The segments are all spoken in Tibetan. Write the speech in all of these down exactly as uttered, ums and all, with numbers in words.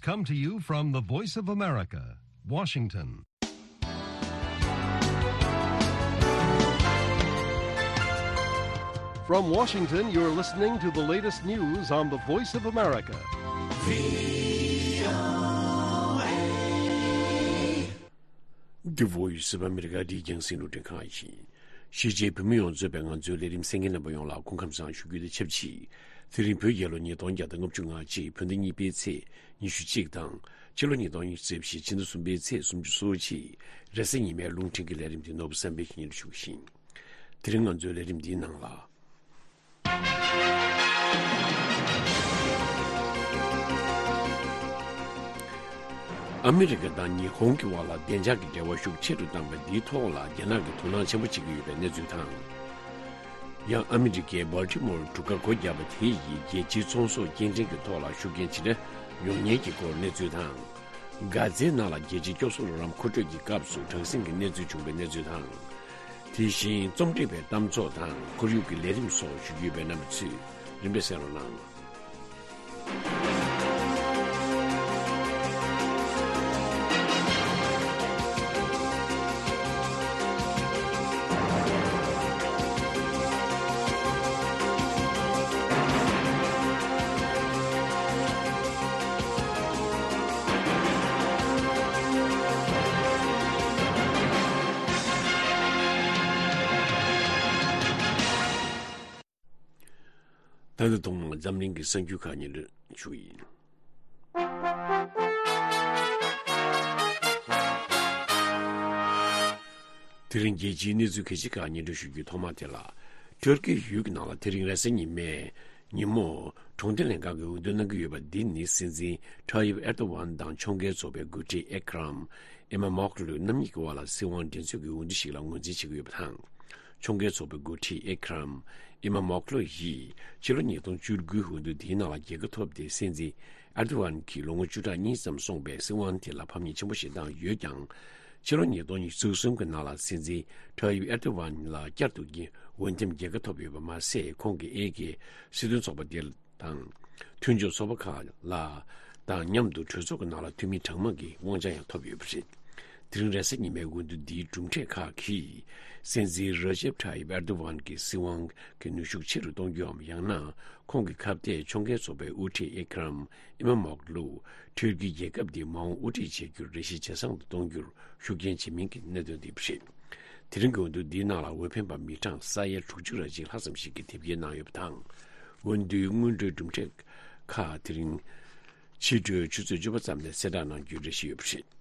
Come to you from the Voice of America, Washington. From Washington, you're listening to the latest news on the Voice of America. The Voice of America འདི་རྒྱང་སྲིང་རླུང་འཕྲིན་ཁང་ཡིན། གཞིས་བྱེས་བོད་མི་ཡོངས་གཙོས་པའི་ང་ཚོའི་ལས་རིམ་གསན་མཁན་རྣམ་པ་ཡོངས་ལ་སྐུ་ཁམས་བཟང་ཞུ་རྒྱུ་དང་ཆབས་ཅིག་དེ་རིང་བོད་རྒྱལ་ལོ་ཉིས་སྟོང་བརྒྱ་དང་ལྔ་བཅུ་ང་གཅིག་བོད་ཟླ་གཉིས་པའི་ཚེས་ཉི་ཤུ་གཅིག་དང་། ཕྱི་ལོ་ཉིས་སྟོང་ཉི་ཤུ་རྩ་བཞི་ཕྱི་ཟླ་གསུམ་པའི་ཚེས་སུམ་ཅུ་སོ་གཅིག་རེས་གཟའ་ཉི་མའི་རླུང་འཕྲིན་གྱི་ལས་རིམ་འདི་ནོར་བུ་བསམ་འཕེལ་གྱིས་སྙན་སྒྲོན་ཞུ་གི་ཡིན། དེ་རིང་ང་ཚོའི་ལས་རིམ་འདིའི་ནང་ལ། ཨ་མི་རི་ཀ་དང་ཉི་ཧོང་གི་དབར་ལ་བདེ་འཇགས་ཀྱི་འབྲེལ་བ་ཤུགས་ཆེ་རུ་བཏང་བ་འདིའི་ཐོག་ལ་རྒྱ་ནག་གིས་དོ་སྣང་ཆེན་པོ་བྱེད་ཀྱི་ཡོད་པའི་གནས་ཚུལ་དང་། ཡང་ཨ་མི་རི་ཀའི་སྦལ་ཊི་མོར་གྲུ་ཁ་སྒོ་བརྒྱབ་པ་དེ་ཡིས་རྒྱལ་སྤྱིའི་ཚོང་ཟོག་སྐྱེལ་འདྲེན་གྱི་ཐོག་ལ་ཤུགས་རྐྱེན་ཇི་འདྲ་ཡོང་ཉེན་གྱི་སྐོར་གནས་ཚུལ་དང་། གྷ་ཛའི་ནང་ལ་རྒྱལ་སྤྱིའི་སྐྱོབ་གསོ་རོགས་རམ་མཁོ་སྤྲོད་ཀྱི་སྐབས་སུ་དྲག་ཟིང་གི་གནས་ཚུལ་བྱུང་བའི་གནས་ཚུལ་དང་། དེ་བཞིན་རྩོམ་སྒྲིག་པའི་གཏམ་ཚོགས་དང་ཁོར་ཡུག་གི་ལས་རིམ་སོགས་ཞུ་རྒྱུ་ཡོད་པའི་རྣམ་པ་ཚོས་རིམ་པས་གསན་རོགས་གནང་། ད་ལྟ་ཐོག་མར་འཛམ་གླིང་གི་གསར་འགྱུར་ཁག་སྙན་སྒྲོན་ཞུ་གི་ཡིན། དེ་རིང་རྒྱལ་སྤྱིའི་གནས་ཚུལ་གལ་ཆེ་ཁག་སྙན་སྒྲོན་ཞུ་རྒྱུའི་ཐོག་མ་དེ་ལ། ཏུར་ཀི་ཡུལ་གྱི་ནང་ལ་དེ་རིང་རེས་གཟའ་ཉི་མའི་ཉིན་མོ་གྲོང་སྡེ་ལྷན་ཁང་གིས་འོས་བསྡུ་གནང་གི་ཡོད་པ་འདི་ནི་སྲིད་འཛིན་ཊ་ཡིབ་ཨེར་ཏོ་ཝན་དང་ཕྱོགས་འགལ་ཚོགས་པའི་འགོ་ཁྲིད་ཨེ་ཀ་རམ་ཨི་མ་མོག་ལུ་རྣམ་གཉིས་ཀྱི་དབར་ལ་སྲིད་དབང་འགྲན་རྩོད་ཀྱི་འོས་བསྡུ་ཞིག་ལ་ངོས་འཛིན་བྱེད་ཀྱི་ཡོད་པ་དང་། ཕྱོགས་འགལ་ཚོགས་པའི་འགོ་ཁྲིད་ཨེ་ཀ་རམ་ཨི་མ་མོག་ལུ་ཡིས་ཕྱི་ལོ་ཉིས་སྟོང་བཅུ་དགུའི་འོས་བསྡུ་དེའི་ནང་ལ་རྒྱལ་ཁ་ཐོབ་སྟེ། སྲིད་འཛིན་ཨེར་ཏོ་ཝན་གྱིས་ལོ་ངོ་བཅུ་ཕྲག་གཉིས་ཙམ་སོང་བའི་སྲིད་དབང་དེ་ལ་ཕམ་ཉེས་ཆེན་པོ་ཞིག་བཏང་ཡོད་ཀྱང་། ཕྱི་ལོ་ཉིས་སྟོང་ཉི་ཤུ་གསུམ་གྱི་ནང་ལ་སྲིད་འཛིན་ཊ་ཡིབ་ཨེར་ཏོ་ཝན་ལ་བསྐྱར་དུ་འོས་འདེམས་རྒྱལ་ཁ་ཐོབ་ཡོད་པ་མ་ཟད། ཁོང་གིས་ཨེ་ཀེ་སྲིད་དོན་ཚོགས་པ་དེ་དང་མཐུན་ཕྱོགས་ཚོགས་པ་ཁག་ལ་དང་མཉམ་དུ་གྲོས་ཚོགས་ཀྱི་ནང་ལ་འཐུས་མི་གྲངས་མང་གི་དབང་ཆ་ཡང་ཐོབ་ཡོད་པ་རེད། དེ་རིང་རེས་གཟའ་ཉི་མའི་འོས་བསྡུ་འདིའི་གྲུབ་འབྲས་ཁག་གིས་སྲིད་འཛིན་ར་ཇེབ་ཊ་ཡིབ་ཨེར་ཏོ་ཝན་གྱི་སྲིད་དབང་གི་ནུས་ཤུགས་ཆེ་རུ་གཏོང་རྒྱུའམ། ཡང་ན་ཁོང་གི་ཁ་གཏད་ཕྱོགས་འགལ་ཚོགས་པའི་དབུ་ཁྲིད་ཨེ་ཀ་རམ་ཨི་མ་མོག་ལུ་ཊུར་ཀི་རྒྱལ་ཁབ་འདི་མ་འོངས་དབུ་ཁྲིད་བྱེད་རྒྱུར་རེ་ཞིག་ཇེ་བཟང་དུ་གཏོང་རྒྱུར་ཤུགས་རྐྱེན་བྱེད་མིན་གྱི་གནད་དོན་འདི་རེད། དེ་རིང་གི་འོས་བསྡུ་འདིའི་ནང་ལ་འོས་འཕེན་པ་མི་གྲངས་ས་ཡ་དྲུག་ཅུ་རེ་གཅིག་ལྷག་ཙམ་ཞིག་གིས་དེབ་སྐྱེལ་གནང་ཡོད་པ་དང་། འོས་བསྡུའི་སྔོན་འགྲོའི་གྲུབ་འབྲས་ཁག་དེ་རིང་ཕྱི་དྲོའི་ཆུ་ཚོད་བཅུ་པ་ཙམ་ནས་གསལ་བསྒྲགས་གནང་རྒྱུའི་རེ་ཞིག་ཡོད་པ་རེད།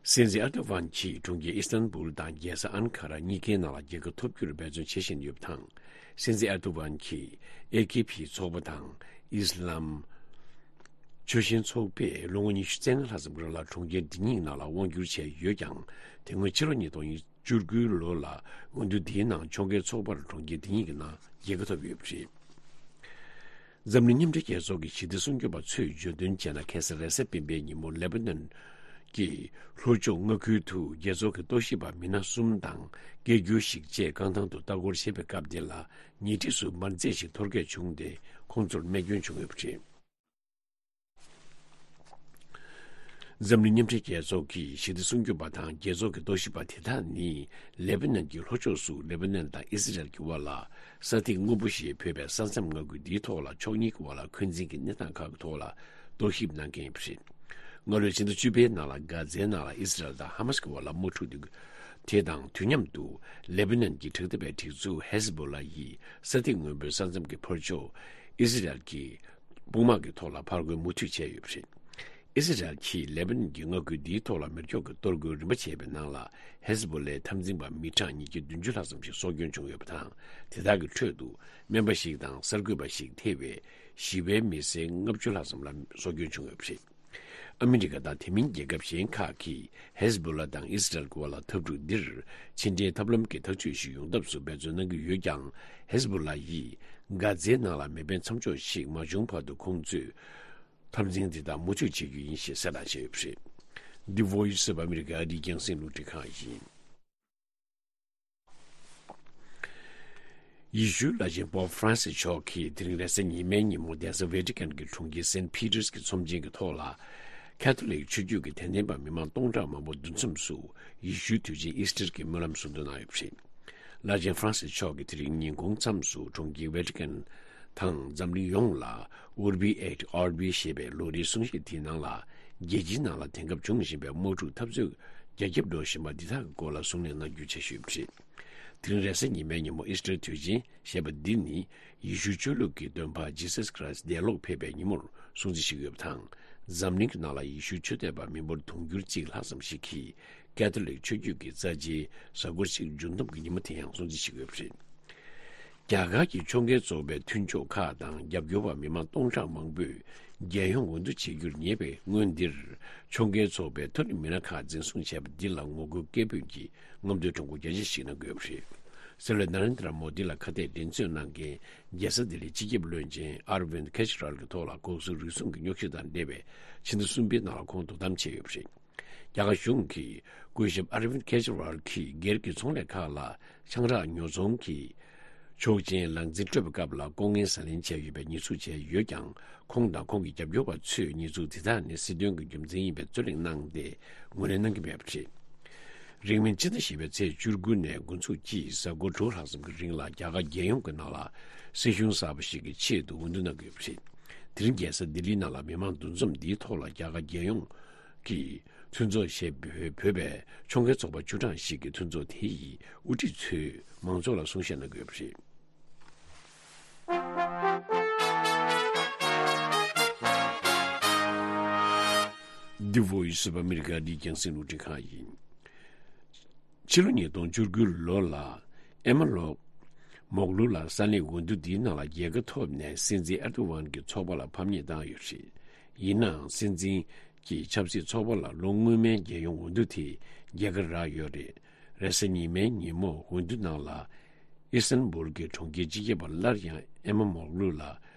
སྲིད་འཛིན་ཨེར་ཏོ་ཝན་གྱིས་གྲོང་ཁྱེར་ཨི་སི་ཐན་བུལ་དང་རྒྱལ་ས་ཨན་ཁ་ར་གཉིས་ཀའི་ནང་ལ་རྒྱལ་ཁ་ཐོབ་རྒྱུར་འབད་བརྩོན་བྱེད་བཞིན་ཡོད་པ་དང་། སྲིད་འཛིན་ཨེར་ཏོ་ཝན་གྱིས་ཨེ་ཀེ་པི་ཚོགས་པ་དང་ཨི་སི་ལམ་ཆོལ་ཞེན་ཚོགས་པས་ལོ་ངོ་ཉི་ཤུ་རྩ་ལྔ་ལྷག་ཙམ་རིང་ལ་གྲོང་ཁྱེར་འདི་གཉིས་ནང་ལ་དབང་བསྒྱུར་བྱས་ཡོད་ཀྱང་། དེ་སྔོན་ཕྱི་ལོ་ཉིས་སྟོང་བཅུ་དགུའི་ལོ་ལ་འོས་བསྡུ་འདིའི་ནང་ཕྱོགས་འགལ་ཚོགས་པར་གྲོང་ཁྱེར་འདི་གཉིས་ཀྱི་ནང་རྒྱལ་ཁ་ཐོབ་ཡོད་པ་རེད། འཛམ་གླིང་མཉམ་འབྲེལ་རྒྱལ་ཚོགས་ཀྱི་ཞི་བདེ་སྲུང་སྐྱོབ་པ་ཚོས་བརྗོད་དོན་བྱས་ན། ཁ་སང་རེས་གཟའ་སྤེན་པའི་ཉིན་མོ་ལེ་པ་ནན་གྱི་ལྷོ་ཕྱོགས་མངའ་ཁུལ་དུ་རྒྱལ་ཚོགས་ཀྱི་རྟོག་ཞིབ་པ་མི་སྣ་གསུམ་དང་སྐད་སྒྱུར་ཞིག་བཅས་རྐང་ཐང་དུ་ལྟ་སྐོར་བྱེད་པའི་སྐབས་དེ་ལ་ཉེ་འཁྲིས་སུ་མ་རྫས་ཤིག་ཐོར་རྒྱག་བྱུང་སྟེ། ཁོང་ཚོར་རྨས་སྐྱོན་བྱུང་ཡོད་པ་རེད། འཛམ་གླིང་མཉམ་འབྲེལ་རྒྱལ་ཚོགས་ཀྱི་ཞི་བདེ་སྲུང་སྐྱོབ་པ་དང་རྒྱལ་ཚོགས་ཀྱི་རྟོག་ཞིབ་པ་དེ་དག་ནི་ལེ་པ་ནན་གྱི་ལྷོ་ཕྱོགས་སུ་ལེ་པ་ནན་དང་ཨི་སི་རལ་གྱི་དབར་ལ་ས་ཐིག་སྔོན་པོ་ཞེས་འབོད་པའི་ས་མཚམས་མངའ་ཁུལ་འདིའི་ཐོག་ལ་ཕྱོགས་གཉིས་ཀྱི་དབར་ལ་འཁོན་འཛིན་གྱི་གནས་སྟངས་ཁག་གི་ཐོག་ལ་རྟོག་ཞིབ་གནང་མཁན་ཡིན་པ་རེད། སྔ་ལོའི་ཕྱི་ཟླ་བཅུ་པའི་ནང་ལ་གྷ་ཛའི་ནང་ལ་ཨི་སི་རལ་དང་ཧ་མ་སི་ཀྱི་དབར་ལ་དམག་འཁྲུག་དེ་དང་དུས་མཉམ་དུ་ལེ་པ་ནན་གྱི་དྲག་འཐབ་པའི་སྒྲིག་འཛུགས་ཧེ་ཟི་བྷོ་ལ་ཡིས་ས་ཐིག་སྔོན་པོའི་ས་མཚམས་ཀྱི་ཕར་ཕྱོགས་ཨི་སི་རལ་གྱི་དཔུང་དམག་གི་ཐོག་ལ་ཕར་རྒོལ་མུ་མཐུད་བྱས་ཡོད་པ་རེད། ཨི་སི་རལ་གྱིས་ལེ་པ་ནན་གྱི་མངའ་ཁུལ་འདིའི་ཐོག་ལ་མེ་སྒྱོགས་ཀྱི་གཏོར་རྒོལ་རིམ་པ་བྱས་པའི་ནང་ལ་ཧེ་ཟི་བྷོ་ལའི་འཐབ་འཛིང་པ་མི་གྲངས་ཉིས་བརྒྱ་བདུན་ཅུ་ལྷག་ཙམ་ཞིག་སྲོག་སྐྱོན་བྱུང་ཡོད་པ་དང་། དེ་དག་གི་ཁྲོད་དུ་སྨན་པ་ཞིག་དང་གསར་འགོད་པ་ཞིག་ཐེ་བའི་ཞི་བའི་མི་སེར་ལྔ་བཅུ་ལྷག་ཙམ་ལ་སྲོག་སྐྱོན་བྱུང་ཡོད་པ་རེད། ཨ་མི་རི་ཀ་དང་དེ་མིན་རྒྱལ་ཁབ་གཞན་ཁག་གིས་ཧེ་ཟི་བྷོ་ལ་དང་ཨི་སི་རལ་གྱི་དབར་ལ་འཐབ་འཁྲུག་འདིར་ཕྱི་འབྲེལ་ཐབས་ལམ་གྱི་ཐག་གཅོད་ཞིག་ཡོང་ཐབས་སུ་འབད་བརྩོན་གནང་གི་ཡོད་ཀྱང་། ཧེ་ཟི་བྷོ་ལ་ཡིས་གྷ་ཛའི་ནང་ལ་མེ་འཕེན་མཚམས་འཇོག་ཞིག་མ་བྱུང་བར་དུ་ཁོང་ཚོས་འཐབ་འཛིང་འདི་དག་མུ་མཐུད་བྱེད་རྒྱུ་ཡིན་ཞེས་གསལ་བསྒྲགས་བྱས་ཡོད་པ་རེད། འདི་Voice of America ཨ་རིའི་རྒྱང་སྲིང་རླུང་འཕྲིན་ཁང་ཡིན། ཡེ་ཤུའི་བླ་ཆེན་པོབ་ཧྥ་རན་སིས་མཆོག་གིས་དེ་རིང་རེས་གཟའ་ཉི་མའི་ཉིན་མོ་གདན་ས་ཝེ་ཏི་ཀན་གྱི་གྲོང་ཁྱེར་སེན་ཕི་ཏེར་གྱི་ཚོམས་ཆེན་གྱི་ཐོག་ལ། ཁ་ཐོ་ལིག་ཆོས་བརྒྱུད་ཀྱི་དད་ལྡན་པ་མི་མང་སྟོང་ཕྲག་མང་པོ་འདུ་འཛོམས་སུ་ཡེ་ཤུའི་དུས་ཆེན་ཨིས་ཊར་གྱི་སྨོན་ལམ་གསུང་དོན་གནང་ཡོད་པ་རེད། བླ་ཆེན་ཧྥ་རན་སིས་མཆོག་གིས་དེ་རིང་ཉིན་གུང་མཚམས་སུ་གྲོང་ཁྱེར་ཝེ་ཊི་ཀན་དང་འཛམ་གླིང་ཡོངས་ལ་Urbi et Orbi ཞེས་པའི་ལོ་རེའི་གསུང་བཤད་དེའི་ནང་ལ། རྒྱལ་སྤྱིའི་ནང་ལ་དེང་སྐབས་འབྱུང་བཞིན་པའི་དམག་འཁྲུག་འཐབ་རྩོད་རྒྱ་ཁྱབ་འགྲོ་བཞིན་པ་འདི་དག་གི་སྐོར་ལ་གསུང་གླེང་གནང་རྒྱུའི་འཆར་གཞི་ཡོད་པ་རེད། དེ་རིང་རེས་གཟའ་ཉི་མའི་ཉིན་མོ་ཨིས་ཊར་དུས་ཆེན་ཞེས་པ་འདི་ནི། ཡེ་ཤུའི་ཆོས་ལུགས་ཀྱི་སྟོན་པ་Jesus Christ འདས་ལོག་ཕེབས་པའི་ཉིན་མོར་སྲུང་བརྩི་ཞུས་ཡོད་པ་དང་། འཛམ་གླིང་གི་ནང་ལ་ཡེ་ཤུའི་ཆོས་དད་པ་མི་འབོར་དུང་ཕྱུར་གཅིག་ལྷག་ཙམ་ཞིག་གིས་ཀེ་ཐོ་ལིག་ཆོས་བརྒྱུད་ཀྱི་རྩ་ཆེའི་གཟའ་འཁོར་གཅིག་འབྱུང་སྟོབས་ཀྱི་ཉིན་མོ་དེ་ཡང་སྲུང་བརྩི་ཞུས་ཡོད་པ་རེད། རྒྱ་གར་གྱི་ཕྱོགས་འགལ་ཚོགས་པའི་མཐུན་ཕྱོགས་ཁག་དང་རྒྱབ་སྐྱོར་བ་མི་མང་སྟོང་ཕྲག་མང་པོས་རྒྱལ་ཡོངས་འོས་བསྡུ་བྱེད་རྒྱུར་ཉེ་བའི་སྔོན་འདིར། ཕྱོགས་འགལ་ཚོགས་པའི་མཐོ་རིམ་མི་སྣ་ཁག་འཛིན་བཟུང་བྱས་པ་འདི་ལ་ངོ་རྒོལ་སྐད་འབོད་ཀྱིས་རྔམ་སྟོན་ཁྲོམ་སྐོར་རྒྱ་ཆེ་ཞིག་གནང་དགོས་པ་རེད། སྲིད་བློན་ནཱ་རེན་དྲ་མོ་དི་ལ་ཁ་གཏད་འགྲན་རྩོད་གནང་མཁན་རྒྱལ་ས་ལྡི་ལིའི་སྤྱི་ཁྱབ་བློན་ཆེན་ཨར་ཝིན་ཁེ་ཇི་རལ་གྱི་ཐོག་ལ་གོང་ཞུས་རུལ་སུངས་ཀྱི་རྙོག་དྲ་དང་འབྲེལ་བའི་ཕྱི་ཟླ་གསུམ་པའི་ནང་ལ་ཁོང་དོ་དམ་བྱས་ཡོད་པ་རེད། རྒྱ་གར་གཞུང་གིས་སྐུ་ཞབས་ཨར་ཝིན་ཁེ་ཇི་རལ་གྱིས་སྒེར་གྱི་ཚོང་ལས་ཁག་ལ་ཆང་རག་ཉོ་ཚོང་གི་ཆོག་མཆན་ལག་འཛིན་སྤྲོད་པའི་སྐབས་ལ་ལྐོག་རྔན་ཟ་ལེན་བྱས་ཡོད་པའི་ཉེས་འཛུགས་བྱས་ཡོད་ཀྱང་། ཁོང་དང་ཁོང་གི་རྒྱབ་སྐྱོར་བ་ཚོས་ཉེས་འཛུགས་དེ་དག་ནི་སྲིད་དོན་གྱི་རྒྱུ་མཚན་ཡིན་པའི་རྩོད་གླེང་གནང་སྟེ་ངོས་ལེན་གནང་གི་མེད་པ་རེད། རིང་མིན་སྤྱི་ཟླ་བཞི་པའི་ཚེས་བཅུ་དགུ་ནས་འགོ་འཛུགས་ཀྱིས་གཟའ་འཁོར་དྲུག་ལྷག་ཙམ་གྱི་རིང་ལ་རྒྱ་གར་རྒྱལ་ཡོངས་ཀྱི་ནང་ལ་སྲིད་གཞུང་གསར་པ་ཞིག་གི་ཆེད་དུ་འོས་བསྡུ་གནང་གི་ཡོད་པ་རེད། དེ་རིང་རྒྱལ་ས་ལྡི་ལིའི་ནང་ལ་མི་མང་འདུ་འཛོམས་འདིའི་ཐོག་ལ་རྒྱ་གར་རྒྱལ་ཡོངས་ཀྱི་མཐུན་ཚོགས་ཞེས་འབོད་པའི་ཕྱོགས་འགལ་ཚོགས་པ་བཅུ་གྲངས་ཤིག་གི་མཐུན་ཚོགས་དེ་ཡི་དབུ་ཁྲིད་ཚོས་མང་ཚོགས་ལ་གསུང་བཤད་གནང་གི་ཡོད་པ་རེད། The Voice of America འདི་རྒྱང་སྲིང་རླུང་འཕྲིན་ཁང་ཡིན། ཕྱི་ལོ་ཉིས་སྟོང་བཅུ་དགུ་ལོ་ལ་ཨེ་མ་ལོག་མོག་ལུ་ལ་ས་གནས་འོས་བསྡུ་འདིའི་ནང་ལ་རྒྱལ་ཁ་ཐོབ་ནས་སྲིད་འཛིན་ཨེར་ཏོ་ཝན་གྱི་ཚོགས་པ་ལ་ཕམ་ཉེས་བཏང་ཡོད་རེད། ཡིན་ནའང་སྲིད་འཛིན་གྱི་ཆབ་སྲིད་ཚོགས་པ་ལ་ལོ་སྔོན་མའི་རྒྱལ་ཡོངས་འོས་བསྡུ་དེ་རྒྱལ་ཁ་རག་ཡོད་རེད། རེས་གཟའ་ཉི་མའི་ཉིན་མོ་འོས་བསྡུ་ནང་ལ་ཨི་སི་ཏན་བུལ་གྱི་གྲོང་ཁྱེར་སྤྱི་ཁྱབ་པ་སླར་ཡང་ཨེ་མ་མོག་ལུ་ལ་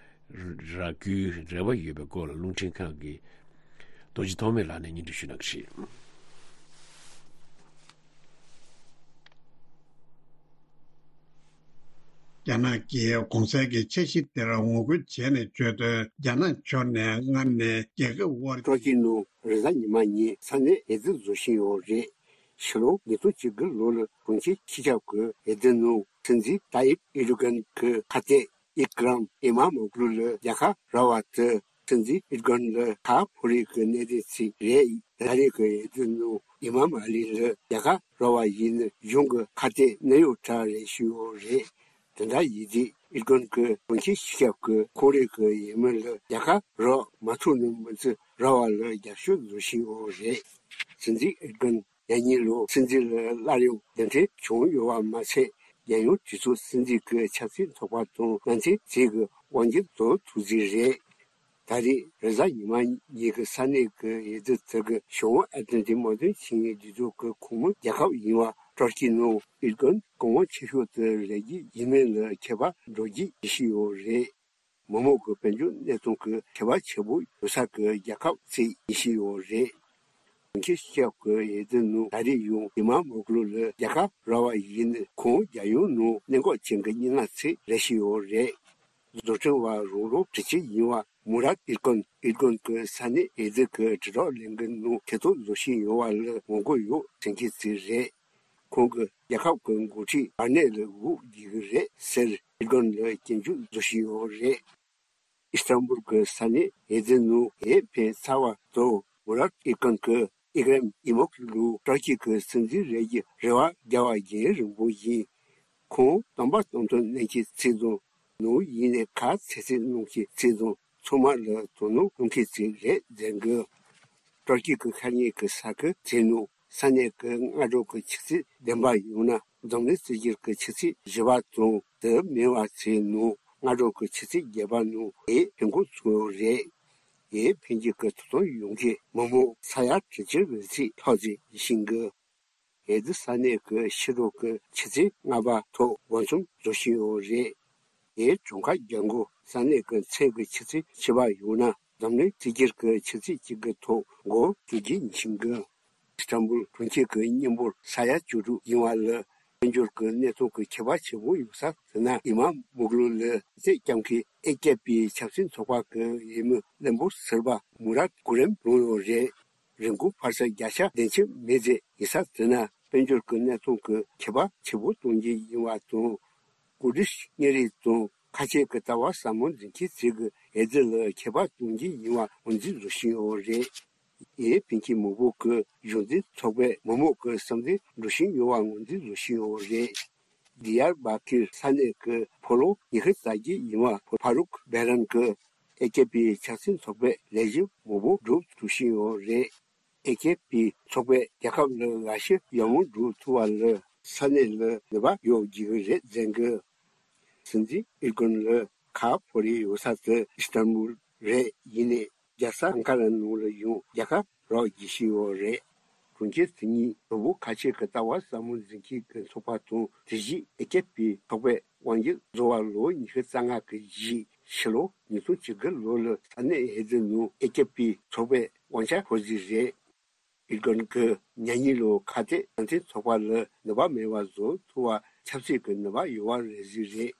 རག་རྒྱུའི་རེ་བ་ཡོད་པའི་སྐོར་ལ་རླུང་འཕྲིན་ཁང་གི་རྡོ་རྗེ་ཐོགས་མེད་ལགས་ནས་སྙན་སྒྲོན་ཞུ་གནང་གི་རེད། རྒྱ་ནག་གིས་གོང་གསལ་གྱི་འཆར་གཞི་དེར་ངོ་རྒོལ་བྱས་ནས་བརྗོད་དོན། རྒྱ་ནག་ཕྱོགས་ནས་སྔར་ནས་རྒྱལ་ཁབ་དབར་ཀྲོ་ཅི་ནུ་རེས་གཟའ་ཉི་མ་ཉིན་ས་གནས་འོས་བསྡུ་བཟོ་བཞིན་ཡོད་རེད། ཕྱི་ལོ་ཉིས་སྟོང་བཅུ་དགུ་ལོ་ལ་གྲོང་ཁྱེར་སྤྱི་ཁྱབ་ཀྱི་འོས་བསྡུ་ནང་སྲིད་འཛིན་ཏཱ་ཡིབ་ཨེར་ཌོ་གྷན་གྱི་ཁ་གཏད་ཨི་ཀ་རམ་ཨི་མ་མོག་ལུ་ལ་རྒྱལ་ཁ་རག་པ་དེ་སྲིད་འཛིན་ཨེར་ཌོ་གྷན་ལ་ཁག་ཕོག་རེས་ཀྱི་གནད་དོན་ཞིག་རེད། ད་རེས་ཀྱི་འོས་བསྡུ་ནང་ཨི་མ་མ་ལི་ལ་རྒྱལ་ཁ་རག་པ་ཡིན་ན་གཞུང་གི་ཁ་གཏད་གནད་ཡོད་དྲགས་རེད་ཞུས་ཡོད་རེད། དེ་འདྲ་ཡིན་དུས་ཨེར་ཌོ་གྷན་གྱིས་གྲོང་ཁྱེར་སྤྱི་ཁྱབ་ཀྱི་ཁོངས་རིགས་ཀྱི་འོས་མི་ལ་རྒྱལ་ཁ་རག་མ་ཐུབ་ན་མི་ཚེ་རག་པ་ལ་རྒྱབ་སྐྱོར་བཟོ་བཞིན་ཡོད་རེད། སྲིད་འཛིན་ཨེར་ཌོ་གྷན་ཡང་སྙིང་ལོ་སྲིད་འཛིན་ལ་སླར་ཡང་གདན་འདྲེན་བྱུང་ཡོད་པ་མ་ཚད། རྒྱལ་ཡོངས་གྲོས་ཚོགས་སྲིད་འཛིན་གྱི་ཆབ་སྲིད་ཚོགས་པ་དང་མཉམ་འབྲེལ་བྱེད་ཀྱི་དབང་སྒྱུར་དང་ཐུག་རྩིས་རེད། ད་རེས་རེས་གཟའ་ཉི་མ་ཉིན་གྱི་ས་གནས་ཀྱི་འོས་བསྡུ་དེ་གི་བྱང་ཨ་ཏི་ལན་ཏིག་དམག་དོན་ཆིངས་ཡིག་འདི་ཚོ་གི་ཁོངས་མི་རྒྱལ་ཁབ་ཡིན་པ་ཏུར་ཀི་ནང་ཨེར་ཌོ་གྷན་གོང་འོག་ཆེ་ཤོས་དེ་རེད་ཀྱི་ཡིན་མིན་ལ་ཁྱད་པར་འགྲོ་རྒྱུ་ཡིན་ཞུས་ཡོད་རེད། མི་མང་གི་དཔལ་འབྱོར་གནས་སྟངས་ཀྱི་ཁྱད་པར་ཆེན་པོ་ཡོད་ས་ཀྱི་རྒྱལ་ཁབ་ཅིག་ཡིན་ཞུས་ཡོད་རེད། གྲོང་ཁྱེར་སྤྱི་ཁྱབ་ཀྱི་འོས་བསྡུ་ནང་ད་རེས་ཡང་ཨི་མ་མོག་ལུ་ལ་རྒྱལ་ཁ་རག་པ་ཡིན་ན་ཁོང་རྒྱལ་ཡོངས་ནང་གནད་འགག་ཅན་གྱི་མི་སྣ་ཅིག་རེད་ཞུས་ཡོད་རེད། བཟོ་སྐྲུན་པ་རང་རང་གྲས་ཅིག་ཡིན་པ་མུ་རཱད་ཨེར་ཀོན། ཨེར་ཀོན་གྱིས་ས་གནས་འོས་བསྡུ་གི་དྲིལ་བསྒྲགས་ལས་འགུལ་ནང་ཐེ་གཏོགས་བཟོ་བཞིན་ཡོད་པ་ལ་ངོ་རྒོལ་ཡོད་ཟེར་མཁན་ཅིག་རེད། ཁོང་གིས་རྒྱལ་ཁབ་ཀྱི་འགོ་ཁྲིད་བར་གནས་ལ་འགོག་རྒྱག་གི་རེད་ཟེར་ཨེར་ཀོན་ལ་སྐྱོན་བརྗོད་བཟོ་བཞིན་ཡོད་རེད། ཨི་སི་ཏན་བུལ་གྱི་ས་གནས་འོས་བསྡུ་ནང་འོས་འཕེན་ཚར་བ་དང་མུ་རཱད་ཨེར་ཀོན་གྱིས་ཨི་ཀ་རེམ་ཨི་མོག་ལུ་ཏུར་ཀི་གི་སྲིད་འཛིན་རེད་ཀྱི་རེ་བ་རྒྱག་པ་རྒྱུན་རིང་པོ་ཡིན། ཁོང་བསྟན་པ་དམ་དུ་གནས་ཀྱི་ཚིག་དང་ནང་ཡིན་ནས་ཁ་ཚིག་ཚིག་གནང་གི་ཚིག་དང་ཚང་མ་ལ་དོ་སྣང་གནང་མཁན་ཅིག་རེད་ཟེར་གི། ཏུར་ཀི་གི་ཤར་ཉེ་གི་ས་ཁུལ་དེ་ནང་ས་གནས་ཀྱི་སྔ་དྲོ་གི་ཆུ་ཚོད་བདུན་པ་ཡང་ན་འཛམ་གླིང་སྲིད་འགྱུར་གྱི་ཆུ་ཚོད་བཞི་པ་དང་དེ་མིན་པ་ཚོའི་ནང་སྔ་དྲོ་གི་ཆུ་ཚོད་བརྒྱད་པ་ནང་འོས་འཕེན་འགོ་ཚུགས་ཡོད་རེད། འོས་འཕེན་རྒྱུ་གི་ཐོབ་ཐང་ཡོད་མཁན་མི་མང་ས་ཡ་དྲུག་ཅུ་རེ་གཅིག་ལྷག་ཙམ་ཡིན་གི། འོས་བསྡུ་ས་གནས་ཀྱི་ཕྱི་དྲོ་གི་ཆུ་ཚོད་ལྔ་པ་ཐོག་འགོ་འཛིན་བཟོ་བཞིན་ཡོད་རེད། འོས་གྲངས་ཀ་རྒྱག་འགོ་ས་གནས་ཀྱི་མཚན་གྱི་ཆུ་ཚོད་བཅུ་པ་ཡང་ན་འཛམ་གླིང་སྲིད་འགྱུར་གྱི་ཆུ་ཚོད་གཅིག་གི་ཐོག་འགོ་བཙུགས་རྒྱུ་ཡིན་གི། ཨི་སི་ཏན་བུལ་གྲོང་ཁྱེར་གྱི་མི་འབོར་ས་ཡ་བཅུ་དྲུག་ཡིན་པ་ལ་ དཔལ་འབྱོར་གྱི་གནས་སྟངས་ཀྱི་ཁྱད་པར་ཆེན་པོ་ཡོད་ས་ཟེར་ན། ཨི་མ་མུག་ལུ་ལ་རྩེད་རྐྱང་གི་ཨེ་ཀེ་པི་ཆབ་སྲིད་ཚོགས་པ་གི་འོས་མི་བློན་པོ་ཟུར་པ་མུ་ར་ཀུ་རེམ་བླངས་ཡོད་རེད། རིན་གོང་འཕར་ཆ་བརྒྱ་ཆ་བདུན་ཅུ་མེད་ཟེར་ཡིན་ས་ཟེར་ན། དཔལ་འབྱོར་གྱི་གནས་སྟངས་ཀྱི་ཁྱད་པར་ཆེན་པོ་གཏོང་རྒྱུ་ཡིན་པ་དང་། ཀུར་དིཤ་གཉེར་རིགས་དང་ཁ་ཆེ་གི་ལྟ་བ་ཟབ་མོ་འཛིན་མཁན་ཚོས་ཀྱི་འོས་བསྡུ་ལ་ཁྱད་པར་གཏོང་རྒྱུ་ཡིན་པ་ངོས་འཛིན་བཟོ་བཞིན་ཡོད་རེད། ཨེ་ཕིན་གྱི་མང་པོ་གི་གཞུང་འཛིན་ཚོགས་པས་མི་མང་གི་བསམ་ཚུལ་འགྲོ་བཞིན་ཡོད་པ་ངོས་འཛིན་བཟོ་བཞིན་ཡོད་རེད། དི་ཡར་བ་ཀིར་ས་གནས་ཀྱི་ཕོ་ལོ་ཉི་ཤུ་རྩ་བརྒྱད་ཡིན་པ་ཕ་རུག་བེ་རན་གྱིས་ཨེ་ཀེ་པི་ཆབ་སྲིད་ཚོགས་པའི་ལས་གཞི་མང་པོ་སྒྲུབ་ཐུབ་བཞིན་ཡོད་རེད། ཨེ་ཀེ་པི་ཚོགས་པས་རྒྱལ་ཁབ་ལ་འགའ་ཤས་ཡག་མོ་སྒྲུབ་ཐུབ་པ་ལ་ས་གནས་ལ་ནུས་པ་ཡོད་རྒྱུ་རེད་ཟེར་གི། སྲིད་འཛིན་ཨེར་དགོན་ལ་ཁ་ཕོ་རེ་ཡོད་ས་དེ་ཨི་སྟན་བུལ་རེད། ཡིན་ནའི་རྒྱལ་ས་ཨང་ཀ་ར་ནང་ལ་ཡང་རྒྱལ་ཁ་རོགས་བགྱིད་བཞིན་ཡོད་རེད། གྲོང་ཁྱེར་དེ་གཉིས་གྲོགས་པོ་ཁ་ཆེ་གི་ལྟ་བ་ཟབ་མོ་འཛིན་མཁན་གྱི་ཚོགས་པ་དང་། དེ་བཞིན་ཨེ་ཀེ་པི་ཚོགས་པས་དབང་སྒྱུར་བཟོ་བ་ལོ་ཉི་ཤུ་རྩ་ལྔ་གི་རྗེས་ཕྱི་ལོ་ཉིས་སྟོང་བཅུ་དགུ་ལོ་ལ་ས་གནས་འོས་བསྡུ་ནང་ཨེ་ཀེ་པི་ཚོགས་པས་དབང་ཆ་འཁོར་རྩིས་རེད། ཨེར་དགོན་གྱིས་མྱ་ངན་ལུ་ཁ་གཏད་གྲངས་འཛིན་ཚོགས་པ་ལ་ནུས་པ་མེད་པ་བཟོ་ཐུབ་པ་ཆབ་སྲིད་ཀྱི་ནུས་པ་ཡོད་པ་རེད་ཟེར་རེད།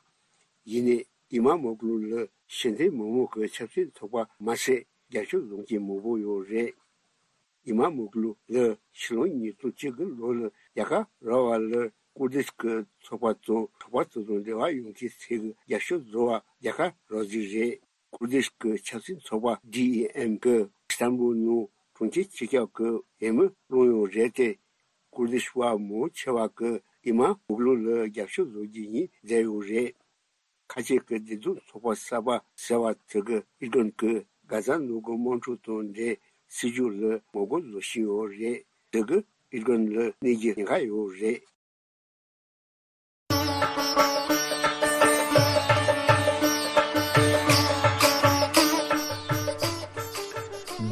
ཡིན་ནའི་ཨི་མ་མོག་ལུ་ལ་ཤེས་ལྡན་མི་མང་གི་ཆབ་སྲིད་ཚོགས་པ་མ་ཟད་རྒྱབ་སྐྱོར་བཟོ་མཁན་མང་པོ་ཡོད་རེད། ཨི་མ་མོག་ལུ་ལ་ཕྱི་ལོ་ཉིས་སྟོང་བཅུ་དགུ་ལོ་ལ་རྒྱལ་ཁ་རག་པ་ལ་ཀུར་དིཤ་གི་ཚོགས་པ་དང་ཚོགས་པ་དེ་དང་འབྲེལ་བ་ཡོད་མཁན་ཚོས་ཀྱི་རྒྱབ་སྐྱོར་བཟོ་བ་རྒྱལ་ཁ་རག་རྩིས་རེད། ཀུར་དིཤ་གི་ཆབ་སྲིད་ཚོགས་པ་ཌི་ཨི་ཨེམ་གྱིས་ཨི་སྟན་བུལ་ནང་གྲོང་ཁྱེར་སྤྱི་ཁྱབ་ཀྱི་འོས་མི་བླངས་ཡོད་རེད་དེ། ཀུར་དིཤ་བ་མང་ཆེ་བ་གིས་ཨི་མ་མོག་ལུ་ལ་རྒྱབ་སྐྱོར་བཟོ་རྒྱུ་ཡིན་བསྡད་ཡོད་རེད། ཁ་ཆེ་གི་བདེ་སྡུག་ཚོགས་པ་གསར་པ་ཟེར་བ་དེ་གིས་ཨེར་དགོན་གྱིས་གྷ་ཛ་ནང་གི་དམག་འཁྲུག་དང་འབྲེལ་སྲིད་ཇུས་ལ་ངོ་རྒོལ་བཟོ་བཞིན་ཡོད་རེད། དེ་གིས་ཨེར་དགོན་ལ་གནོད་རྒྱུ་ཉེན་ཁ་ཡོད་རེད།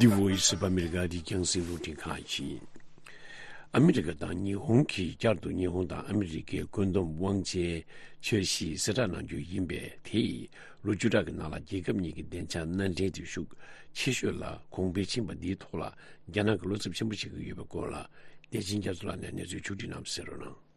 The Voice of America འདི་རྒྱང་སྲིང་རླུང་འཕྲིན་ཁང་ཡིན། ཨ་མི་རི་ཀ་དང་ཉི་ཧོང་གིས་བསྐྱར་དུ་ཉི་ཧོང་དང་ཨ་མི་རི་ཀའི་བཀོད་འདོམས་དབང་ཆའི་འཆར་གཞི་གསལ་བསྒྲགས་གནང་རྒྱུ་ཡིན་པས། དེས་ལོ་བཅུ་ཕྲག་གི་ནང་ལ་རྒྱལ་ཁབ་གཉིས་ཀྱི་བདེ་འཇགས་མནའ་འབྲེལ་དེ་ཤུགས་ཆེ་ཤོས་ལ་གོང་འཕེལ་ཕྱིན་པ་འདིའི་ཐོག་ལ་རྒྱ་ནག་གིས་བློ་འཚབ་ཆེན་པོ་བྱེད་ཀྱི་ཡོད་པའི་སྐོར་ལ། བདེ་ཆེན་རྒྱ་མཚོ་ལགས་ནས་གནས་ཚུལ་ཕྱོགས་བསྒྲིགས་གནང་བ་གསན་རོགས་གནང་།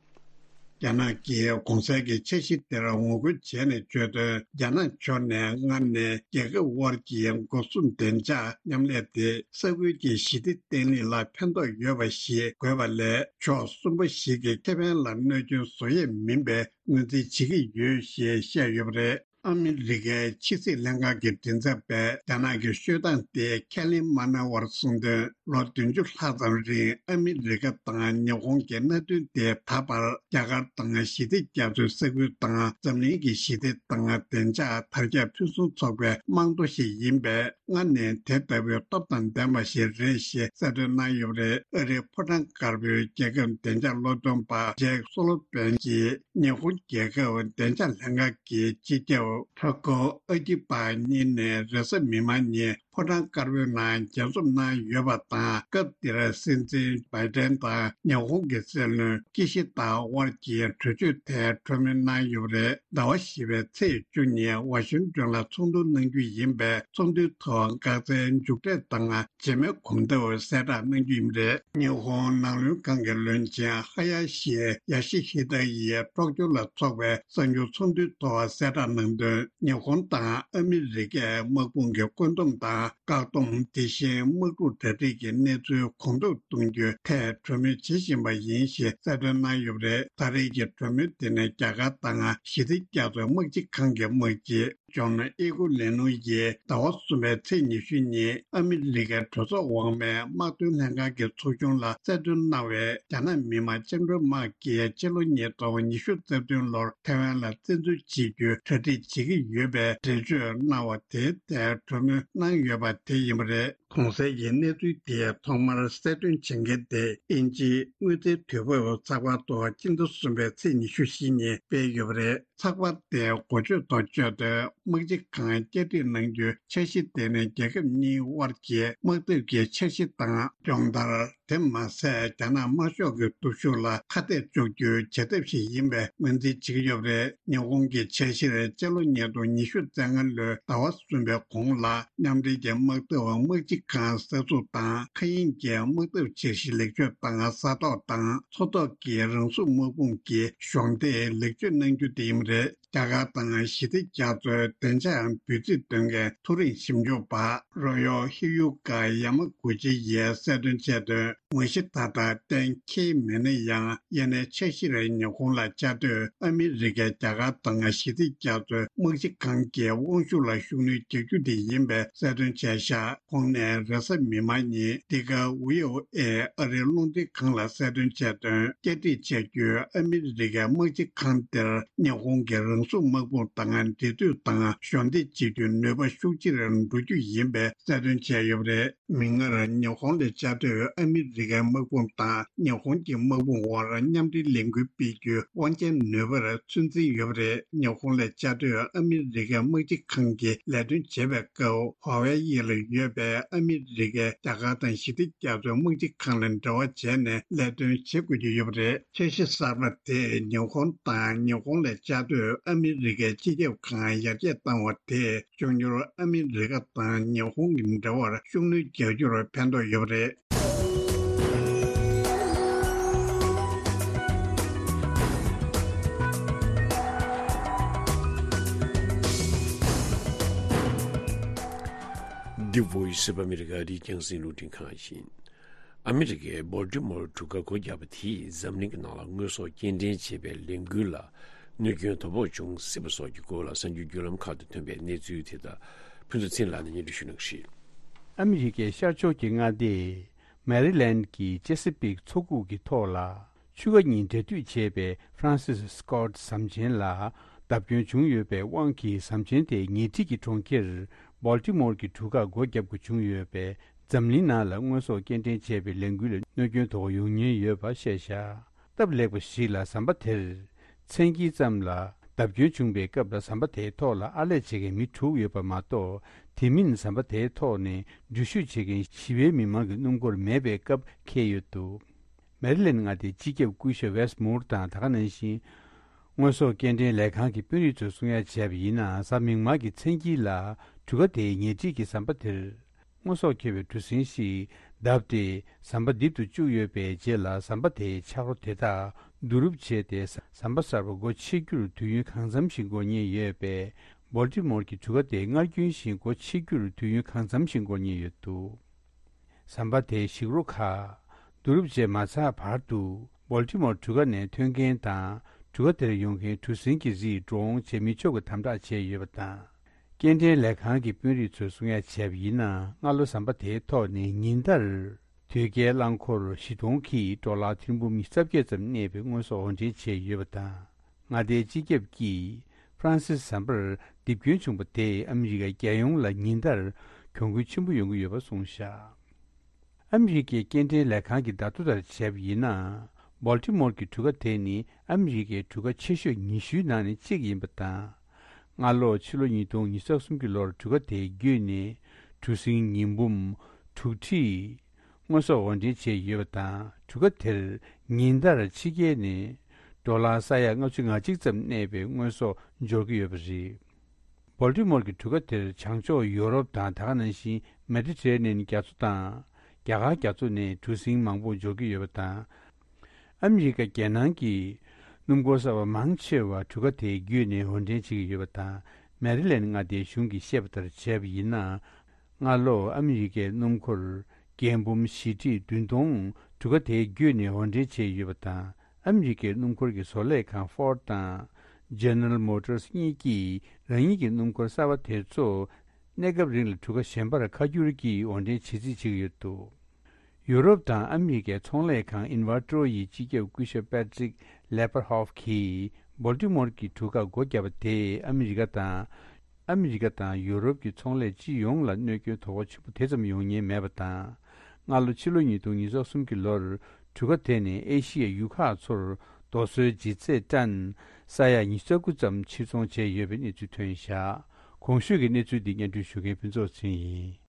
རྒྱ་ནག་གིས་གོང་གསལ་གྱི་འཆར་གཞི་དེར་ངོ་རྒོལ་བྱས་ནས་བརྗོད་དོན། རྒྱ་ནག་ཕྱོགས་ནས་སྔར་ནས་རྒྱལ་ཁབ་དབར་གྱི་སྒོ་སྲུང་བདེ་འཇགས་མཉམ་ལས་དེ་ས་ཁུལ་གྱི་ཞི་བདེ་བརྟན་ལྷིང་ལ་ཕན་ཐོགས་ཡོད་པ་ཞིག་དགོས་པ་ལས། ཕྱོགས་གསུམ་པོ་ཞིག་གི་ཁེ་ཕན་ལ་གནོད་སྐྱོན་བཟོ་ཡས་མིན་པའི་ངོས་འཛིན་བྱེད་ཀྱི་ཡོད་ཞེས་བཤད་ཡོད་པ་རེད། ཨ་མི་རི་ཀའི་ཕྱི་སྲིད་ལྷན་ཁང་གི་མགྲིན་ཚབ་པས་རྒྱ་ནག་གི་ཤོད་སྟངས་དེ་ཁས་ལེན་མ་གནང་བར་གསུངས་དོན། ལོ་བདུན་ཅུ་ལྷག་ཙམ་རིང་ཨ་མི་རི་ཀ་དང་ཉི་ཧོང་གི་མནའ་མཐུན་དེ་ད་བར་རྒྱ་གར་དང་ཞི་བདེ་རྒྱ་མཚོའི་ས་ཁུལ་དང་འཛམ་གླིང་གི་ཞི་བདེ་དང་བདེ་འཇགས་དར་ཁྱབ་ཕུན་སུམ་ཚོགས་པའི་རྨང་རྡོ་ཞིག་ཡིན་པས། སྔར་ནས་དེ་ལྟ་བུའི་སྟོབས་དང་ལྡན་པ་ཞིག་རེད་ཞེས་གསལ་སྟོན་གནང་ཡོད་པ་རེད། ཨ་རིའི་ཕོ་བྲང་དཀར་པོའི་རྒྱལ་ཁབ་བདེ་འཇགས་སློབ་སྟོན་པ་ཇེག་སོ་ལོ་ཝན་གྱིས་ཉི་ཧོང་རྒྱལ་ཁབ་བདེ་འཇགས་ལྷན་ཁང་གི་སྤྱི་ཁྱབ་ཕྲུ་གུ་ཨ་ཀི་པ་གཉིས་ནས་རེས་གཟའ་མིག་དམར་ཉིན་ཕོ་བྲང་དཀར་པོའི་ནང་མཇལ་འཛོམས་གནང་ཡོད་པ་དང་། སྐབས་དེར་སྲིད་འཛིན་བྷའི་ཌེན་དང་ཉི་ཧོང་གི་སྲིད་བློན་ཀི་ཤི་ད་དབར་གྱི་གྲོས་ཆོད་ཐད་གྲོས་མོལ་གནང་ཡོད་པ་རེད། ཟླ་བ་བཞི་པའི་ཚེས་བཅུ་ཉིན་ཝ་ཤིང་ཏོན་ལ་ཚོགས་འདུ་གནང་རྒྱུ་ཡིན་པས། ཚོགས་འདུའི་ཐོག་འགག་རྩའི་མཇུག་འབྲས་དང་རྗེས་མའི་གོམ་སྟབས་གསལ་བསྒྲགས་གནང་རྒྱུ་ཡིན་པ་རེད། ཉི་ཧོང་ནང་བློན་ཁང་གི་བློན་ཆེན་ཧ་ཡ་ཤི་ཡ་ཤི་ཧི་ད་ཡིས་ཀྲོག་ཀྱོ་ལ་འཚོགས་པའི་གསར་འགྱུར་ཚོགས་འདུའི་ཐོག་གསལ་བསྒྲགས་གནང་དོན། ཉི་ཧོང་དང་ཨ་མི་རི་ཀའི་དམག་དཔུང་གི་བཀོད་འདོམས་དང་བཀག་སྡོམ། དེ་བཞིན་དམག་འཁྲུག་གྲ་སྒྲིག་གི་གནས་ཚུལ་གོང་མཐོར་གཏོང་རྒྱུའི་ཐད་གྲོས་མོལ་བྱེད་བཞིན་པ་ཡིན་ཞེས་གསལ་སྟོན་གནང་ཡོད་པ་རེད། ད་རེས་ཀྱི་གྲོས་མོལ་དེ་ནི་རྒྱ་གར་དང་ཞི་བདེ་རྒྱ་མཚོའི་དམག་སྤྱི་ཁང་གི་དམག་སྤྱི་ཇོན་ཨི་གོ་ལེ་ནུ་ཡིས་ཟླ་བ་གསུམ་པའི་ཚེས་ཉི་ཤུ་ཉིན་ཨ་མི་རི་ཀའི་གྲོས་ཚོགས་འོག་མའི་དམག་དོན་ལྷན་ཁང་གི་ཚོགས་ཆུང་ལ་གསལ་སྟོན་གནང་བའི། རྒྱ་ནག་མི་དམངས་བཅིངས་འགྲོལ་དམག་གིས་ཕྱི་ལོ་ཉིས་སྟོང་ཉི་ཤུ་རྩ་བདུན་ལོར་ཐའེ་ཝན་ལ་བཙན་འཛུལ་བྱེད་རྒྱུའི་གྲ་སྒྲིག་བྱེད་ཀྱི་ཡོད་པའི་འགྲེལ་བརྗོད་གནང་བ་དེའི་ཐད་གྲོས་མོལ་གནང་ཡོད་པ་དེ་ཡིན་པ་རེད། གོང་གསལ་གྱི་གནས་ཚུལ་དེ་ཐོག་མར་གསལ་སྟོན་བྱེད་མཁན་དེ་དབྱིན་ཇིའི་དངུལ་རྩའི་དུས་བབ་ཚགས་པར་ཐོག་སྤྱི་ཟླ་གསུམ་པའི་ཚེས་ཉི་ཤུ་བཞི་ཉིན་སྤེལ་ཡོད་པ་རེད། ཚགས་པར་དེའི་འགོ་བརྗོད་ཐོག་བརྗོད་དོན། དམག་སྤྱི་ཁང་བསྐྱར་སྒྲིག་གནང་རྒྱུའི་འཆར་གཞི་དེ་ནི་རྒྱལ་ཁབ་གཉིས་དབར་གྱི་དམག་འཐབ་ཀྱི་འཆར་གཞི་དང་སྦྱོང་བརྡར། དེ་མ་ཟད་རྒྱ་ནག་དམར་ཤོག་གི་སྟོབས་ཤུགས་ལ་ཁ་གཏད་གཅོག་རྒྱུའི་བྱེད་ཐབས་ཤིག་ཡིན་པའི་ངོས་འཛིན་བྱེད་ཀྱི་ཡོད་པ་རེད། ཉི་ཧོང་གི་འཆར་གཞིར་སྤྱི་ལོ་ཉིས་སྟོང་ཉི་ཤུ་རྩ་ལྔ་ལོའི་ཟླ་བ་གསུམ་པའི་གོང་ལ་མཉམ་འབྲེལ་གྱི་དམག་འཐབ་དམག་སྤྱི་ ཁང་གསར་འཛུགས་དང་། མཁའ་དབྱིངས་ཀྱི་དམག་འཐབ་འཆར་གཞི་ལེགས་བཅོས་དང་ས་ཐོག་དང་མཚོ་ཐོག་གི་རང་སྲུང་དམག་དཔུང་གི་གཞོགས་འདེགས་ལེགས་བཅོས་གནང་རྒྱུ་དེ་ཡིན་པ་རེད། རྒྱ་གར་དང་ཞི་བདེ་རྒྱ་མཚོའི་བདེ་འཇགས་འབོད་ཚིག་འདོན་མཁན་མཐོ་རིམ་ཞིབ་འཇུག་པ་རོ་ཡོ་ཧི་ཡུ་ཀ་ཡ་མ་གུ་ཅི་ཡིས་གསལ་སྟོན་བྱས་དོན། ངོ་ཤེས་ད་ལྟ་གཏན་འཁེལ་མེད་ན་ཡང་། ཡིན་ནའི་འཆར་གཞིར་ཉི་ཧོང་ལ་བཅའ་སྡོད་ཨ་མི་རི་ཀས་རྒྱ་གར་དང་ཞི་བདེ་རྒྱ་མཚོའི་དམག་སྤྱི་ཁང་གི་དབང་ཤུགས་ལ་ཤུགས་སྣོན་རྒྱག་རྒྱུ་དེ་ཡིན་པའི་གསལ་སྟོན་བྱས་ཤག་ཁོང་ནས་རེས་གཟའ་མིག་དམར་ཉིན་འདི་ག་ཝི་ཨོ་ཨེ་ཨ་རིའི་རླུང་འཕྲིན་ཁང་ལ་གསལ་སྟོན་བྱས་དོན། བསྐྱར་སྒྲིག་བྱ་རྒྱུའི་ཨ་མི་རི་ཀའི་དམག་སྤྱི་ཁང་དེར་ཉི་ཧོང་གི་རང་སྲུང་དམག་དཔུང་དང་འབྲེལ་མཐུད་དང་གཞོགས་འདེགས་བྱེད་རྒྱུའི་ནུས་པ་ཤུགས་ཆེ་རུ་འགྲོ་རྒྱུ་ཡིན་པའི་གསལ་སྟོན་བྱས་ཡོད་པ་རེད། མིག་སྔར་ཉི་ཧོང་ལ་བཅའ་སྡོད་ཨ་མི་རི་ཀའི་དམག་དཔུང་དང་ཉི་ཧོང་གི་དམག་དཔུང་དབར་མཉམ་འབྲེལ་ལས་འགུལ་སྤེལ་རྒྱུའི་དབང་ཆའི་ནུས་པར་ཚོད་འཛིན་ཡོད་པ་རེད། ཉི་ཧོང་ལ་བཅའ་སྡོད་ཨ་མི་རི་ཀའི་དམག་སྤྱི་ཁང་གིས་ལས་དོན་བྱེད་པའི་སྐབས། ཧྭ་ཝེ་ཡི་ལ་ཡོད་པའི་ཨ་མི་རི་ཀའི་རྒྱ་གར་དང་ཞི་བདེ་རྒྱ་མཚོའི་དམག་སྤྱི་ཁང་ལ་འབྲེལ་བ་བྱས་ནས་ལས་དོན་བྱེད་དགོས་ཀྱི་ཡོད་པ་རེད། འཆར་གཞི་གསར་པ་དེས་ཉི་ཧོང་དང་ཉི་ཧོང་ལ་བཅའ་སྡོད་ཨ་མི་རི་ཀའི་སྤྱི་ཁྱབ་ཁང་ཡར་རྒྱས་བཏང་བ་དེས་མགྱོགས་མྱུར་ཨ་མི་རི་ཀ་དང་ཉི་ཧོང་གི་འབྲེལ་བར་ཤུགས་སྣོན་རྒྱག་རྒྱུར་ཕན་ཐོགས་ཡོད་པ་རེད། འདི་Voice of America རི་རྒྱང་སྲིང་རླུང་འཕྲིན་ཁང་ཡིན། ཨ་མི་རི་ཀའི་བོལ་ཊི་མོར་གྲུ་ཁ་སྒོ་བརྒྱབ་པ་དེས་འཛམ་གླིང་གི་ནང་ལ་དངོས་ཟོག་སྐྱེལ་འདྲེན་བྱེད་པའི་ལས་འགུལ་ལ་གནོད་སྐྱོན་དོ་ཕོག་འབྱུང་སྲིད་པ་སོགས་ཀྱི་སྐོར་ལ་གསར་འགྱུར་བརྒྱུད་ལམ་ཁག་ཏུ་ཐོན་པའི་གནས་ཚུལ་དེ་དག་ཕུན་ཚོགས་ཚེ་རིང་ལགས་ནས་སྙན་སྒྲོན་ཞུ་གནང་གི་རེད། ཨ་མི་རི་ཀའི་ཤར་ཕྱོགས་ཀྱི་མངའ་སྡེ་མེ་རི་ལེན་གྱི་ཅེ་སི་པིག་མཚོ་ཁུག་གི་ཐོག་ལ། ཆུ་ཁ་གཉིས་འབྲེལ་མཐུད་བྱས་པའི་ཧྥ་རན་སིས་སི་ཀོ་ཊི་ཟམ་ཆེན་ལ་བརྡབ་སྐྱོན་བྱུང་ཡོད་པའི་དབང་གིས། ཟམ་ཆེན་དེའི་ཉེ་འཁྲིས་ཀྱི་གྲོང་ཁྱེར་བོལ་ཊི་མོར་གྱི་གྲུ་ཁ་སྒོ་བརྒྱབ་དགོས་བྱུང་ཡོད་པས། འཛམ་གླིང་ནང་ལ་དངོས་ཟོག་སྐྱེལ་འདྲེན་བྱས་པའི་ལས་འགུལ་ལ་གནོད་སྐྱོན་དོ་ཕོག་ཡོང་ཉེན་ཡོད་པ་བཤད་བཞག་སྟབས་ལེགས་པ་ཞིག་ལ་ཟམ་པ་དེར་མཚན་དཀྱིལ་ཙམ་ལ་བརྡབ་སྐྱོན་བྱུང་བའི་སྐབས་ལ་ཟམ་པ་དེའི་ཐོག་ལ་ཨར་ལས་བྱེད་མཁན་མི་དྲུག་ཡོད་པ་མ་གཏོགས། དེ་མིན་ཟམ་པ་དེའི་ཐོག་ནས་འགྲུལ་བཞུད་བྱེད་མཁན་ཞི་བའི་མི་མང་གི་སྣུམ་འཁོར་མེད་པའི་སྐབས་འཁེལ་ཡོད་འདུག་མེ་རི་ལེན་མངའ་སྡེའི་སྤྱི་ཁྱབ་སྐུ་ཞབས་ཝེས་མུར་དང་། ད་ག་ནང་བཞིན་དངོས་ཟོག་སྐྱེལ་འདྲེན་ལས་ཁང་གི་དཔོན་རིགས་ཚོས་གསུང་ཡ་བྱས་པ་ཡིན་ན། གཟའ་མིག་དམར་གྱི་མཚན་དཀྱིལ་ལ་གྲུ་ཁ་དེའི་ཉེ་འཁྲིས་ཀྱི་ཟམ་པ་དེར་དངོས་ཟོག་འཁྱེར་བའི་གྲུ་གཟིངས་ཤིག་བརྡབས་ཏེ་ཟམ་པ་རྡིབ་ཏུ་བཅུག་ཡོད་པའི་རྗེས་ལ། ཟམ་པ་དེའི་ཆག་རོ་དེ་དག་བསྡུ་རུབ་བྱས་ཏེ། ཟམ་པ་གསར་པ་སྒོ་ཕྱེ་རྒྱུར་དུས་ཡུན་གང་འཚམ་ཞིག་འགོར་ཉེན་ཡོད་པས། བོལ་ཊི་མོར་གྱི་གྲུ་ཁ་དེ་སྔར་རྒྱུན་བཞིན་སྒོ་ཕྱེ་རྒྱུར་དུས་ཡུན་གང་འཚམ་ཞིག་འགོར་ཉེན་ཡོད་འདུག་ཟམ་པ་དེའི་ཞིག་རོ་ཁག་བསྡུ་རུབ་བྱས་མ་ཚར་བར་དུ། བོལ་ཊི་མོར་གྲུ་ཁ་ནས་ཐོན་མཁན་དང་། གྲུ་ཁ་དེར་ཡོང་མཁན་གྲུ་གཟིངས་ཀྱི་རིགས་འགྲོ་འོང་བྱེད་མི་ཆོག་གི་དམ་དྲག་བྱས་ཡོད་པ་དང་། སྐྱེལ་འདྲེན་ལས་ཁང་གི་དཔོན་རིགས་ཚོས་གསུང་ཡ་བྱས་པ་ཡིན་ན། སྔ་ལོ་ཟམ་པ་དེའི་ཐོག་ནས་ཉིན་ལྟར་དོས་སྐྱེལ་རླངས་འཁོར་བཞི་སྟོང་གིས་ཌོ་ལར་ཐེར་འབུམ་ཉི་ཤུ་རྩ་བརྒྱད་ཙམ་གནས་པའི་དངོས་ཟོག་འོར་འདྲེན་བྱས་ཡོད་པ་དང་། མངའ་སྡེའི་སྤྱི་ཁྱབ་ཀྱིས་ཧྥ་རན་སིས་ཟམ་པར་རྡིབ་སྐྱོན་བྱུང་བ་དེས་ཨ་མི་རི་ཀའི་རྒྱལ་ཡོངས་ལ་ཉིན་ལྟར་གྱོང་གུན་ཆེན་པོ་ཡོང་གི་ཡོད་པ་གསུངས་བཞག་ཨ་མི་རི་ཀའི་སྐྱེལ་འདྲེན་ལས་ཁང་གི་བརྡ་ཐོ་ལྟར་བྱས་པ་ཡིན་ན། བོལ་ཊི་མོར་གྱི་གྲུ་ཁ་དེ་ནི་ཨ་མི་རི་ཀའི་གྲུ་ཁ་ཆེ་ཤོས་ཉི་ཤུའི་ནང་ནས་གཅིག་ཡིན་པ་དང་། སྔ་ལོ་ཕྱི་ལོ་ཉིས་སྟོང་ཉི་ཤུ་རྩ་གསུམ་གྱི་ལོར་གྲུ་ཁ་དེའི་བརྒྱུད་ནས་གྲུ་གཟིངས་ཉི་འབུམ་དྲུག་ཁྲི་དངོས་ཟོག་འོར་འདྲེན་བྱས་ཡོད་པ་དང་། གྲུ་ཁ་དེར་ཉིན་ལྟར་ཕྱི་རྒྱལ་ནས་ཌོ་ལར་ས་ཡ་ལྔ་བཅུ་ང་གཅིག་ཙམ་གནས་པའི་དངོས་ཟོག་འབྱོར་གྱི་ཡོད་པ་རེད། བོལ་ཊི་མོར་གྱི་གྲུ་ཁ་དེར་བྱང་ཕྱོགས་ཡོ་རོབ་དང་། ད་ག་ནང་བཞིན་མེ་ཏི་ཊེ་རེ་ནེན་རྒྱ་མཚོ་དང་རྒྱ་གར་རྒྱ་མཚོ་ནས་གྲུ་གཟིངས་མང་པོ་འབྱོར་གྱི་ཡོད་པ་དང་། ཨ་མི་རི་ཀ་རྒྱལ་ནང་གི་སྣུམ་འཁོར་གསར་པ་མང་ཆེ་བ་གྲུ་ཁ་དེའི་བརྒྱུད་ནས་འོར་འདྲེན་བྱེད་ཀྱི་ཡོད་པ་དང་། མེ་རི་ལེན་མངའ་སྡེའི་གཞུང་གིས་བཤད་པ་ལྟར་བྱས་པ་ཡིན་ན། སྔ་ལོ་ཨ་མི་རི་ཀའི་སྣུམ་འཁོར་རྒྱས་འབུམ་བཞི་ཁྲི་བདུན་སྟོང་གྲུ་ཁ་དེའི་བརྒྱུད་ནས་འོར་འདྲེན་བྱས་ཡོད་པ་དང་། ཨ་མི་རི་ཀའི་སྣུམ་འཁོར་གྱི་བཟོ་ལས་ཁང་ཧྥོར་ཌི་དང་ཇེ་ནེ་རལ་མོ་ཊར་སི་གཉིས་ཀྱིས་རང་ཉིད་ཀྱི་སྣུམ་འཁོར་གསར་པ་དེ་ཚོ་གནས་སྐབས་རིང་ལ་གྲུ་ཁ་གཞན་པར་ཁ་བསྒྱུར་གྱིས་འོར་འདྲེན་བྱེད་རྩིས་བྱེད་ཀྱི་ཡོད་འདུག་ཡུ་རོབ་དང་ཨ་མི་རི་ཀའི་ཚོང་ལས་ཁང་ཨིན་ཝར་ཀྲོ་ཡི་སྤྱི་ཁྱབ་སྐུ་ཞབས་པེ་ཏྲིག་ལེ་པར་ཧོབ་ཀྱིས་བོལ་ཊི་མོར་གྱི་གྲུ་ཁ་སྒོ་བརྒྱབ་པ་དེས་ཨ་མི་རི་ཀ་དང་། ཨ་མི་རི་ཀ་དང་ཡུ་རོབ་ཀྱི་ཚོང་ལས་སྤྱི་ཡོངས་ལ་གནོད་སྐྱོན་དོ་ཕོག་ཆེན་པོ་དེ་ཙམ་ཡོང་ཉེན་མེད་པ་དང་། སྔ་ལོ་ཕྱི་ལོ་ཉིས་སྟོང་ཉི་ཤུ་རྩ་གསུམ་གྱི་ལོར་གྲུ་ཁ་དེ་ནས་ཨེ་ཤི་ཡའི་ཡུལ་ཁག་ཚོར་རྡོ་སོལ་ལྗིད་ཚད་ཏན་ས་ཡ་ཉི་ཤུ་རྩ་དགུ་ཙམ་ཕྱིར་ཚོང་བྱས་ཡོད་པའི་གནས་ཚུལ་ཐོན་བཞག་གོང་ཞུས་ཀྱི་གནས་ཚུལ་འདི་སྙན་སྒྲོན་ཞུ་མཁན་ཕུན་ཚོགས་ཚེ་རིང་ཡིན།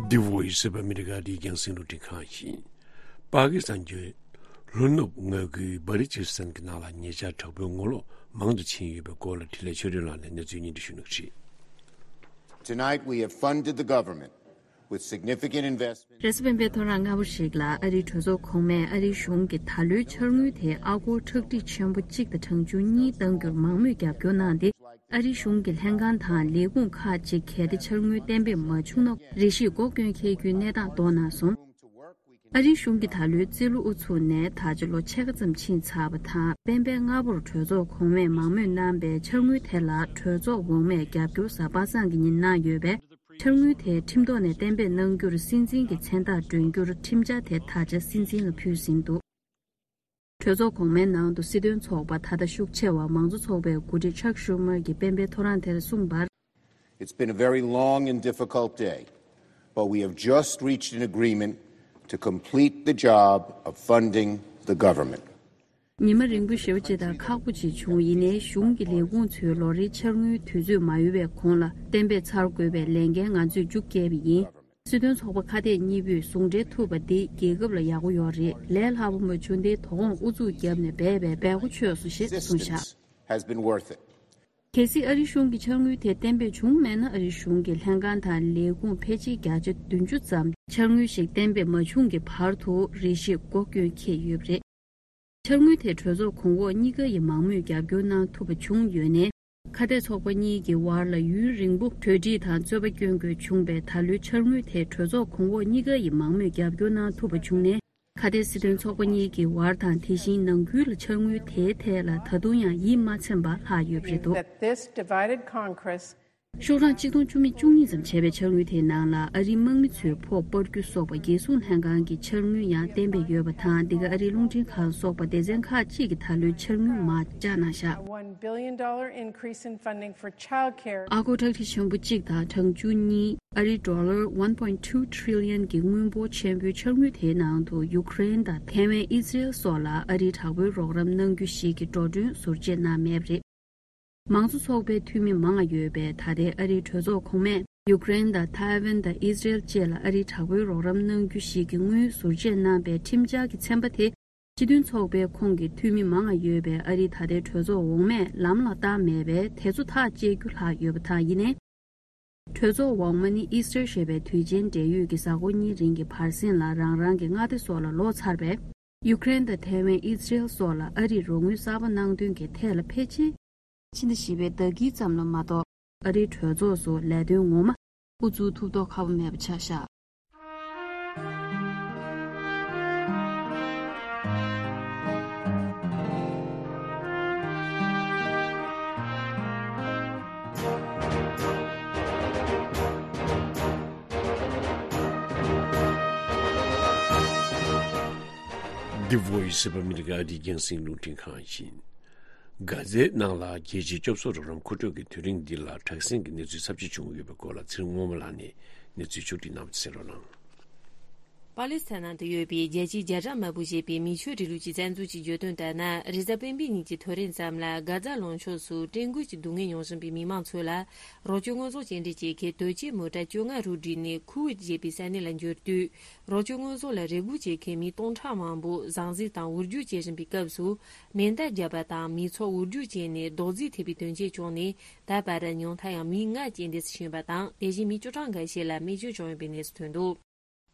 འདི་Voice of America རི་རྒྱང་སྲིང་རླུང་འཕྲིན་ཁང་ཡིན། པ་ཀི་སི་ཐན་གྱི་ལྷོ་ནུབ་མངའ་ཁུལ་སྦ་ལི་ཅི་སི་ཐན་གྱི་ནང་ལ་ཉེ་ཆར་དྲག་པོའི་ངོ་ལོག་མང་དུ་ཕྱིན་ཡོད་པའི་སྐོར་ལ་འཕྲིན་ལས་ཆོས་སྒྲོན་ལགས་ནས་གནས་ཚུལ་སྙན་སྒྲོན་ཞུ་གནང་གི་རེད། Tonight, we have funded the government with significant investment. རེས་གཟའ་སྤེན་པའི་ཐོ་རངས་སྔ་པོ་ཞིག་ལ་ཨ་རིའི་གྲོས་ཚོགས་གོང་མས་ཨ་རིའི་གཞུང་གི་ད་ལོའི་འཆར་དངུལ་དེ་ཨ་སྒོར་ཁྲག་ཁྲིག་ཆེན་པོ་གཅིག་དང་གྲངས་ཆུང་གཉིས་གཏང་རྒྱུར་མང་མོས་རྒྱབ་སྐྱོར་གནང་སྟེ། ཨ་རིའི་གཞུང་གི་ལྷན་ཁང་དང་ལས་ཁུངས་ཁག་ཅིག་གལ་ཏེ་འཆར་དངུལ་གཏན་འབེབས་མ་བྱུང་ན་རེ་ཞིག་སྒོ་སྐྱོན་འཁེལ་རྒྱུའི་གནས་སྟངས་མདོར་གནང་སོང་། ཨ་རིའི་གཞུང་གིས་ད་ལོའི་རྩིས་ལོ་དབུ་ཚུགས་ནས་ད་ཆ་ལོ་ཕྱེད་ཀ་ཙམ་ཕྱིན་ཚར་བ་དང་། སྤེན་པའི་སྔ་པོར་གྲོས་ཚོགས་གོང་མས་མང་མོས་གནང་པའི་འཆར་དངུལ་དེ་ལ་གྲོས་ཚོགས་འོག་མས་རྒྱབ་སྐྱོར་གཟའ་པ་སངས་ཀྱི་ཉིན་གནང་ཡོད་པས། འཆར་དངུལ་དེ་ཁྲིམས་ཐོག་ནས་གཏན་འབེབས་གནང་རྒྱུར་སྲིད་འཛིན་གྱི་མཚན་རྟགས་སྒྲོན་རྒྱུར་ཁྲིམས་འཆར་དེ་ད་ཆ་སྲིད་འཛིན་ལ་ཕུལ་ཟིན་འདུག་གྲོས་ཚོགས་གོང་མའི་ནང་དུ་སྲིད་དོན་ཚོགས་པ་ད་ལྟ་ཤུགས་ཆེ་བ་མང་གཙོ་ཚོགས་པའི་འགོ་ཁྲིད་ཅག་ཤུ་མར་གྱིས་སྤེན་པའི་ཐོ་རངས་དེར་གསུངས་པར། It's been a very long and difficult day, but we have just reached an agreement to complete the job of funding the government. ཉི་མ་རིང་པོ་ཞེ་པོ་ཅིག་དང་ཁག་པོ་ཅིག་བྱུང་། ཡིན་ནའི་གཞུང་གི་ལས་ཁུངས་ཚོའི་ལོ་རེའི་འཆར་དངུལ་དུས་ཚོད་མ་ཡོལ་བའི་གོང་ལ་གཏན་འབེབས་ཚར་དགོས་པའི་ལས་འགན་ང་ཚོས་མཇུག་བསྐྱལ་བ་ཡིན། སྲིད་དོན་ཚོགས་པ་ཁ་གཏད་གཉིས་པོས་ཟུང་འབྲེལ་ཐུབ་པ་འདི་རྒྱལ་ཁབ་ལ་ཡག་པོ་ཡོད་རེད། ལས་སླ་པོ་མ་བྱུང་སྟེ་དོ་དགོང་ཨུ་ཚུགས་བརྒྱབ་ནས་འབད་པས་འབད་གོ་ཆོད་སོང་ཞེས་གསུངས་བཞག Persistence has been worth it. གལ་སྲིད་ཨ་རིའི་གཞུང་གིས་འཆར་དངུལ་དེ་གཏན་འབེབས་བྱུང་མེད་ན། ཨ་རིའི་གཞུང་གི་ལྷན་ཁང་དང་ལས་ཁུངས་ཕལ་ཆེར་བརྒྱ་ཆ་བདུན་ཅུ་ཙམ་འཆར་དངུལ་ཞིག་གཏན་འབེབས་མ་བྱུང་གི་བར་དུ་རེ་ཞིག་སྒོ་སྐྱོན་འཁེལ་ཡོད་པ་རེད། འཆར་དངུལ་དེ་གྲོས་ཚོགས་གོང་འོག་གཉིས་ཀ་ཡིས་མང་མོས་རྒྱབ་སྐྱོར་གནང་ཐུབ་པ་བྱུང་ཡོད་ནའི། ཁ་གཏད་ཚོགས་པ་གཉིས་ཀྱི་བར་ལ་ཡུན་རིང་པོ་གྲོས་འགྲིག་དང་རྩོད་པ་སྐྱོན་དགོས་བྱུང་བས། ད་ལོའི་འཆར་དངུལ་དེ་གྲོས་ཚོགས་གོང་འོག་གཉིས་ཀ་ཡིས་མང་མོས་རྒྱབ་སྐྱོར་གནང་ཐུབ་པ་བྱུང་ནའི། ཁ་གཏད་སྲིད་དོན་ཚོགས་པ་གཉིས་ཀྱི་བར་དང་། དེ་བཞིན་ནང་ཁུལ་ལ་འཆར་དངུལ་དེའི་ཐད་ལ་ད་དུང་ཡང་ཡིད་མ་ཚིམ་པ་ལྷག་ཡོད་པ་རེད་འདུག That this divided Congress ཤོག་གྲངས་གཅིག་སྟོང་བཅུ་མེད་བཅུ་གཉིས་ཙམ་བྱས་པའི་འཆར་དངུལ་དེའི་ནང་ལ་ཨ་རིའི་དམག་མི་ཚོའི་ཕོགས་སྤར་རྒྱུ་སོགས་པ་རྒྱལ་སྲུང་ལྷན་ཁང་གི་འཆར་དངུལ་ཡང་གཏན་འབེབས་ཡོད་པ་དང་། འདི་ག་ཨ་རིའི་རླུང་འཕྲིན་ཁང་སོགས་པ་སྡེ་ཚན་ཁག་ཅིག་གིས་ད་ལོའི་འཆར་དངུལ་མར་བཅག་གནང་བཞག A one billion dollar increase in funding for child care. ཨ་སྒོར་ཁྲག་ཁྲིག་ཆེན་པོ་གཅིག་དང་གྲངས་ཆུང་གཉིས། ཨ་རིའི་ཌོ་ལར་one point two trillion གྱི་དངུལ་འབོར་ཆེན་པོའི་འཆར་དངུལ་དེའི་ནང་དུ་ཡུཀ་རེན་དང་ཐའེ་ཝན། ཨི་ཛི་རེལ་སོགས་ལ་ཨ་རིའི་དྲག་པོའི་རོགས་རམ་གནང་རྒྱུ་ཞིག་གི་འགྲོ་གྲོན་ཟུར་བཅད་གནང་མེད་པ་རེད། མང་གཙོ་ཚོགས་པའི་འཐུས་མི་མང་ང་ཡོད་པའི་ད་ལྟའི་ཨ་རིའི་གྲོས་ཚོགས་གོང་མས་ཡུཀ་རེན་དང་ཐའེ་ཝན་དང་ཨི་ཛི་རེལ་བཅས་ལ་ཨ་རིའི་དྲག་པོའི་རོགས་རམ་གནང་རྒྱུ་ཞིག་གི་དངུལ་ཟུར་བཅད་གནང་པའི་ཁྲིམས་འཆར་གྱི་ཚན་པ་དེ། སྤྱི་མཐུན་ཚོགས་པའི་ཁོངས་ཀྱི་འཐུས་མི་མང་ང་ཡོད་པའི་ཨ་རིའི་ད་ལྟའི་གྲོས་ཚོགས་འོག་མས་ལམ་ལ་བཏང་མེད་པས། དེ་ཚོ་ཐག་བཅད་རྒྱུ་ལྷག་ཡོད་པ་དང་། ཡིན་ནའི། གྲོས་ཚོགས་འོག་མ་ནི་ཨི་སི་ཊར་ཞེས་པའི་དུས་ཆེན་འབྲེལ་ཡོད་ཀྱི་གཟའ་འཁོར་གཉིས་རིང་གི་བར་གསེང་ལ་རང་རང་གི་མངའ་སྡེ་སོགས་ལ་ལོག་ཚར་བས། ཡུཀ་རེན་དང་ཐའེ་ཝན། ཨི་ཛི་རེལ་སོགས་ལ་ཨ་རིས་རོགས་དངུལ་གསར་པ་གནང་དོན་གྱི་ཐད་ལ་ཕལ་ཆེར་ཕྱི་ཟླ་བཞི་པའི་ཟླ་དཀྱིལ་ཙམ་ལ་མ་གཏོགས། ཨ་རིའི་གྲོས་ཚོགས་སུ་ལས་དོན་ངོ་མ་དབུ་འཛུགས་ཐུབ་མདོག་ཁ་པོ་མེད་པ་ཆགས་བཞག The Voice of America ཨ་རིའི་རྒྱང་སྲིང་རླུང་འཕྲིན་ཁང་ཡིན། གྷ་ཛའི་ནང་ལ་རྒྱལ་སྤྱིའི་སྐྱོབ་གསོ་རོགས་རམ་མཁོ་སྤྲོད་ཀྱི་དུས་རིང་འདི་ལ་དྲག་ཟིང་གི་གནས་ཚུལ་ཚབས་ཆེ་བྱུང་ཡོད་པའི་སྐོར་ལ་ཚེ་རིང་དངོས་མ་ལགས་ནས་གནས་ཚུལ་ཕྱོགས་བསྒྲིགས་གནང་བ་གསན་རོགས་གནང་། པ་ལི་སི་ཐན་ནང་དུ་ཡོད་པའི་རྒྱལ་སྤྱིའི་རྒྱ་གྲམ་དམར་པོ་ཞེས་པའི་མི་ཆོས་རིང་ལུགས་ཀྱི་བཙན་འཛུལ་གྱིས་བརྗོད་དོན་ལྟར་ན། རེས་གཟའ་སྤེན་པའི་ཉིན་གྱི་ཐོ་རེངས་ཙམ་ལ་གྷ་ཛ་ལུང་ཕྱོགས་སུ་བཀྲེས་སྐོམ་གྱི་སྡུག་བསྔལ་མྱོང་བཞིན་པའི་མི་མང་ཚོ་ལ། རོགས་སྐྱོར་དངོས་ཟོག་སྐྱེལ་འདྲེན་བྱེད་མཁན་དོལ་རྒྱལ་མོ་ཊ་བཅོ་ལྔ་རུ་བསྒྲིགས་ནས་ཁུ་ཝེད་ཅེས་པའི་ས་གནས་ལ་འབྱོར་དུས། རོགས་སྐྱོར་དངོས་ཟོག་ལ་རེ་སྒུག་བྱེད་མཁན་མི་སྟོང་ཕྲག་མང་པོ་ཟང་ཟིང་དང་འུར་རྒྱུག་བྱེད་བཞིན་པའི་སྐབས་སུ། མེ་མདའ་བརྒྱབ་པ་དང་མི་ཚོགས་འུར་རྒྱུག་བྱས་ནས་རྡོག་རྫིས་ཐེབས་པའི་དོན་རྐྱེན་བྱུང་ནས། ད་བར་ཉུང་མཐའ་ཡང་མི་ལྔ་རྐྱེན་འདས་སུ་ཕྱིན་པ་དང་། དེ་བཞིན་མི་བཅུ་གྲངས་འགའ་ཤས་ལ་རྨས་སྐྱོན་བྱུང་ཡོད་པའི་གནས་སུ་ཐོན་འདུག་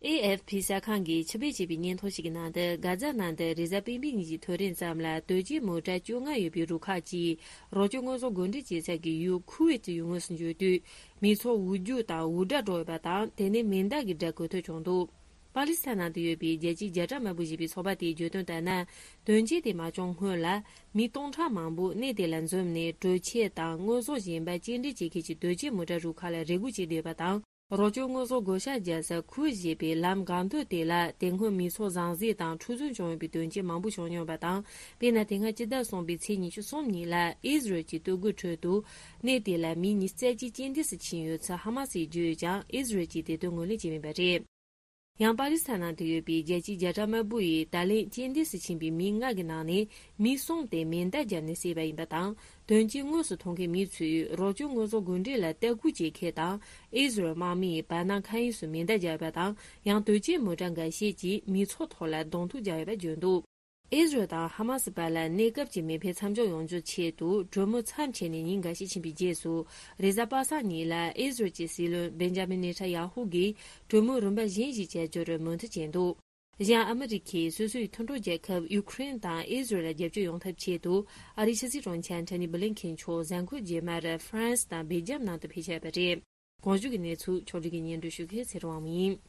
ཨེ་ཨེཕ་ཕི་གསར་ཁང་གིས་ཕྱི་པོད་ཅེས་པའི་སྙན་ཐོ་ཞིག་གི་ནང་དུ། གྷ་ཛ་ནང་དུ་རེས་གཟའ་སྤེན་པའི་ཉིན་གྱི་ཐོ་རེངས་ཙམ་ལ་དོལ་རྒྱལ་མོ་ཊ་བཅོ་ལྔ་ཡོད་པའི་རུ་ཁག་ཅིག་རོགས་སྐྱོར་དངོས་ཟོག་བགོ་འགྲེམས་བྱེད་ས་ཀྱི་ཡུལ་ཁུ་ཝེད་ཀྱི་ཡུལ་དངོས་སུ་འབྱོར་དུས། མི་ཚོགས་འུར་རྒྱུག་དང་འུར་སྒྲ་སྒྲོག་ཡོད་པ་དང་། དེ་ནས་མེ་མདའ་གི་སྒྲ་གོ་ཐོས་བྱུང་འདུག་པ་ལི་སི་ཐན་ནང་དུ་ཡོད་པའི་རྒྱལ་སྤྱིའི་རྒྱ་གྲམ་དམར་པོ་ཞེས་པའི་ཚོགས་པ་དེས་བརྗོད་དོན་ལྟར་ན། དོན་རྐྱེན་དེ་མ་བྱུང་སྔོན་ལ། མི་སྟོང་ཕྲག་མང་པོ་གནས་དེ་ལ་འཛོམས་ནས། གྲོས་ཆོད་དང་དངོས་ཟོག་གཞན་པ་སྐྱེལ་འདྲེན་བྱེད་མཁན་གྱི་དོལ་རྒྱལ་མོ་ཊ་རུ་ཁག་ལ་རེ་སྒུག་བྱེད་བསྡད་པ་དང་། རོགས་སྐྱོར་དངོས་ཟོག་བགོ་བཤའ་རྒྱག་ས་ཁུ་ཝེད་ཅེས་པའི་ལམ་འགག་སྡོད་དེ་ལ། དེ་སྔོན་མི་ཚོགས་ཟང་ཟིང་དང་འཁྲུག་རྩོད་བྱུང་ཡོད་པའི་དོན་རྐྱེན་མང་པོ་བྱུང་མྱོང་བ་དང་། དཔེར་ན། དེ་སྔ་སྤྱི་ཟླ་གསུམ་པའི་ཚེས་ཉི་ཤུ་གསུམ་ཉིན་ལ། ཨི་ཟི་རལ་གྱི་སྟོད་གོས་ཁྲོད་དུ། གནས་དེ་ལ་མི་ཉི་ཤུ་རྩ་གཅིག་རྐྱེན་འདས་སུ་ཕྱིན་ཡོད་ཚུལ་ཧ་མ་སིས་བརྗོད་ཡོད་ཀྱང་། ཨི་ཟི་རལ་གྱིས་དེ་དོན་ངོས་ལེན་བྱས་མེད་པ་རེད། ཡང་པ་ལི་སི་ཐན་ནང་དུ་ཡོད་པའི་རྒྱལ་སྤྱིའི་རྒྱ་གྲམ་དམར་པོ་ཡིས་ད་ལན་རྐྱེན་འདས་སུ་ཕྱིན་པའི་མི་ལྔ་གི་ནང་ནས་མི་གསུམ་དེ་མེ་མདའ་བརྒྱབ་ནས་བསད་པ་ཡིན་པ་དང་། དོན་རྐྱེན་དངོས་སུ་མཐོང་མཁན་མི་ཚོས་རོགས་སྐྱོར་དངོས་ཟོག་དགོས་འདྲེན་ལ་ལྟ་སྐུལ་བྱེད་མཁན་དང་། ཨི་ཟི་རལ་དམག་མིས་བར་སྣང་མཁའ་དབྱིངས་སུ་མེ་མདའ་བརྒྱབ་པ་དང་། ཡང་དོལ་རྒྱལ་མོ་ཊ་འགའ་ཤས་ཀྱིས་མི་ཚོགས་ཐོག་ལ་གདོང་ཐུག་བརྒྱབ་ཡོད་པ་བརྗོད་འདུག་ཨི་ཟི་རལ་དང་ཧ་མ་སི་བར་ལ་གནས་སྐབས་ཀྱི་མེ་འཕེན་མཚམས་འཇོག་ཡོང་རྒྱུའི་ཆེད་དུ་གྲོས་མོལ་མཚམས་ཆད་ནས་ཉིན་འགའ་ཤས་ཕྱིན་པའི་རྗེས་སུ། རེས་གཟའ་པ་སངས་ཉིན་ལ་ཨི་ཟི་རལ་གྱི་སྲིད་བློན་བེན་ཇ་མིན་ནེ་ཐན་ཡ་ཧུ་གིས་གྲོས་མོལ་རིམ་པ་གཞན་ཞིག་བྱ་རྒྱུར་མོས་མཐུན་བྱས་འདུག་གཞན་ཨ་མི་རི་ཁས་སོ་སོའི་མཐུན་གྲོགས་རྒྱལ་ཁབ་ཡུ་ཁུ་རེན་དང་ཨི་ཟི་རལ་ལ་རྒྱབ་སྐྱོར་ཡོང་ཐབས་ཆེད་དུ། ཨ་རིའི་ཕྱི་སྲིད་དྲུང་ཆེ་ཨན་ཐོ་ནི་བྷི་ལིན་ཁེན་མཆོག་གཟའ་འཁོར་རྗེས་མར་ཧྥ་རན་སི་དང་སྦེལ་ཇམ་ནང་དུ་ཕེབས་བཞིན་པ་རེད། གོང་ཞུས་ཀྱི་གནས་ཚུལ་ཕྱོགས་སྒྲིག་གིས་སྙན་སྒྲོན་ཞུ་མཁན་ཚེ་རིང་དབང་མོ་ཡིན།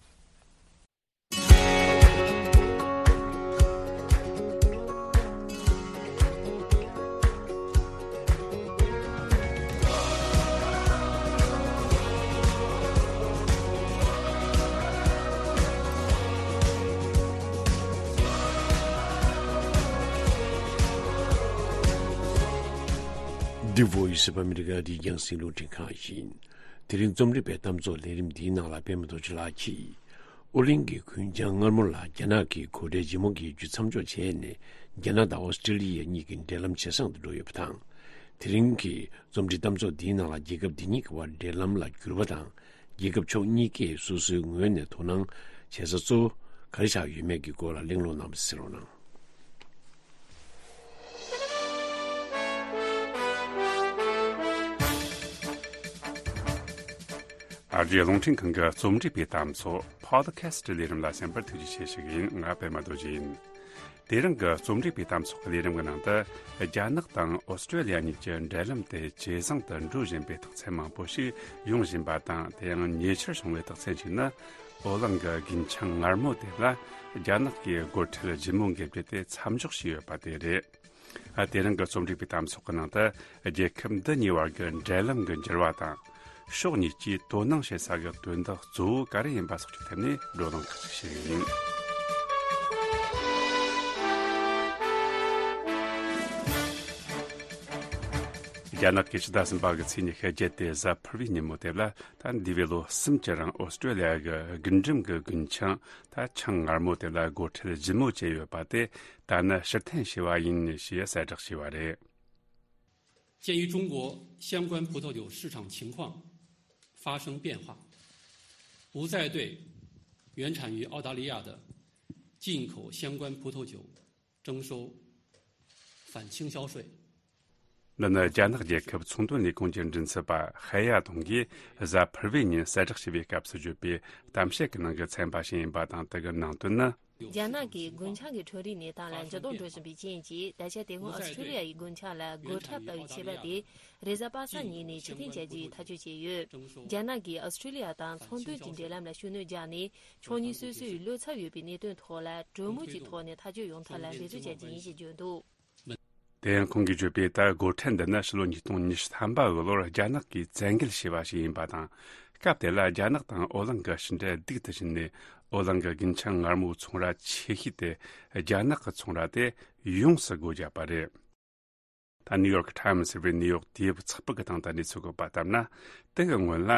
The Voice of America འདི་རྒྱང་སྲིང་རླུང་འཕྲིན་ཁང་ཡིན། དེ་རིང་རྩོམ་སྒྲིག་པའི་གཏམ་ཚོགས་ལས་རིམ་འདིའི་ནང་ལ་པད་མ་རྡོ་རྗེ་ལགས་ཀྱིས། ཨོ་གླིང་གི་གུན་ཆང་མངར་མོ་ལ་རྒྱ་ནག་གིས་སྒོ་ཁྲལ་ལྗིད་མོ་བརྒྱབ་རྒྱུ་མཚམས་འཇོག་བྱས་ནས། རྒྱ་ནག་དང་ཨོ་སི་ཀྲི་ལི་ཡ་གཉིས་ཀྱི་འབྲེལ་ལམ་ཇེ་བཟང་དུ་འགྲོ་ཡོད་པ་དང་། དེ་རིང་གི་རྩོམ་སྒྲིག་གཏམ་ཚོགས་འདིའི་ནང་ལ་རྒྱལ་ཁབ་འདི་གཉིས་ཀྱི་བར་འབྲེལ་ལམ་ལ་འགྱུར་བ་དང་། རྒྱལ་ཁབ་ཕྱོགས་གཉིས་ཀས་སོ་སོའི་ངོས་ནས་དོ་སྣང་བྱེད་ས་གཙོ་བོ་ག་རེ་ཆགས་ཡོད་མེད་ཀྱི་སྐོར་ལ་གླེང་སློང་གནང་བ་གསན་རོགས་གནང་། ཨ་རིའི་རླུང་འཕྲིན་ཁང་གི་རྩོམ་སྒྲིག་པའི་གཏམ་ཚོགས་Podcast ལས་རིམ་ལ་གསན་པར་ཐུགས་རྗེ་ཆེ་ཞུ་གི་ཡིན། ང་པད་མ་རྡོ་རྗེ་ཡིན། དེ་རིང་གི་རྩོམ་སྒྲིག་པའི་གཏམ་ཚོགས་ཀྱི་ལས་རིམ་གྱི་ནང་དུ། རྒྱ་ནག་དང་ཨོ་སི་ཀྲི་ལི་ཡ་གཉིས་ཀྱི་འབྲེལ་ལམ་དེ་ཇེ་བཟང་དུ་འགྲོ་བཞིན་པའི་རྟགས་མཚན་མང་པོ་ཞིག་ཡོང་བཞིན་པ་དང་། དེ་ཡང་ཉེ་ཆར་བྱུང་བའི་རྟགས་མཚན་ཞིག་ནི། ཨོ་གླིང་གི་རྒུན་ཆང་མངར་མོ་དེ་ལ་རྒྱ་ནག་གིས་སྒོ་ཁྲལ་ལྗིད་མོ་འགེབས་རྒྱུ་དེ་མཚམས་འཇོག་བྱས་ཡོད་པ་དེ་རེད། ཨ། དེ་རིང་གི་རྩོམ་སྒྲིག་པའི་གཏམ་ཚོགས་ཀྱི་ནང་དུ། རྒྱལ་ཁབ་འདི་གཉིས་བར་གྱི་འབྲེལ་ལམ་གྱི་འགྱུར་བ་དང་། ཕྱོགས་གཉིས་ཀྱིས་དོ་སྣང་བྱེད་ས་གི་དོན་དག་གཙོ་བོ་ག་རེ་ཡིན་པ་སོགས་ཀྱི་ཐད་ནས་བགྲོ་གླེང་ཁག་ཅིག་བྱེད་ཀྱི་ཡིན། རྒྱ་ནག་གིས་ཕྱི་ཟླ་གསུམ་པ་གི་ཚེས་ཉི་ཤུ་བརྒྱད་དེ་གཟའ་ཕུར་བུའི་ཉིན་མོ་དེ་ལ། ད་འདས་པའི་ལོ་གསུམ་གྱི་རིང་ཨོ་སི་ཀྲི་ལི་ཡ་གི་རྒུན་འབྲུམ་གྱི་རྒུན་ཆང་། ད་ཆང་མངར་མོ་དེ་ལ་སྒོ་ཁྲལ་ལྗིད་མོ་བྱས་ཡོད་པ་དེ། ད་ནི་ཕྱིར་འཐེན་བྱས་པ་ཡིན་ཞེས་གསལ་བསྒྲགས་བྱས་པ་རེད། 鉴于中国相关葡萄酒市场情况发生变化，不再对原产于澳大利亚的进口相关葡萄酒征收反倾销税。 འདི་ནི་རྒྱ་ནག་རྒྱལ་ཁབ་ཚོང་དོན་ལས་ཁུངས་ཀྱི་མགྲིན་ཚབ་པ་ཧེ་ཡ་ཏུང་གིས་གཟའ་ཕུར་བུའི་ཉིན་གསལ་བསྒྲགས་བྱས་པའི་སྐབས་སུ་བརྗོད་པའི་གཏམ་བཤད་ཀྱི་ནང་གི་ཚན་པ་ཞིག་ཡིན་པ་དང་། དེ་གི་ནང་དོན་ནི། རྒྱ་ནག་གིས་རྒུན་ཆང་གི་ཁྲོམ་རའི་གནས་སྟངས་ལ་འགྱུར་ལྡོག་འགྲོ་བཞིན་པའི་རྐྱེན་གྱིས། ད་ཆ་དེ་སྔོན་ཨོ་སི་ཀྲི་ལི་ཡ་ཡི་རྒུན་ཆང་ལ་སྒོ་ཁྲལ་ལྟ་བུའི་ཆད་པ་དེ་རེས་གཟའ་པ་སངས་ཉིན་ནས་ཕྱིར་འཐེན་བྱ་རྒྱུའི་ཐག་གཅོད་བྱས་ཡོད། རྒྱ་ནག་གིས་ཨོ་སི་ཀྲི་ལི་ཡ་དང་ཚོང་དོན་གྱི་འབྲེལ་ལམ་ལ་ཤུགས་སྣོན་བརྒྱབ་ནས། ཕྱོགས་གཉིས་སོ་སོའི་བློ་འཚབ་ཡོད་པའི་གནད་དོན་ཐོག་ལ་གྲོས་མོལ་གྱི་ཐོག་ནས་ཐག་གཅོད་ཡོང་ཐབས་ལ་འབད་བརྩོན་བྱ་རྒྱུ་ཡིན་ཞེས་བརྗོད་འདུག། དེ་ཡང་ཁོང་གིས་བརྗོད་པའི་ད་སྒོ་ཁྲལ་འདི་ནི་ཕྱི་ལོ་ཉིས་སྟོང་ཉི་ཤུ་ཐམ་པ་གི་ལོར་རྒྱ་ནག་གིས་བཙན་འགེལ་བྱས་པ་ཞིག་ཡིན་པ་དང་། སྐབས་དེ་ལ་རྒྱ་ནག་དང་ཨོ་གླིང་གི་ཕྱི་འབྲེལ་སྡུག་ཏུ་ཕྱིན་ནས། ཨོ་གླིང་གི་རྒུན་ཆང་མངར་མོའི་ཚོང་ར་ཆེ་ཤོས་དེ་རྒྱ་ནག་གི་ཚོང་ར་དེ་ཡོངས་སུ་སྒོ་བརྒྱབ་པ་རེད། ད་ནིའུ་ཡོག་ཊའིམ་ཟེར་བའི་ནིའུ་ཡོག་དུས་བབ་ཚགས་པར་གྱི་སྟེང་དུ་གནས་ཚུལ་བཀོད་པ་ལྟར་ན། དེ་གི་སྔོན་ལ་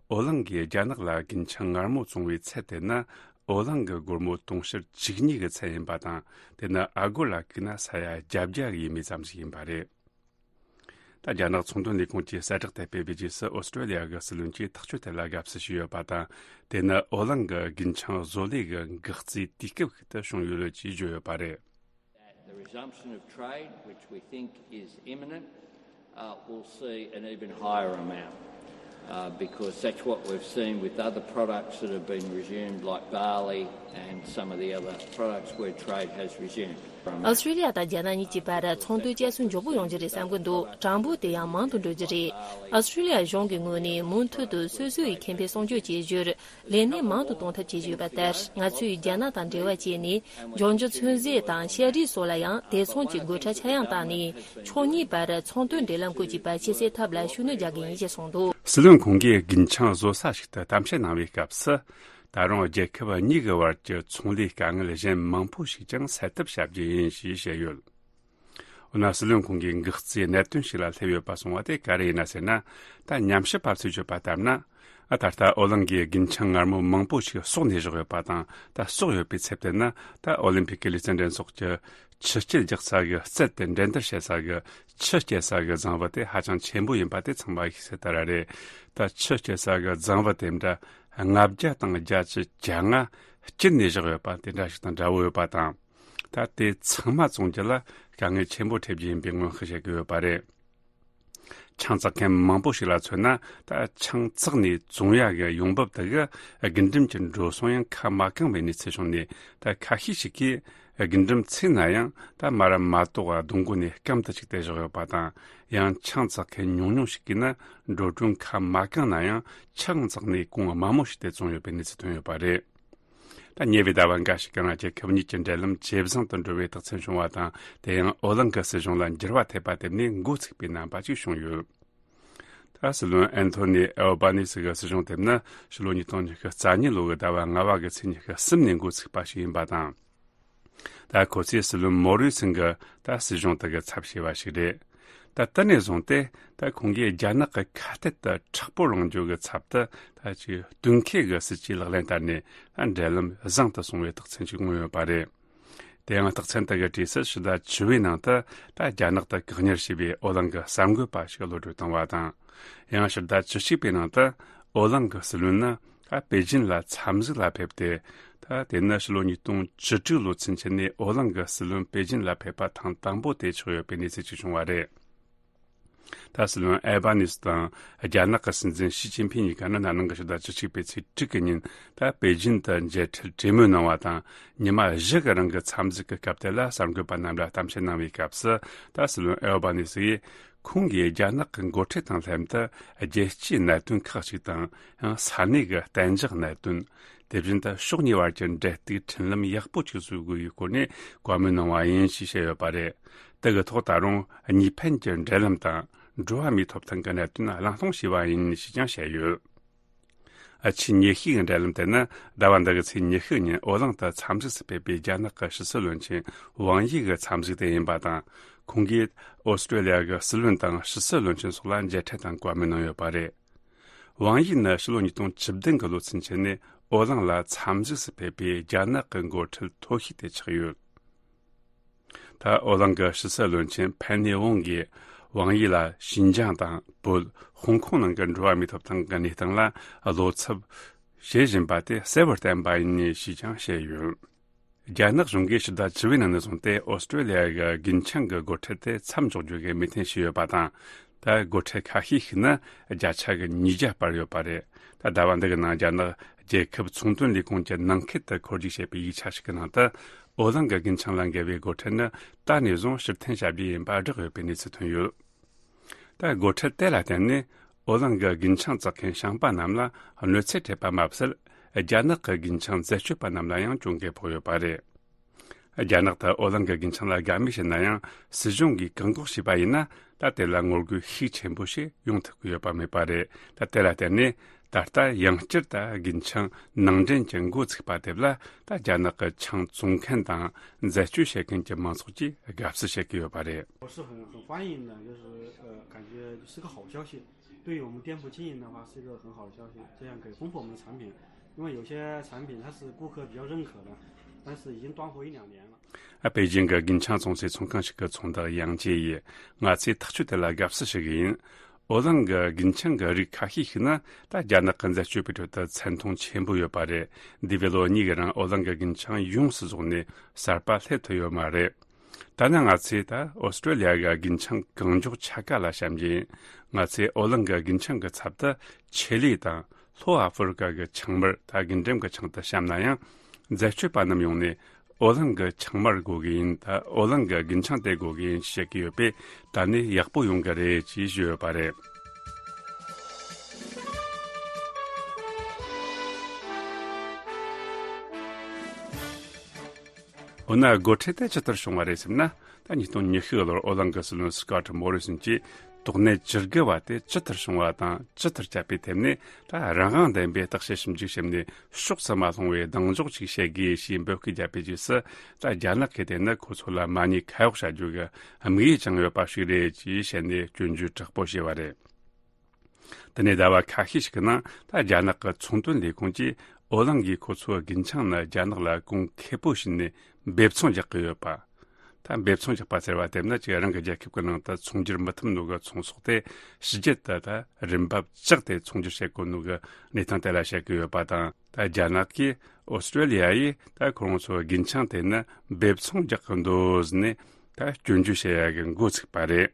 ཨོ་གླིང་གིས་རྒྱ་ནག་ལ་རྒུན་ཆང་མངར་མོ་བཙོང་བའི་ཚད་དེ་ནི་ཨོ་གླིང་གི་སྒོར་མོ་དུང་ཕྱུར་བཅུ་གཉིས་ཀྱི་ཚད་ཡིན་པ་དང་། དེ་ནི་ཨ་སྒོར་ལ་བཀུག་ན་ས་ཡ་བརྒྱད་ཅུ་ཡས་མས་ཙམ་ཞིག་ཡིན་པ་རེད། ད་རྒྱ་ནག་ཚོང་དོན་ལས་ཁུངས་ཀྱིས་གསལ་བསྒྲགས་དེ་སྤེལ་བའི་རྗེས་སུ། ཨོ་སི་ཀྲི་ལི་ཡ་གི་སྲིད་བློན་གྱིས་ཐག་གཅོད་དེ་ལ་དགའ་བསུ་ཞུས་ཡོད་པ་དང་། དེ་ནི་ཨོ་གླིང་གི་རྒུན་ཆང་བཟོ་ལས་ཀྱི་འགག་རྩའི་དུས་སྐབས་ཤིག་ཏུ་བྱུང་ཡོད་ཅེས་བརྗོད་ཡོད་པ་རེད། The resumption of trade, which we think is imminent, uh, will see an even higher amount, uh, because that's what we've seen with other products that have been resumed, like barley and some of the other products where trade has resumed. ཨོ་སི་ཀྲི་ལི་ཡ་དང་རྒྱ་ནག་གཉིས་ཀྱི་བར་ཚོང་དོན་བསྐྱར་གསོ་མགྱོགས་པོ་ཡོང་རྒྱུ་རེད་བསམ་གྱི་འདུག། གྲངས་འབོར་དེ་ཡང་མང་དུ་འགྲོ་རྒྱུ་རེད། ཨོ་སི་ཀྲི་ལི་ཡ་གཞུང་གི་ངོས་ནས་མུ་མཐུད་དུ་སོ་སོ་ཡི་ཁེ་ཕན་སྲུང་སྐྱོབ་བྱེད་རྒྱུར། ལས་གནས་མང་དུ་གཏོང་ཐབས་བྱེད་བཞིན་ཡོད་པ་ལྟར། ང་ཚོས་རྒྱ་ནག་དང་འབྲེལ་བ་བྱས་ནས། ལྗོངས་རྒྱུ་ཚོད་རྫས་དང་ཤ་རིགས་སོགས་ལ་ཡང་དེ་མཚུངས་ཀྱི་སྒོ་ཁྲལ་ཆག་ཡང་བཏང་ནས། ཕྱོགས་གཉིས་བར་ཚོང་དོན་འབྲེལ་ལམ་སྐོར་གྱི་བར་ཆད་སེལ་ཐབས་ལ་ཤུགས་སྣོན་རྒྱག་གི་ཡིན་ཞེས་གསུངས་འདུག། སྲིད་བློན་ཁོང་གིས་རྒུན་ཆང་བཟོ་ས་ཞིག་ཏུ་གཏམ་བཤད་གནང་བའི་སྐབས་སུ། ད་རུང་རྒྱལ་ཁབ་གཉིས་ཀྱི་བར་གྱི་ཚོང་ལས་དཀའ་ངལ་གཞན་མང་པོ་ཞིག་ཀྱང་སེལ་ཐབས་བྱ་རྒྱུ་ཡིན་ཞེས་བཤད་ཡོད། འོ་ན་སྲིད་བློན་ཁོང་གིས་འགག་རྩའི་གནད་དོན་ཞིག་ལ་སླེབས་ཡོད་པ་གསུངས་པ་དེ་ག་རེ་ཡིན་ན་ཟེར་ན། ད་ཉམས་ཞིབ་པ་ཚོས་བརྗོད་པ་ལྟར་ན། ཨ། ད་ལྟ་ཨོ་གླིང་གི་རྒུན་ཆང་མངར་མོ་མང་པོ་ཞིག་གསོག་ནས་བཞག་ཡོད་པ་དང་། ད་གསོག་ཡོད་པའི་ཚད་དེ་ནི་ད་ཨོ་ལིམ་ཕིག་གི་ལུས་རྩལ་འགྲན་ཚོགས་ཀྱི་ཆུ་རྐྱལ་རྒྱག་ས་གི་རྩལ་དེ་འགྲན་བསྡུར་བྱེད་ས་གི་ཆུ་རྐྱལ་ས་གི་རྫིང་བུ་དེ་ཧ་ཅང་ཆེན་པོ་ཡིན་པ་དེ་ཚང་མ་ཤེས་གསལ་ལྟར་རེད། ད་ཆུ་རྐྱལ་ས་གི་རྫིང་བུ་དེ་འདྲ་ལྔ་བརྒྱ་དང་བརྒྱད་ཅུ་གྱ་ལྔ་བསྐྱིལ་ནས་བཞག་ཡོད་པ་དེ་འདྲ་ཞིག་དང་འདྲ་བོ་ཡོད་པ་དང་། ད་དེ་ཚང་མ་བཙོང་རྒྱུ་ལ་དཀའ་ངལ་ཆེན་པོ་འཕྲད་རྒྱུ་ཡིན་པའི་སྔོན་དཔག་བྱེད་ཀྱི་ཡོད་པ་རེད། ཆང་བཙག་མཁན་མང་པོ་ཞིག་ལ་མཚོན་ན། ད་ཆང་བཙགས་ནས་བཙོང་ཡག་གི་ཡོང་འབབ་དེ་གི་རྒུན་འབྲུམ་གྱི་འགྲོ་སོང་ཡང་ཁ་མ་གང་བའི་གནས་ཚུལ་བྱུང་ནས། ད་ཁ་ཤས་ཤིག་གིས་རྒུན་འབྲུམ་ཚིག་ན་ཡང་ད་མ་ར་མ་གཏོགས་སྡོང་མགོ་ནས་སྐམ་དུ་བཅུག་སྟེ་བཞག་ཡོད་པ་དང་། ཡང་ཆང་བཙག་མཁན་ཉུང་ཉུང་ཞིག་གིས་ན་འགྲོ་གྲོན་ཁ་མ་གང་ན་ཡང་ཆང་བཙགས་ནས་གོང་དམའ་མོ་ཞིག་སྟེ་བཙོང་ཡོད་པའི་གནས་ཚུལ་ཐོན་ཡོད་པ་རེད། ད་ཉེ་བའི་ཟླ་བ་འགའ་ཞིག་གི་ནང་རྒྱལ་ཁབ་གཉིས་ཀྱི་འབྲེལ་ལམ་ཇེ་བཟང་དུ་འགྲོ་བའི་རྟགས་མཚན་བྱུང་བ་དང་། དེ་ཡང་ཨོ་གླིང་གི་སྲིད་གཞུང་ལ་འགྱུར་བ་ཐེབས་པ་དེ་ནི་འགོ་ཚུགས་པའི་རྣམ་པ་ཞིག་བྱུང་ཡོད། ད་སྲིད་བློན་ཨན་ཐོ་ནི་ཨེལ་བྷ་ནི་སི་གི་སྲིད་གཞུང་དེ་ནི་ཕྱི་ལོ་ཉིས་སྟོང་ཉི་ཤུ་རྩ་གཉིས་ལོ་གི་ཟླ་བ་ལྔ་བ་གི་ཚེས་ཉི་ཤུ་གསུམ་ནས་འགོ་ཚུགས་པ་ཞིག་ཡིན་པ་དང་། ད་ཁོ་ཚོས་སྲིད་བློན་མོ་རི་སན་གྱི་ད་སྲིད་གཞུང་དག་གི་ཚབ་བྱས་པ་ཞིག་རེད། ད་དེ་ནས་བཟུང་སྟེ་ད་ཁོང་གིས་རྒྱ་ནག་གི་ཁ་གཏད་དུ་མཁྲེགས་པོ་རང་འཇུག་གི་ཚབ་ཏུ་ད་ཅིག་གཏུག་མཁས་ཀྱི་སྲིད་ཇུས་ལག་ལེན་བསྟར་ནས། ད་འབྲེལ་ལམ་བཟང་དུ་སོང་བའི་རྟགས་མཚན་ཞིག་མངོན་ཡོད་པ་རེད། དེ་ཡང་རྟགས་མཚན་དག་གི་གྲས་སུ་ཕྱི་ཟླ་བཅུ་པའི་ནང་དུ་ད་རྒྱ་ནག་ཏུ་བཀག་ཉར་བྱས་པའི་ཨོ་གླིང་གི་གསར་འགོད་པ་ཞིག་གློད་གྲོལ་བཏང་བ་དང་། ཡང་ཕྱི་ཟླ་བཅུ་གཅིག་པའི་ནང་དུ་ཨོ་གླིང་གི་སྲིད་བློན་ནི་ད་པེ་ཅིན་ལ་འཚམས་གཟིགས་ལ་ཕེབས་ཏེ། ད་དེ་ནི་ཕྱི་ལོ་ཉིས་སྟོང་བཅུ་དྲུག་ལོ་ཚུན་ཆད་ནས་ཨོ་གླིང་གི་སྲིད་བློན་པེ་ཅིན་ལ་ཕེབས་པ་ཐེངས་དང་པོ་དེ་ཆགས་ཡོད་པའི་གནས་ཚུལ་ཞིག་བྱུང་བ་རེད། ད་སྲིད་བློན་ཨེལ་བྷ་ནི་སི་དང་རྒྱ་ནག་གི་སྲིད་འཛིན་ཞི་ཅིན་ཕིན་གཉིས་ཀ་ནི་ན་ནིང་གི་ཕྱི་ཟླ་བཅུ་གཅིག་པའི་ཚེས་དྲུག་གི་ཉིན་ད་པེ་ཅིན་དུ་མཇལ་འཕྲད་གྲོས་མོལ་གནང་བ་དང་། ཉི་མ་བཞི་གི་རིང་གི་འཚམས་གཟིགས་ཀྱི་སྐབས་དེ་ལ་གསར་འགོད་པ་རྣམས་ལ་གཏམ་བཤད་གནང་བའི་སྐབས་སུ། ད་སྲིད་བློན་ཨེལ་བྷ་ནི་སི་ཡིས་ཁོང་གིས་རྒྱ་ནག་གི་འགོ་ཁྲིད་དང་ལྷན་དུ་རྒྱལ་སྤྱིའི་གནད་དོན་ཁག་ཅིག་དང་། ཡང་ས་གནས་ཀྱི་གཏན་འཇགས་གནད་དོན། དེ་བཞིན་དུ་ཕྱོགས་གཉིས་བར་གྱི་འབྲེལ་གཏུག་འཕྲིན་ལམ་ཡག་པོ་ཅིག་བཟོ་དགོས་པའི་སྐོར་ནས་བཀའ་མོལ་གནང་བ་ཡིན་ཞེས་བཤད་ཡོད་པ་རེད། དེ་གི་ཐོག་ད་རུང་གཉིས་ཕན་གྱི་འབྲེལ་ལམ་དང་འགྲོ་བ་མིའི་ཐོབ་ཐང་གི་གནད་དོན་གླེང་སློང་བྱས་པ་ཡིན་ཞེས་ཀྱང་བཤད་ཡོད། ཨ། ཆེས་ཉེ་ཤོས་ཀྱི་འབྲེལ་ལམ་དེ་ནི་ཟླ་བ་འདི་གི་ཚེས་ཉི་ཤུ་ཉིན་ཨོ་གླིང་དུ་འཚམས་གཟིགས་སུ་ཕེབས་པའི་རྒྱ་ནག་གི་ཕྱི་སྲིད་བློན་ཆེན་ཝང་ཡི་གི་འཚམས་གཟིགས་དེ་ཡིན་པ་དང་། ཁོང་གིས་ཨོ་སི་ཀྲོ་ལི་ཡ་གི་སྲིད་བློན་དང་ཕྱི་སྲིད་བློན་ཆེན་སོགས་ལ་མཇལ་འཕྲད་དང་བཀའ་མོལ་གནང་ཡོད་པ་རེད། ཝང་ཡི་ནི་ཕྱི་ལོ་ཉིས་སྟོང་བཅུ་བདུན་གྱི་ལོ་ཚུན་ཆད་ནས་ཨོ་གླིང་ལ་འཚམས་གཟིགས་སུ་ཕེབས་པའི་རྒྱ་ནག་གི་འགོ་ཁྲིད་མཐོ་ཤོས་དེ་ཆགས་ཡོད། ད་ཨོ་གླིང་གི་ཕྱི་སྲིད་བློན་ཆེན་ཕན་ནེ་ཝང་གིས་ཝང་ཡི་ལ་ཞིན་ཅང་དང་བོད། ཧོང་ཀོང་ནང་གི་འགྲོ་བ་མིའི་ཐོབ་ཐང་གི་གནས་སྟངས་ལ་བློ་འཚབ་བྱེད་བཞིན་པ་དེ་གསལ་བོར་བསྟན་པ་ཡིན་ཞེས་ཀྱང་བཤད་ཡོད། རྒྱ་ནག་གཞུང་གིས་ཕྱི་ཟླ་བཅུ་པའི་ནང་ནས་བཟུང་སྟེ་ཨོ་སི་ཀྲོ་ལི་ཡ་གི་རྒུན་ཆང་གི་སྒོ་ཁྲལ་དེ་མཚམས་འཇོག་རྒྱུ་གི་མོས་མཐུན་བྱས་ཡོད་པ་དང་། ད་སྒོ་ཁྲལ་ཁ་ཤས་ཤིག་ནི་བརྒྱ་ཆ་གི་ཉིས་བརྒྱ་སྤར་ཡོད་པ་རེད། ད་ཟླ་བ་འདི་གི་ནང་རྒྱ་ནག་རྒྱལ་ཁབ་ཚོང་དོན་ལས་ཁུངས་ཀྱི་ནང་ཁུལ་དུ་འཁོར་རྒྱུག་བྱས་པའི་ཡིག་ཆ་ཞིག་གི་ནང་དུ། ཨོ་གླིང་གི་རྒུན་ཆང་ལ་འགེལ་བའི་སྒོ་ཁྲལ་ནི་ད་ནས་བཟུང་ཕྱིར་འཐེན་བྱ་རྒྱུ་ཡིན་པ་བསྒྲགས་ཡོད་པའི་གནས་ཚུལ་ཐོན་ཡོད། ད་སྒོ་ཁྲལ་དེ་ལ་བརྟེན་ནས་ཨོ་གླིང་གི་རྒུན་ཆང་བཙག་མཁན་ཞིང་པ་རྣམས་ལ་གནོད་འཚེ་འཕྲད་པ་མ་ཟད། རྒྱ་ནག་གི་རྒུན་ཆང་འཛད་སྤྱོད་པ་རྣམས་ལ་ཡང་གྱོང་གུན་ཕོག་ཡོད་པ་རེད། རྒྱ་ནག་ཏུ་ཨོ་གླིང་གི་རྒུན་ཆང་ལ་དགའ་མོས་བྱེད་ན་ཡང་། སྲིད་གཞུང་གིས་བཀག་འགོག་བྱས་པ་ཡིན་ན། ད་དེ་ལ་ངོ་རྒོལ་ཤུགས་ཆེན་པོ་ཞིག་ཡོང་ཐུབ་ཀྱི་ཡོད་པ་མེད་པ་རེད། ད་དེ་ལ་བརྟེན་ནས་ད་ལྟ་ཡང་བསྐྱར་ད་རྒུན་ཆང་ནང་འདྲེན་གྱི་འགོ་ཚུགས་པ་དེ་ལ། ད་རྒྱ་ནག་གི་ཆང་བཙོང་མཁན་དང་འཛད་སྤྱོད་བྱེད་མཁན་གྱི་མང་ཚོགས་ཀྱིས་དགའ་བསུ་བྱེད་ཀྱི་ཡོད་པ་རེད། 我是很很欢迎的，就是呃，感觉是个好消息。对于我们店铺经营的话，是一个很好的消息，这样可以丰富我们的产品。因为有些产品它是顾客比较认可的，但是已经断货一两年了。 ཨ། པེ་ཅིང་གི་རྒུན་ཆང་བཙོང་སའི་ཚོང་ཁང་ཞིག་གི་ཚོང་བདག་ཡང་ཅེ་ཡིས། ང་ཚོས་ཐག་གཅོད་དེ་ལ་དགའ་བསུ་ཞུ་གི་ཡིན། ཨོ་གླིང་གི་རྒུན་ཆང་གི་རིགས་ཁ་ཤས་ཤིག་ནི་ད་རྒྱ་ནག་གི་འཛད་སྤྱོད་པའི་ཁྲོད་དུ་མཚན་མཐོང་ཆེན་པོ་ཡོད་པ་རེད། འདས་པའི་ལོ་གཉིས་ཀྱི་རིང་ཨོ་གླིང་གི་རྒུན་ཆང་ཡོངས་སུ་རྫོགས་ནས་གསར་པ་སླེབས་ཐུབ་ཡོད་མ་རེད། ད་ནི་ང་ཚོས་ད་ཨོ་སི་ཀྲོ་ལི་ཡ་གི་རྒུན་ཆང་གང་མགྱོགས་ཆ་ག་ལ་བཤམ་གྱི་ཡིན། ང་ཚོས་ཨོ་གླིང་གི་རྒུན་ཆང་གི་ཚབ་ཏུ་ཆི་ལི་དང་། ལྷོ་ཨ་ཧྥེ་རི་ཀ་གི་ཆང་མར། ད་རྒུན་འབྲུམ་གྱི་ཆང་དུ་བཤམས་ན་ཡང་། འཛད་སྤྱོད་པ་རྣམས་ཡོང་ནས་ཨོ་གླིང་གི་ཆང་མར་དགོས་ཀྱི་ཡིན། ད་ཨོ་གླིང་གི་རྒུན་ཆང་དེ་དགོས་ཀྱི་ཡིན་ཞེས་བཤད་ཀྱི་ཡོད་པས། ད་ནི་ཡག་པོ་ཡོང་གི་རེད་ཅེས་ཞུས་ཡོད་པ་རེད། འོ་ན་སྒོ་ཁྲལ་དེ་ཇི་ལྟར་བྱུང་བ་རེད་ཟེར་ན། ད་ཉིས་སྟོང་ཉི་ཤུ་ལོར་ཨོ་གླིང་གི་སྲིད་བློན་སི་ཀོ་ཊི་མོ་རི་སན་གྱིས། དོགས་གནད་བཅུ་དགུ་བ་དེ་ཇི་ལྟར་བྱུང་བ་དང་ཇི་ལྟར་བསྐྱབས་པའི་ཐད་ནས། ད་རང་དབང་ལྡན་པའི་བརྟག་དཔྱད་ཞིབ་འཇུག་བྱས་ནས་ཕྱོགས་སུ་མ་ལྷུང་བའི་གདེང་འཇོག་ཅིག་བྱེད་དགོས་ཞེས་འབོད་སྐུལ་བརྒྱབ་པའི་རྗེས་སུ། ད་རྒྱ་ནག་གིས་དེ་ནི་ཁོ་ཚོ་ལ་མ་ཉེས་ཁ་གཡོགས་བྱ་རྒྱུ་གི་དམིགས་ཡུལ་ཅང་ཡོད་པ་ཞིག་རེད་ཅེས་བཤད་ནས་སྐྱོན་བརྗོད་དྲག་པོ་བྱས་པ་རེད། དེ་ནས་ཟླ་བ་ཁ་ཤས་ཤིག་གི་ནང་ད་རྒྱ་ནག་གི་ཚོང་དོན་ལས་ཁུངས་ཀྱིས་ཨོ་གླིང་གིས་ཁོ་ཚོའི་རྒུན་ཆང་ནི་རྒྱ་ནག་ལ་གོང་ཁེ་པོ་བྱིན་ནས་འབེབས་ཚོང་རྒྱག་གི་ཡོད་པ། ད་འབེབས་ཚོང་རྒྱག་པ་ཟེར་བ་དེ་ནི་ཅིག་རང་གི་རྒྱལ་ཁབ་ཀྱི་ནང་དུ་ཚོང་སྒྱུར་མི་ཐུབ་ནོ་གི་ཚོང་ཟོག་དེ་ཕྱི་རྒྱལ་དུ་ད་རིན་འབབ་བཅག་སྟེ་ཚོང་སྒྱུར་བྱེད་དགོས་ནོ་གི་གནས་སྟངས་དེ་ལ་བཤད་ཀྱི་ཡོད་པ་དང་། ད་རྒྱ་ནག་གིས་ཨོ་སི་ཀྲོ་ལི་ཡ་ཡིས་ད་ཁོ་རང་ཚོའི་རྒུན་ཆང་དེ་ནི་འབེབས་ཚོང་རྒྱག་གི་འདུག་ཟེར་ནས་ད་སྐྱོན་བརྗོད་བྱེད་ཡ་གི་འགོ་ཚུགས་པ་རེད།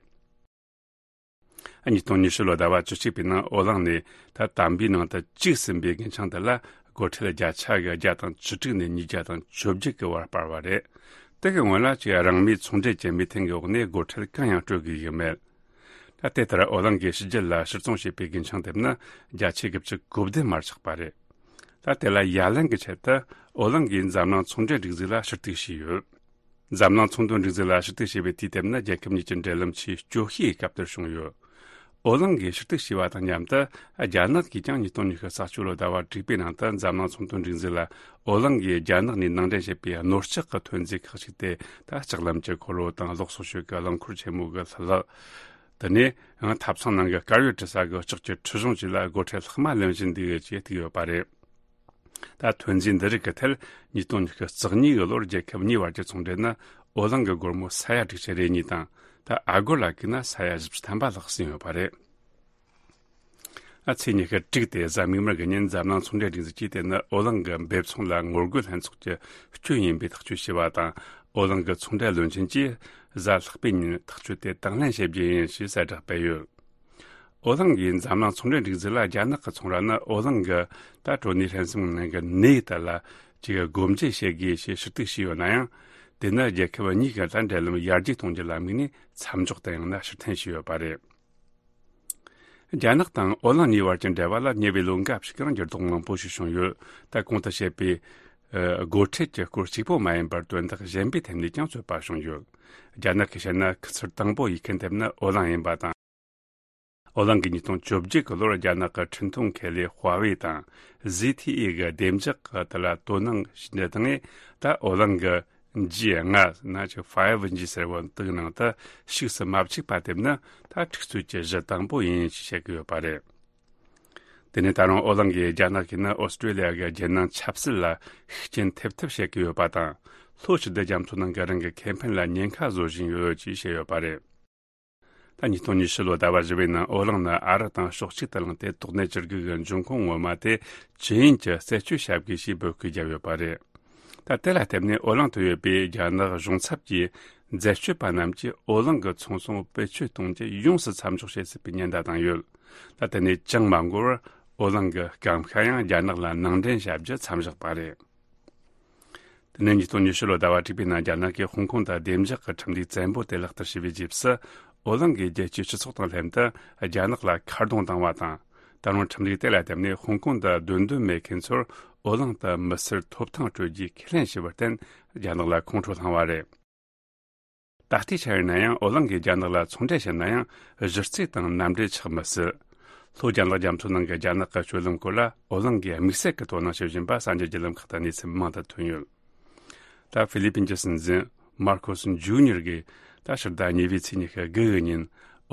ཉིས་སྟོང་ཉི་ཤུ་ལོ་ཟླ་བ་བཅུ་གཅིག་པའི་ནང་ཨོ་གླིང་ནས་ད་དམ་པའི་ནང་དུ་བཅུག་ཟིན་པའི་རྒུན་ཆང་དེ་ལ་སྒོར་ཁྲལ་བརྒྱ་ཆ་གི་བརྒྱ་དང་བཅུ་དྲུག་ནས་ཉིས་བརྒྱ་དང་བཅོ་བརྒྱད་ཀྱི་བར་སྤར་བ་རེད། དེ་གི་སྔོན་ལ་ཅིག་རང་མོས་ཚོང་འབྲེལ་གྱི་མོས་མཐུན་གྱི་འོག་ནས་སྒོར་ཁྲལ་གང་ཡང་སྤྲོད་དགོས་ཀྱི་མེད། ད་དེ་ལྟར་ཨོ་གླིང་གིས་ཕྱི་རྒྱལ་ལ་ཕྱིར་ཚོང་བྱས་པའི་རྒུན་ཆང་དེ་ནི་བརྒྱ་ཆ་དགུ་བཅུ་གོ་བདུན་མར་ཆག་པ་རེད། ད་དེ་ལ་ཡ་ལན་གྱི་ཆེད་དུ་ཨོ་གླིང་གིས་འཛམ་གླིང་ཚོང་འབྲེལ་སྒྲིག་འཛུགས་ལ་ཞུ་གཏུག་བྱས་ཡོད། འཛམ་གླིང་ཚོང་དོན་སྒྲིག་འཛུགས་ལ་ཞུ་གཏུག་བྱས་པའི་དུས་དེབ་ནི་རྒྱལ་ཁབ་གཉིས་ཀྱི་འབྲེལ་ལམ་ཆེས་སྐྱོ་ཤོས་ཀྱི་སྐབས་དེར་བྱུང་ཡོད། ཨོ་གླིང་གིས་ཞུ་གཏུག་བྱས་པ་དང་མཉམ་དུ། རྒྱ་ནག་གིས་ཀྱང་ཉིས་སྟོང་ཉི་ཤུ་རྩ་བཅུ་ལོ་ཟླ་བ་དྲུག་པའི་ནང་དུ་འཛམ་གླིང་ཚོང་དོན་སྒྲིག་འཛུགས་ལ་ཨོ་གླིང་གིས་རྒྱ་ནག་ནས་ནང་འདྲེན་བྱས་པའི་ནོར་ལྕགས་ཀྱི་ཐོན་རྫས་ཁག་ཅིག་སྟེ། ད་ལྕགས་ལམ་གྱི་འཁོར་ལོ་དང་གློག་གསོག་ཤུགས་ཀྱི་རླངས་འཁོར་ཆེན་མོ་གི་ལྷུ་ལག་དེ་ནས་ཐབ་ཚང་ནང་གི་དཀར་ཡོལ་འཁྲུ་ས་གི་ལྕགས་ཀྱི་འཁྲུ་གཞུང་བཅས་ལ་སྒོར་ཁྲལ་ལྷག་མ་ལེན་བཞིན་འདུག་ཅེས་བཏུག་ཡོད་པ་རེད། ད་ཐོན་རྫས་འདི་རིགས་ཀྱི་ཐད་ཉིས་སྟོང་ཉི་ཤུ་རྩ་གཉིས་ཀྱི་ལོར་རྒྱལ་ཁབ་གཉིས་བར་གྱི་ཚོང་འབྲེལ་ནི་ཨོ་གླིང་གི་སྒོར་མོ་ས་ཡ་དྲུག་ཅུ་རེ་གཉིས་དང་། ད་ཨ་སྒོར་ལ་བགོས་ན་ས་ཡ་བཞི་བཅུ་ཐམ་པ་ལྷག་ཟིན་ཡོད་པ་རེད། ཨ་ཚེས་ཉི་ཤུ་དྲུག་སྟེ་གཟའ་མིག་དམར་གྱི་ཉིན་འཛམ་གླིང་ཚོང་འབྲེལ་སྒྲིག་འཛུགས་ཀྱིས་དེ་ནི་ཨོ་གླིང་གི་འབེབས་ཚོང་ལ་ངོ་རྒོལ་ལྷན་ཚོགས་ཀྱི་སྐྱོན་ཡིན་པའི་ཐག་གཅོད་བྱས་པ་དང་། ཨོ་གླིང་གི་ཚོང་འབྲེལ་བློན་ཆེན་གྱིས་གཟའ་ལྷག་པའི་ཉིན་ཐག་གཅོད་དེ་དང་ལེན་བྱེད་རྒྱུ་ཡིན་ཞེས་གསལ་བསྒྲགས་སྤེལ་ཡོད། ཨོ་གླིང་གིས་འཛམ་གླིང་ཚོང་འབྲེལ་སྒྲིག་འཛུགས་ལ་རྒྱ་ནག་གི་ཚོང་ར་ནི་ཨོ་གླིང་གི་ད་གྲོ་ནས་ཧྲེན་སུང་ནང་གི་ནས་དེ་ལ་ཅིག་སྒོ་འབྱེད་བྱེད་དགོས་ཞེས་ཞུ་གཏུག་བྱས་ཡོད་ན་ཡང་། དེ་ནི་རྒྱལ་ཁབ་གཉིས་ཀྱི་ད་འབྲེལ་ལམ་ཡར་རྒྱས་གཏོང་རྒྱུ་ལ་དམིགས་ནས་མཚམས་འཇོག་དང་ཡང་ན་ཕྱིར་འཐེན་བྱས་ཡོད་པ་རེད། རྒྱ་ནག་དང་ཨོ་གླིང་གཉིས་བར་གྱི་འབྲེལ་བ་ལ་ཉེ་བའི་ལོ་འགའ་ཞིག་གི་རིང་འགྱུར་ལྡོག་མང་པོ་ཞིག་བྱུང་ཡོད། ད་གོང་དུ་བཤད་པའི་ཨ་སྒོ་ཁྲལ་གྱི་སྐོར་གཅིག་པོ་མ་ཡིན་པར་དོན་དག་གཞན་པའི་ཐད་ནས་ཀྱང་རྩོད་པ་བྱུང་ཡོད། རྒྱ་ནག་གིས་བཤད་ན་ཁུ་ཚུར་དང་པོ་ཡིད་ཁུར་ཐེབས་ནི་ཨོ་གླིང་ཡིན་པ་དང་། ཨོ་གླིང་གིས་ཉིས་སྟོང་བཅོ་བརྒྱད་ཀྱི་ལོར་རྒྱ་ནག་གི་འཕྲིན་ཐུང་ཁེ་ལས་ཧྭ་ཝེ་དང་ཟི་ཐི་ཨེ་གི་བདེ་འཇགས་ཀྱི་དེ་ལ་དོ་སྣང་བྱས་འདི་དང་། ད་ཨོ་གླིང་གི་ཇི་ལྔ་ན་ཅིག་ཕའི་ཝི་ཇི་ཟེར་བ་དེའི་ནང་དུ་ཞུགས་སུ་མ་བཅུག་པ་དེ་ནི་ད་འཁྲུག་རྩོད་ཀྱི་གཞི་དང་པོ་ཡིན་ཞེས་བཤད་ཀྱི་ཡོད་པ་རེད། དེ་ནས་ད་རུང་ཨོ་གླིང་གིས་རྒྱ་ནག་གིས་ནི་ཨོ་སི་ཀྲོ་ལི་ཡ་གི་རྒྱལ་ནང་ཆབ་སྲིད་ལ་ཤུགས་རྐྱེན་ཐེབས་ཐབས་བྱེད་ཀྱི་ཡོད་པ་དང་། ལྷོ་ཕྱི་སྡོད་རྒྱ་མཚོ་ནང་གི་རང་གི་ཁེ་ཕན་ལ་ཉེན་ཁ་བཟོ་བཞིན་ཡོད་ཅེས་བཤད་ཡོད་པ་རེད། ད་ཉིས་སྟོང་ཉི་ཤུ་ལོ་ཟླ་བ་བཞི་པའི་ནང་ཨོ་གླིང་ནི་ཨ་རི་དང་ཕྱོགས་གཅིག་ཏུ་ལངས་ཏེ། དོགས་གནད་བཅུ་དགུ་གི་འབྱུང་ཁུངས་ངོ་མ་དེ་ཅི་ཡིན་གྱི་རྩད་གཅོད་བྱ་དགོས་ཞེས་འབོད་སྐུལ་བརྒྱབ་ཡོད་པ་རེད། ད་དེ་ལ་བརྟེན་ནས་ཨོ་གླིང་དུ་ཡོད་པའི་རྒྱ་ནག་གཞུང་ཚབ་ཀྱི་འཛད་སྤྱོད་པ་རྣམས་ཀྱིས་ཨོ་གླིང་གི་ཚོང་ཟོག་བེད་སྤྱོད་གཏོང་རྒྱུ་ཡོངས་སུ་མཚམས་འཇོག་བྱེད་སྲིད་པའི་ཉེན་བརྡ་བཏང་ཡོད། ད་དེ་ནས་ཅང་མ་འགོར་བར་ཨོ་གླིང་གི་སྐམ་ཤ་ཡང་རྒྱ་ནག་ལ་ནང་འདྲེན་བྱ་རྒྱུ་མཚམས་བཞག་པ་རེད། དེ་ནས་ཉིས་སྟོང་ཉི་ཤུ་ལོ་ཟླ་བ་དྲུག་པའི་ནང་རྒྱ་ནག་གིས་ཧོང་ཀོང་དང་བདེ་འཇགས་ཀྱི་ཁྲིམས་ལུགས་བཙན་པོ་དེ་ལག་བསྟར་བྱས་པའི་རྗེས་སུ། ཨོ་གླིང་གིས་རྒྱལ་སྤྱིའི་སྤྱི་ཚོགས་དང་ལྷན་དུ་རྒྱ་ནག་ལ་ཁ་རྡུང་བཏང་བ་དང་། ད་རུང་ཁྲིམས་ལུགས་དེ་ལ་བརྟེན་ནས་ཧོང་ཀོང་དུ་སྡོད་འདོད་མེད་མཁན་ཚོར་ཨོ་གླིང་དུ་མི་སེར་ཐོབ་ཐང་སྤྲོད་རྒྱུའི་ཁས་ལེན་བྱས་པར་བརྟེན། རྒྱ་ནག་ལ་ཁོང་ཁྲོ་ལངས་བ་རེད། ད་ལྟའི་ཆར་ཡིན་ན་ཡང་ཨོ་གླིང་གིས་རྒྱ་ནག་ལ་ཚོང་འབྲེལ་བྱེད་ན་ཡང་གཞི་རྩའི་དང་མནའ་འབྲེལ་ཆགས་མི་སྲིད། ལྷོ་རྒྱ་ནག་རྒྱ་མཚོ་ནང་གི་རྒྱ་ནག་གི་སྤྱོད་ལམ་སྐོར་ལ་ཨོ་གླིང་གིས་དམིགས་བསལ་གྱི་དོ་སྣང་བྱེད་བཞིན་པ་གསར་འགྱུར་བརྒྱུད་ལམ་ཁག་ཏུ་གནས་ཚུལ་མང་དུ་ཐོན་ཡོད། ད་ཧྥི་ལི་པིན་གྱི་སྲིད་འཛིན་མར་ཁོ་སི་ཇུ་ཉེར་གིས་ད་ཕྱི་ཟླ་གཉིས་པའི་ཚེས་ཉི་ཤུ་དགུ་གི་ཉིན་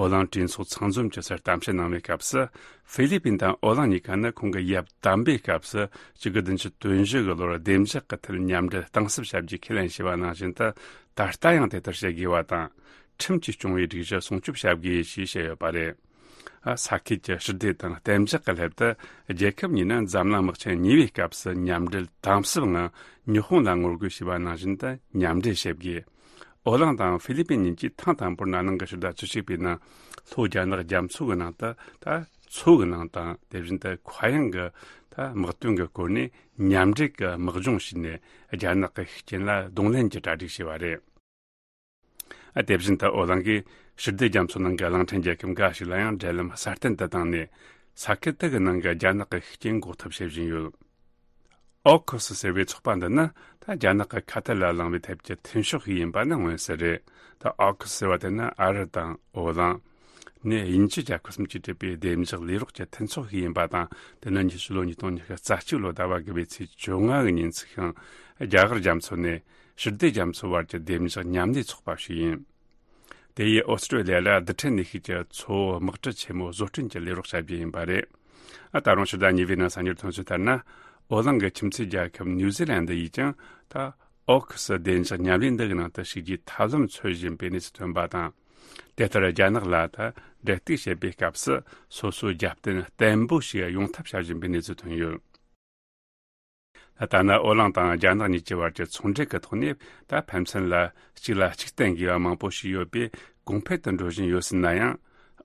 ཨོ་གླིང་གྲོས་ཚོགས་ཚང་འཛོམས་ཀྱི་སར་གཏམ་བཤད་གནང་བའི་སྐབས་སུ། ཧྥི་ལི་པིན་དང་ཨོ་གླིང་གཉིས་ཀ་ནི་ཁོང་གི་ཡབ་དམ་པའི་སྐབས་སུ་གཅིག་དགུ་བདུན་ཅུ་དོན་བཞི་གི་ལོར་བདེ་འཇགས་ཀྱི་ཐད་མཉམ་འབྲེལ་གཏིང་ཟབ་བྱ་རྒྱུའི་ཁས་ལེན་བྱས་པ་ནང་བཞིན་དུ། ད་ལྟ་ཡང་དེ་ལྟར་བྱེད་དགོས་པ་དང་། ཁྲིམས་ཀྱིས་སྐྱོང་བའི་སྒྲིག་གཞི་སྲུང་སྐྱོབ་བྱ་དགོས་ཞེས་བཤད་ཡོད་པ་རེད། ཨ། ས་ཁུལ་གྱི་ཞི་བདེ་དང་གཏན་འཇགས་ཀྱི་སླད་དུ། རྒྱལ་ཁབ་གཉིས་ནི་འཛམ་གླིང་དམག་ཆེན་གཉིས་པའི་སྐབས་སུ་མཉམ་འབྲེལ་དམ་ཟབ་ངང་ཉི་ཧོང་ལ་ངོ་རྒོལ་བྱས་པ་ནང་བཞིན་དུ་མཉམ་འབྲེལ་བྱེད་དགོས། ཨོ་གླིང་དང་ཧྥི་ལི་པིན་གཉིས་ཀྱིས་ཐེངས་དང་པོར་ན་ནིང་གི་ཕྱི་ཟླ་བཅུ་གཅིག་པའི་ནང་ལྷོ་རྒྱ་ནག་རྒྱ་མཚོ་གི་ནང་དུ། ད་མཚོ་གི་ནང་དང་། དེ་བཞིན་དུ་མཁའ་དབྱིངས་ཀྱི་ད་དམག་དོན་གྱི་སྐོར་ནས་མཉམ་འབྲེལ་གྱི་དམག་སྦྱོང་བྱས་ནས། རྒྱ་ནག་གི་ཤུགས་རྐྱེན་ལ་གདོང་ལེན་གྱི་གྲ་སྒྲིག་བྱས་པ་རེད། ཨ། དེ་བཞིན་དུ་ཨོ་གླིང་གིས་ཕྱི་སྡོད་རྒྱ་མཚོ་ནང་གི་གླིང་ཕྲན་རྒྱལ་ཁབ་འགའ་ཞིག་ལ་ཡང་འབྲེལ་ལམ་སྲ་བརྟན་དུ་བཏང་ནས། ས་ཁུལ་དེ་གི་ནང་གི་རྒྱ་ནག་གི་ཤུགས་རྐྱེན་འགོག་ཐབས་བྱེད་བཞིན་ཡོད། ཨོ་ཁུ་སི་ཟེར་བའི་ཚོགས་པ་འདི་ནི་ད་རྒྱ་ནག་གི་ཁ་ཐལ་ལ་ལངས་པའི་ཐད་ཀྱི་མཐུན་ཕྱོགས་ཤིག་ཡིན་པ་ནི་མངོན་གསལ་རེད། ད་ཨོ་ཁུ་སི་ཟེར་བ་དེ་ནི་ཨ་རི་དང་ཨོ་གླིང་། ནས་དབྱིན་ཇི་རྒྱལ་ཁབ་གསུམ་གྱིས་གྲུབ་པའི་བདེ་འཇགས་ལས་རོགས་ཀྱི་མཐུན་ཚོགས་ཤིག་ཡིན་པ་དང་། དེ་ནི་ཉི་ཤུ་ལོ་ཉིས་སྟོང་ཉི་ཤུ་རྩ་གཅིག་ལོ་ཟླ་བ་དགུ་པའི་ཚེས་བཅོ་ལྔ་གི་ཉིན་ཚུགས་ཤིང་། རྒྱ་གར་རྒྱ་མཚོ་ནས་ཕྱི་སྡོད་རྒྱ་མཚོ་བར་གྱི་བདེ་འཇགས་མཉམ་ལས་ཚོགས་པ་ཞིག་ཡིན། དེ་ཡིས་ཨོ་སི་ཀྲོ་ལི་ཡ་ལ་རྡུལ་ཕྲན་ནུས་ཤུགས་ཀྱི་མཚོ་བོ་དམག་གྲུ་ཆེན་མོ་བཟོ་སྐྲུན་གྱི་ལས་རོགས་བྱ་རྒྱུ་ཡིན་པ་རེད། ཨ། ད་རུང་ཕྱི་ཟླ་གཉིས་པའི་ནང་གསར་འགྱུར་ཐོན་ཚུལ་ལྟར་ན། ཨོ་གླིང་གི་ཁྱིམ་མཚེས་རྒྱལ་ཁབ་ནིའུ་ཛི་ལན་ཌི་ཡིས་ཀྱང་ད་ཨོ་ཁུ་སི་བདེ་འཇགས་ཉམས་ལེན་འདི་གི་ནང་དུ་ཞུགས་རྒྱུའི་ཐབས་ལམ་འཚོལ་བཞིན་པའི་གནས་ཚུལ་ཐོན་པ་དང་། དེ་ལྟར་རྒྱ་ནག་ལ་ད་འབྲེལ་གཏུག་བྱེད་པའི་སྐབས་སུ་སོ་སོའི་རྒྱབ་རྟེན་བརྟན་པོ་ཞིག་ཡོང་ཐབས་བྱ་བཞིན་པའི་གནས་ཚུལ་ཐོན་ཡོད། ད་ལྟ་ན་ཨོ་གླིང་དང་རྒྱ་ནག་གཉིས་ཀྱི་བར་གྱི་ཚོང་འབྲེལ་གྱི་ཐོག་ནས་ད་ཕན་ཚུན་ལ་གཅིག་ལ་གཅིག་བརྟེན་དགོས་པ་མང་པོ་ཞིག་ཡོད་པས་གོང་འཕེལ་དུ་འགྲོ་བཞིན་ཡོད་སྲིད་ན་ཡང་།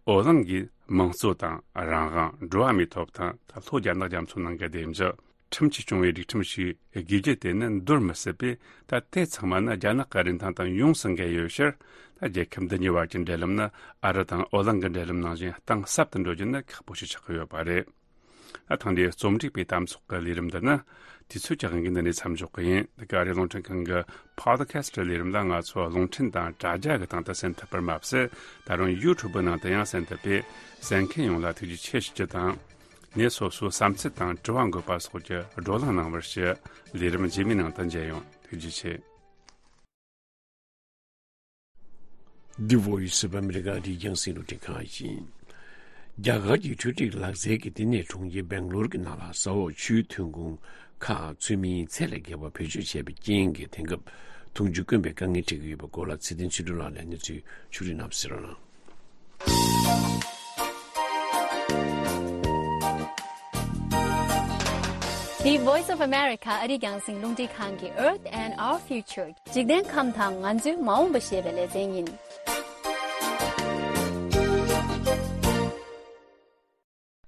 ཨོ་གླིང་གིས་དམངས་གཙོ་དང་རང་དབང་། འགྲོ་བ་མིའི་ཐོབ་ཐང་། ད་ལྷོ་རྒྱ་ནག་རྒྱ་མཚོ་ནང་གི་བདེ་འཇགས། ཁྲིམས་ཀྱིས་སྐྱོང་བའི་སྒྲིག་ཁྲིམས་ཤིག་དགོས་རྒྱུ་དེ་ནི་འདོར་མི་སྲིད་པས། ད་དེ་ཚང་མ་ནི་རྒྱ་ནག་གི་རིན་ཐང་དང་ཡོངས་སུ་འགལ་ཡོད་ཕྱིར། ད་རྒྱལ་ཁབ་འདི་གཉིས་བར་གྱི་འབྲེལ་ལམ་ནི་ཨ་རི་དང་ཨོ་གླིང་གི་འབྲེལ་ལམ་ནང་བཞིན་གཏིང་ཟབ་ཏུ་འགྲོ་རྒྱུ་ནི་ཁག་པོ་ཞིག་ཆགས་ཀྱི་ཡོད་པ་རེད། ད་ཐེངས་འདིའི་རྩོམ་སྒྲིག་པའི་གཏམ་ཚོགས་ཀྱི་ལས་རིམ་འདི་ནི་དུས་ཚོད་ཀྱི་དབང་གིས་འདི་ནས་མཚམས་འཇོག་གི་ཡིན། འདི་ག་ཨ་རིའི་རླུང་འཕྲིན་ཁང་གི་Podcast ལས་རིམ་ལ་ང་ཚོ་རླུང་འཕྲིན་དང་དྲ་རྒྱ་གི་སྟེང་དུ་གསན་ཐུབ་པར་མ་ཟད། ད་རུང་YouTube ནང་དུ་ཡང་གསན་ཐུབ་པས། གསན་མཁན་ཡོངས་ལ་ཐུགས་རྗེ་ཆེ་ཞུ་རྒྱུ་དང་། ངས་སོ་སོའི་བསམ་ཚུལ་དང་དྲི་བ་འགོད་པ་སོགས་ཀྱི་བགྲོ་གླེང་གནང་བར་ཞུ། ལས་རིམ་རྗེས་མའི་ནང་དུ་མཇལ་ཡོང་། ཐུགས་རྗེ་ཆེ། འདི་Voice of America རྒྱང་སྲིང་རླུང་འཕྲིན་ཁང་ཡིན། རྒྱ་གར་གྱི་འཕྲུལ་རིག་ལག་རྩལ་གྱི་བསྟི་གནས་གྲོང་ཁྱེར་སྦེང་ལོར་གྱི་ནང་ལ་ཟ་འོག་ཆུའི་ཐོན་ཁུངས་ཁག་ཚུལ་མིན་ཚད་ལས་བརྒལ་བ་བེད་སྤྱོད་བྱས་པའི་རྐྱེན་གྱིས་དེང་སྐབས་འཐུང་ཆུ་དཀོན་པའི་དཀའ་ངལ་འཕྲད་ཀྱི་ཡོད་པའི་སྐོར་ལ་ཚེ་བརྟན་ཆོས་སྒྲོན་ལགས་ལ་གནས་ཚུལ་ཕྱོགས་སྒྲིག་གནང་ཟེར་རོགས་གནང་། འདི་Voice of America ཨ་རིའི་རྒྱང་སྲིང་རླུང་འཕྲིན་ཁང་གི་Earth and Our Future འཇིག་རྟེན་ཁམས་དང་ང་ཚོའི་མ་འོངས་པ་ཞེས་པའི་ལེ་ཚན་ཡིན།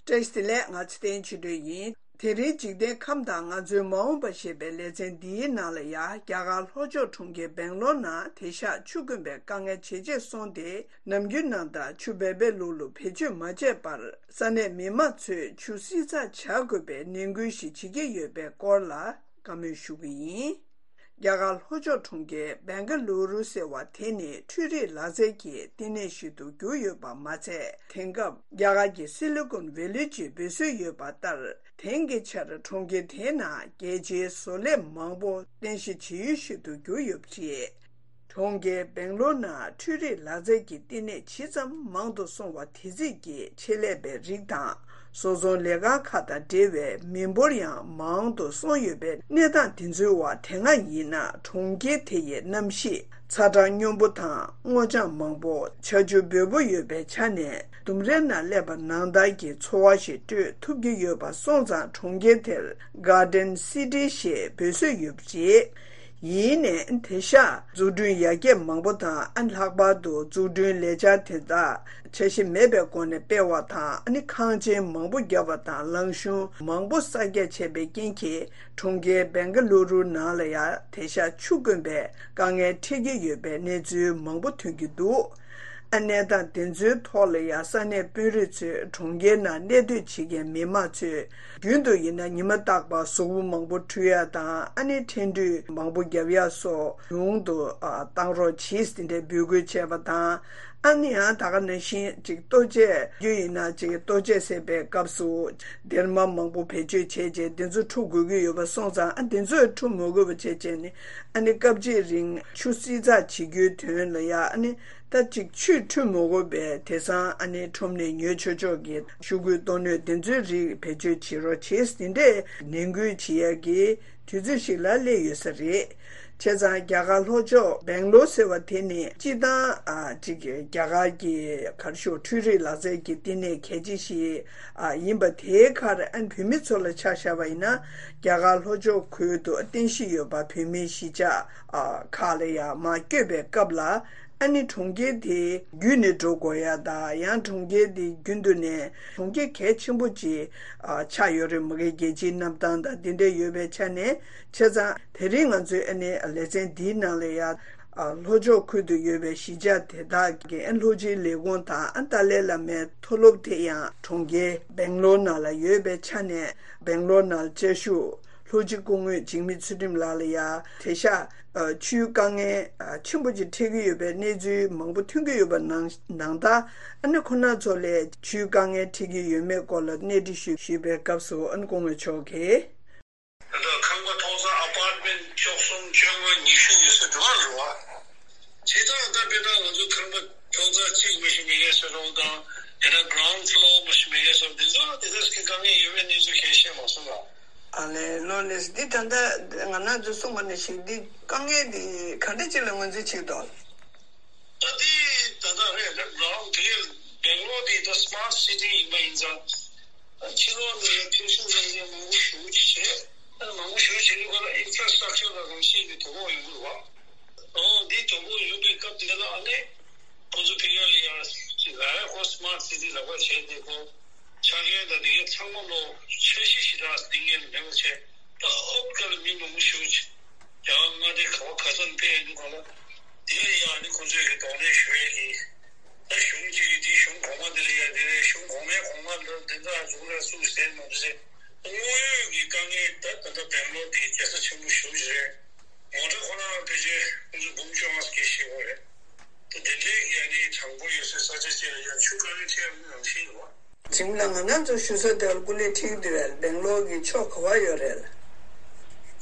བཀྲ་ཤིས་བདེ་ལེགས། ང་ཚེ་བརྟན་ཆོས་སྒྲོན་ཡིན། དེ་རིང་འཇིག་རྟེན་ཁམས་དང་ང་ཚོའི་མ་འོངས་པ་ཞེས་པའི་ལེ་ཚན་འདིའི་ནང་ལ་ཡ། རྒྱ་གར་ལྷོ་ཕྱོགས་གྲོང་ཁྱེར་སྦེང་ལོར་ནང་དེང་ཞག་ཆུ་དཀོན་པའི་དཀའ་ངལ་ཇེ་ཆེར་སོང་སྟེ། ནམ་རྒྱུན་ནང་ལྟར་ཆུ་འབེལ་པོའི་ལུག་ལུག་བེད་སྤྱོད་མ་བྱས་པར། ས་གནས་མི་མང་ཚོས་ཆུ་བསྲི་ཚགས་བྱ་དགོས་པའི་ནན་སྐུལ་ཞིག་བྱེད་ཀྱི་ཡོད་པའི་སྐོར་ལ་བཀའ་མོལ་ཞུ་གི་ཡིན། རྒྱ་གར་ལྷོ་ཕྱོགས་གྲོང་ཁྱེར་སྦེང་ག་ལུ་རུ་ཟེར་བ་དེ་ནི་འཕྲུལ་རིག་ལག་རྩལ་གྱི་བསྟི་གནས་ཤིག་ཏུ་གྱུར་ཡོད་པ་མ་ཚད། དེང་སྐབས་རྒྱ་གར་གྱི་སི་ལི་ཀོན་ཝེ་ལི་ཅེས་འབོད་སྲོལ་ཡོད་པ་ལྟར། དེང་གི་ཆར་གྲོང་ཁྱེར་དེའི་ནང་རྒྱལ་སྤྱིའི་བཟོ་ལས་མང་པོ་རྟེན་གཞི་བྱེད་ཡུལ་ཞིག་ཏུ་གྱུར་ཡོད་པ་རེད། གྲོང་ཁྱེར་སྦེང་ལོར་ནང་འཕྲུལ་རིག་ལག་རྩལ་གྱི་བསྟི་གནས་ཇི་ཙམ་མང་དུ་སོང་བ་དེ་རྩིས་ཀྱི་ཆེད་ལས་པའི་རིགས་དང་། བཟོ་ཚོང་ལས་ཁང་ཁག་དང་འབྲེལ་བའི་མི་འབོར་ཡང་མང་དུ་སོང་ཡོད་པའི་གནས་སྟངས་དེ་ཚོའི་བར། དེ་སྔ་ཡིན་ན་གྲོང་ཁྱེར་དེ་ཡི་གནམ་གཤིས་ཚ་གྲང་སྙོམས་པོ་དང་། སྔོ་ལྗང་མང་པོ། ཆར་ཆུ་འབེལ་པོ་ཡོད་པའི་ཆ་ནས། ལྡུམ་རའི་ནང་སླེབས་པ་ནང་ལྟར་གྱི་ཚོར་བ་ཞིག་སྤྲོད་ཐུབ་ཀྱི་ཡོད་པ་སོང་ཙང་། གྲོང་ཁྱེར་དེར་Garden City ཞེས་འབོད་སྲོལ་ཡོད་པ་རེད། ཡིན་ནའི་དེང་ཞག་འཛུགས་སྐྲུན་ཡར་རྒྱས་མང་པོ་དང་། ཨ། ལྷག་པར་དུ་འཛུགས་སྐྲུན་ལས་འཆར་དེ་དག་འཆར་གཞི་མེད་པའི་སྒོ་ནས་སྤེལ་བ་དང་། ཨ་ནི་ཁང་ཆེན་མང་པོ་བརྒྱབ་པ་དང་། ལམ་གཞུང་མང་པོ་གསར་རྒྱག་བྱས་པའི་རྐྱེན་གྱིས། གྲོང་ཁྱེར་སྦེང་ག་ལུ་རུ་ནང་ལ་ཡང་དེང་ཞག་ཆུ་དཀོན་པའི་དཀའ་ངལ་འཕྲད་ཀྱི་ཡོད་པའི་གནས་ཚུལ་མང་པོ་ཐོན་གྱི་འདུག། ཨ། གནས་སྟངས་དེ་ཚོའི་ཐོག་ལ་ཡང་ས་གནས་དཔོན་རིགས་ཚོས་གྲོང་ཁྱེར་ནང་གནས་སྡོད་བྱེད་མཁན་མི་མང་ཚོས། རྒྱུན་དུ་ཡིན་ན་ཉི་མ་རྟག་པར་གཟུགས་པོ་མང་པོ་འཁྲུ་ཡ་དང་། ཨ་ནི་འཕྲལ་འཁྲུད་མང་པོ་རྒྱབ་ཡ་སོགས་ཉུང་དུ། ཨ། བཏང་རོགས་གྱིས་དེ་འདྲའི་འབོད་སྐུལ་བྱས་པ་དང་། ཨ་ནི་ཡང་ད་ག་ནང་བཞིན་ཅིག་ལྟོ་ཆས། རྒྱུ་ཡིན་ན་ཅིག་ལྟོ་ཆས་བཟས་པའི་སྐབས་སུ་སྡེར་མ་མང་པོ་བེད་སྤྱོད་བྱས་རྗེས་དེ་ཚོ་འཁྲུ་དགོས་ཀྱི་ཡོད་པ་སོང་ཙང་། ཨ། དེ་ཚོ་འཁྲུ་མི་དགོས་པ་བྱས་བྱས་ནས། ཨ་ནི་སྐབས་གཅིག་རིང་ཆུ་བསྲི་ཚགས་བྱེད་རྒྱུའི་དོན་ལ་ཡ། ཨ་ནི། ད་ཅིག་ཆུས་འཁྲུད་མི་དགོས་པའི་དེང་སང་ཨ་ནི་ཁྲོམ་ནས་ཉོ་ཆོག་ཆོག་གི་ཤོག་གུའི་ལྟོ་སྣོད་དེ་ཚོའི་རིགས་བེད་སྤྱོད་བྱེད་རོགས་བྱེད། དེ་འདྲས་ནན་སྐུལ་བྱེད་ཡ་གི་དུས་ཚོད་ཞིག་ལ་སླེབས་ཡོད་ས་རེད། བྱས་ཙང་རྒྱ་གར་ལྷོ་ཕྱོགས་སྦེང་ལོར་ཟེར་བ་དེ་ནི་སྤྱིར་བཏང་ཨ་ཅིག་རྒྱ་གར་གྱི་གར་ཤོག་འཕྲུལ་རིག་ལག་རྩལ་གྱི་བསྟི་གནས་གལ་ཆེ་ཞིག་ཨ་ཡིན་པ། དེའི་ཁར་ཨ་བོད་མི་ཚོ་ལ་ཆ་བཞག་པ་ཡིན་ན། རྒྱ་གར་ལྷོ་ཕྱོགས་ཁུལ་དུ་རྟེན་གཞི་ཡོད་པ་བོད་མིའི་གཞིས་ཆགས་ཨ་ཁག་ལ་ཡང་མར་བསྐྱོད་པའི་སྐབས་ལ། ཨ་ནི་གྲོང་ཁྱེར་དེ་བརྒྱུད་ནས་འགྲོ་དགོས་ཡ་དང་། ཡང་གྲོང་ཁྱེར་དེ་རྒྱུན་དུ་ནས་གྲོང་ཁྱེར་གལ་ཆེན་པོ་ཅིག་ཨ་ཆགས་ཡོད་རེད་མ་གི། རྒྱལ་སྤྱིའི་གནམ་ཐང་དང་དེ་འདྲ་ཡོད་པའི་ཆ་ནས། བྱས་ཙང་དེ་རིང་ང་ཚོའི་ཨ་ནི་ལེ་ཚན་འདིའི་ནང་ལ་ཡ། ཨ་ལྷོ་ཕྱོགས་ཁུལ་དུ་ཡོད་པའི་གཞིས་ཆགས་དེ་དག་གི་ཨ་ལྷོ་སྤྱིའི་ལས་ཁུངས་དང་། ཨ་ཏཱ་ལའི་བླ་མའི་མཐོ་སློབ་དེ་ཡང་གྲོང་ཁྱེར་སྦེང་ལོར་ནང་ལ་ཡོད་པའི་ཆ་ནས། སྦེང་ལོར་ནང་བཅའ་བཞུགས་ལྷོ་སྤྱི་སྐུ་ངོ་འཇིགས་མེད་ཚུལ་ཁྲིམས་ལགས་ལ་ཡ། དེང་ཞག་ཨ་ཆུའི་དཀའ་ངལ་ཨ་ཆེན་པོ་ཅིག་འཕྲད་ཀྱི་ཡོད་པའི་གནས་ཚུལ་མང་པོ་ཐོན་གྱི་ཡོད་པ་ནང་ནང་ལྟར། ཨ་ནི་ཁོ་རང་ཚོ་ལ་ཆུའི་དཀའ་ངལ་འཕྲད་ཀྱི་ཡོད་མེད་སྐོར་ལ་གནས་འདྲི་ཞུས་ཞུས་པའི་སྐབས་སུ། ཨ་ནི་སྐུ་ངོ་མཆོག་གིས། ད་ལྟ་ཁང་པ་ཐོག་ས་ཨ་པར་ཊི་མེན་ཊི་བཅུ་གསུམ་བཅོ་ལྔ་ཉི་ཤུ་ཡོད་ས་འགྲོ་བ་རེད་བ། བྱས་ཙང་ད་དཔེར་ན་ང་ཚོ་ཁང་པ་ཐོག་ གཅིག་མི་ཤེས་མི་ངན་ཟེར་རོགས་དང་། དེ་ནས་ground floor མི་ཤེས་མི་ངན་ཟེར་དེ་ཚོ་དེ་ཚོ་གི་དཀའ་ངལ་ཡོད་པའི་གནས་ཚུལ་ཁས་བཤད་མ་སོང་ལ། ཨ་ལས་ལོ་ལས་འདི་ད་ལྟ་ང་རང་ཚོ་གསུངས་པ་ནང་བཞིན་འདི་དཀའ་ངལ་འདི་ག་འདྲ་ཅིག་ལ་ངོས་འཛིན་བྱེད་འདུག་ད་ལྟའི་ད་ལྟ་རེད་རེད་རང་དེ་སྦེང་ལོར་དེ་ད་smart city ཡིན་པ་ཡིན་ཙང་། ཕྱི་ལོགས་ནས་ཕེབས་བསུ་གནང་མཁན་མང་པོ་ཞེ་པོ་ཅིག་བྱས། ཨ་མང་པོ་ཞེ་པོ་བྱས་དུས་ག་ལ་infrastructure ལ་རང་བཞིན་གྱི་དོ་ཕོག་ཡོང་གི་རེད་བ། ཨོ་འདི་དོ་ཕོག་ཡོང་པའི་སྐབས་དེ་ལ་ཨ་ནི་ཁོ་ཚོ་ཕ་གི་ལ་ཡང་ལ་ཡ་ཁོ་smart city ལབ་པ་བྱས་ཏེ་ཁོ་ཆ་རྐྱེན་དང་དེ་གའི་ཚང་མ་ལོ་འཆར་གཞི་ཞེ་དྲག་འདིང་ངེས་མེད་པ་བྱས། ད་ཨོབ་ཀ་ལ་མི་མང་པོ་ཞེ་པོ་ཅིག་རྒྱ་གར་མངའ་སྡེ་ག་བ་ག་ས་ནས་ཕེབས་ཡོང་དུས་ག་ལ་དེ་ལ་ཡང་ཨ་ནི་ཁོ་ཚོས་ཀྱི་གདོང་ལེན་ཞུ་ཡས་ཀྱི། ད་གཞུང་གཅིག་གིས་དེའི་གཞུང་གོང་མ་དེ་ལ་ཡ་དེ་རེད། གཞུང་གོང་མའི་གོང་མ་ལ་དེ་འདྲ་བྱུང་རེད་སུས་ཟེར་མ་འདུག་ཟེར། དངོས་ཡོད་ཀྱི་དཀའ་ངལ་ད་ད་ལྟ་སྦེང་ལོར་དེ་རྒྱལ་ས་ཆེན་པོ་ཞེ་པོ་ཅིག་རེད། མོ་ཊ་ཁོ་རང་ཕལ་ཆེར་ཁོང་ཚོ་འབུམ་བཅོ་ལྔ་སྐད་ཤེས་པ་རེད། ད་དེ་འདྲའི་གི་ཨ་ནི་གྲངས་འབོར་ཡོད་སའི་ས་ཆ་ཅིག་ལ་ཡ་ཆུ་དཀའ་ངལ་འཕྲད་ཡོད་པ་ནང་བཞིན་རེད་བ། གཞུང་ལ་ང་རང་ཚོ་ཞུ་ས་དེར་སྐུ་ལས་ཁྲིད་དེ་བས་སྦེང་ལོར་གྱི་ཕྱོགས་ག་བ་ཡོད་རེད།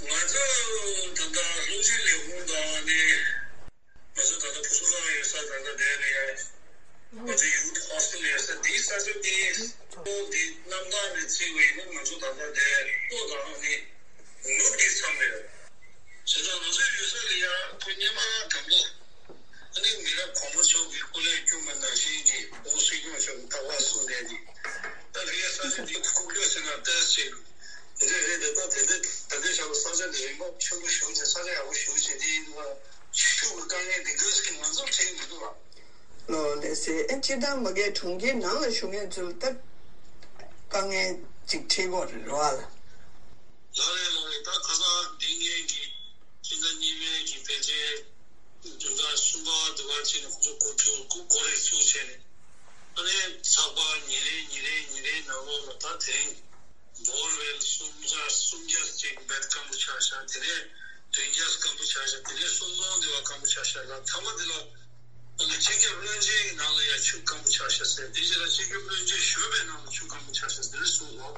ང་ཚོ་ད་ལྟ་སློབ་སྤྱི་ལས་ཁུངས་དང་ནི། ང་ཚོ་ད་ལྟ་བུ་གསོ་ཁང་ཡོད་ས་ད་ལྟ་དེ་རེད་ཡ། ང་ཚོ་youth hostel ཡོད་ས་འདིའི་ས་ཆ་འདི་ཁོ་འདི་གནམ་ཐང་ནས་བརྩིས་པ་ཡིན་ན་ང་ཚོ་ད་ལྟ་དེ་ལྷོ་དང་ནི་ནུབ་ཀྱི་མཚམས་རེད། བྱས་ཙང་ང་ཚོའི་ཡུལ་ས་ལ་ཡ་ཁོ་སྔོན་མ་དང་པོ་ཨ་ནི་མི་རབས་གོང་མ་ཚོ་གི་སྐུ་ལས་བསྐྱོན་པ་ནང་བཞིན་གྱི་ཨོ་སྲིད་སྐྱོང་མཆོག་གི་རྟག་པར་གསུངས་བསྡད་ཀྱི། ད་ཕ་གིའི་ས་ཆ་འདི་ཁུག་ཀྱོག་ཟེར་ན་ཏོག་ཙམ་དེ་འདྲ་རེད་དེ། ད་དེ་འདྲ་ད་ལྟའི་ཆར་ལ་ས་ཆ་འདི་རིན་པ་ཆེན་པོ་ཞེ་པོ་ཅིག་ས་ཆ་ཡག་པོ་ཞེ་པོ་ཅིག་འདི་ཡིན་དུས་ཆུ་གི་དཀའ་ངལ་འདི་ག་ཙམ་གྱི་ང་ཚོར་འཕྲད་ཀྱི་མི་འདུག་ལ། ལོ་ལེ་སེ་ཨེ་སྤྱིར་བཏང་མ་གིའི་གྲོང་ཁྱེར་ནང་ལ་བཞུགས་མཁན་ཚོ་ལ་ད་དཀའ་ངལ་ཅིག་འཕྲད་ཀྱི་ཡོད་རེད་རེད་བ་ལ། ལགས་རེད་ལགས་རེད། ད་ཁ་སང་འདི་ངེད་ཀྱི་སྤྱི་ཟླ་གཉིས་པའི་གི་ཕལ་ཆེར་བདུན་ཕྲག་གསུམ་པ་དུ་བ་ཅིག་ནས་ཁོ་ཚོ་སྒོ་ཕྱུགས་སྒོ་སྒོ་རེ་ཚུགས་བྱས་ནས་ཨ་ནི་ཚགས་པར་ཉིན་རེ་ཉིན་རེ་ཉིན་རེའི་ནང་ལོགས་ལ་ད་དེ་རིང་བོར་ཝེལ་སུམ་བརྒྱ་སུམ་བརྒྱ་ཅིག་བེད་སྐམ་པོ་ཆགས་ཤག་དེ་ནས་བདུན་བརྒྱ་སྐམ་པོ་ཆགས་ཤག་དེ་ནས་སུམ་སྟོང་དེ་བ་སྐམ་པོ་ཆགས་ཤག་ལ་མཐའ་མ་དེ་ལ་ཨ་ནི་སྤྱི་ཁྱབ་བློན་ཆེན་གྱི་ནང་ལ་ཡ་ཆུ་སྐམ་པོ་ཆགས་ཤག་ཟེར། དེ་རྗེས་ལ་སྤྱི་ཁྱབ་བློན་ཆེན་གཞོན་པའི་ནང་ལ་ཆུ་སྐམ་པོ་ཆགས་ཤག་ཟེར་གསུངས་སོང་།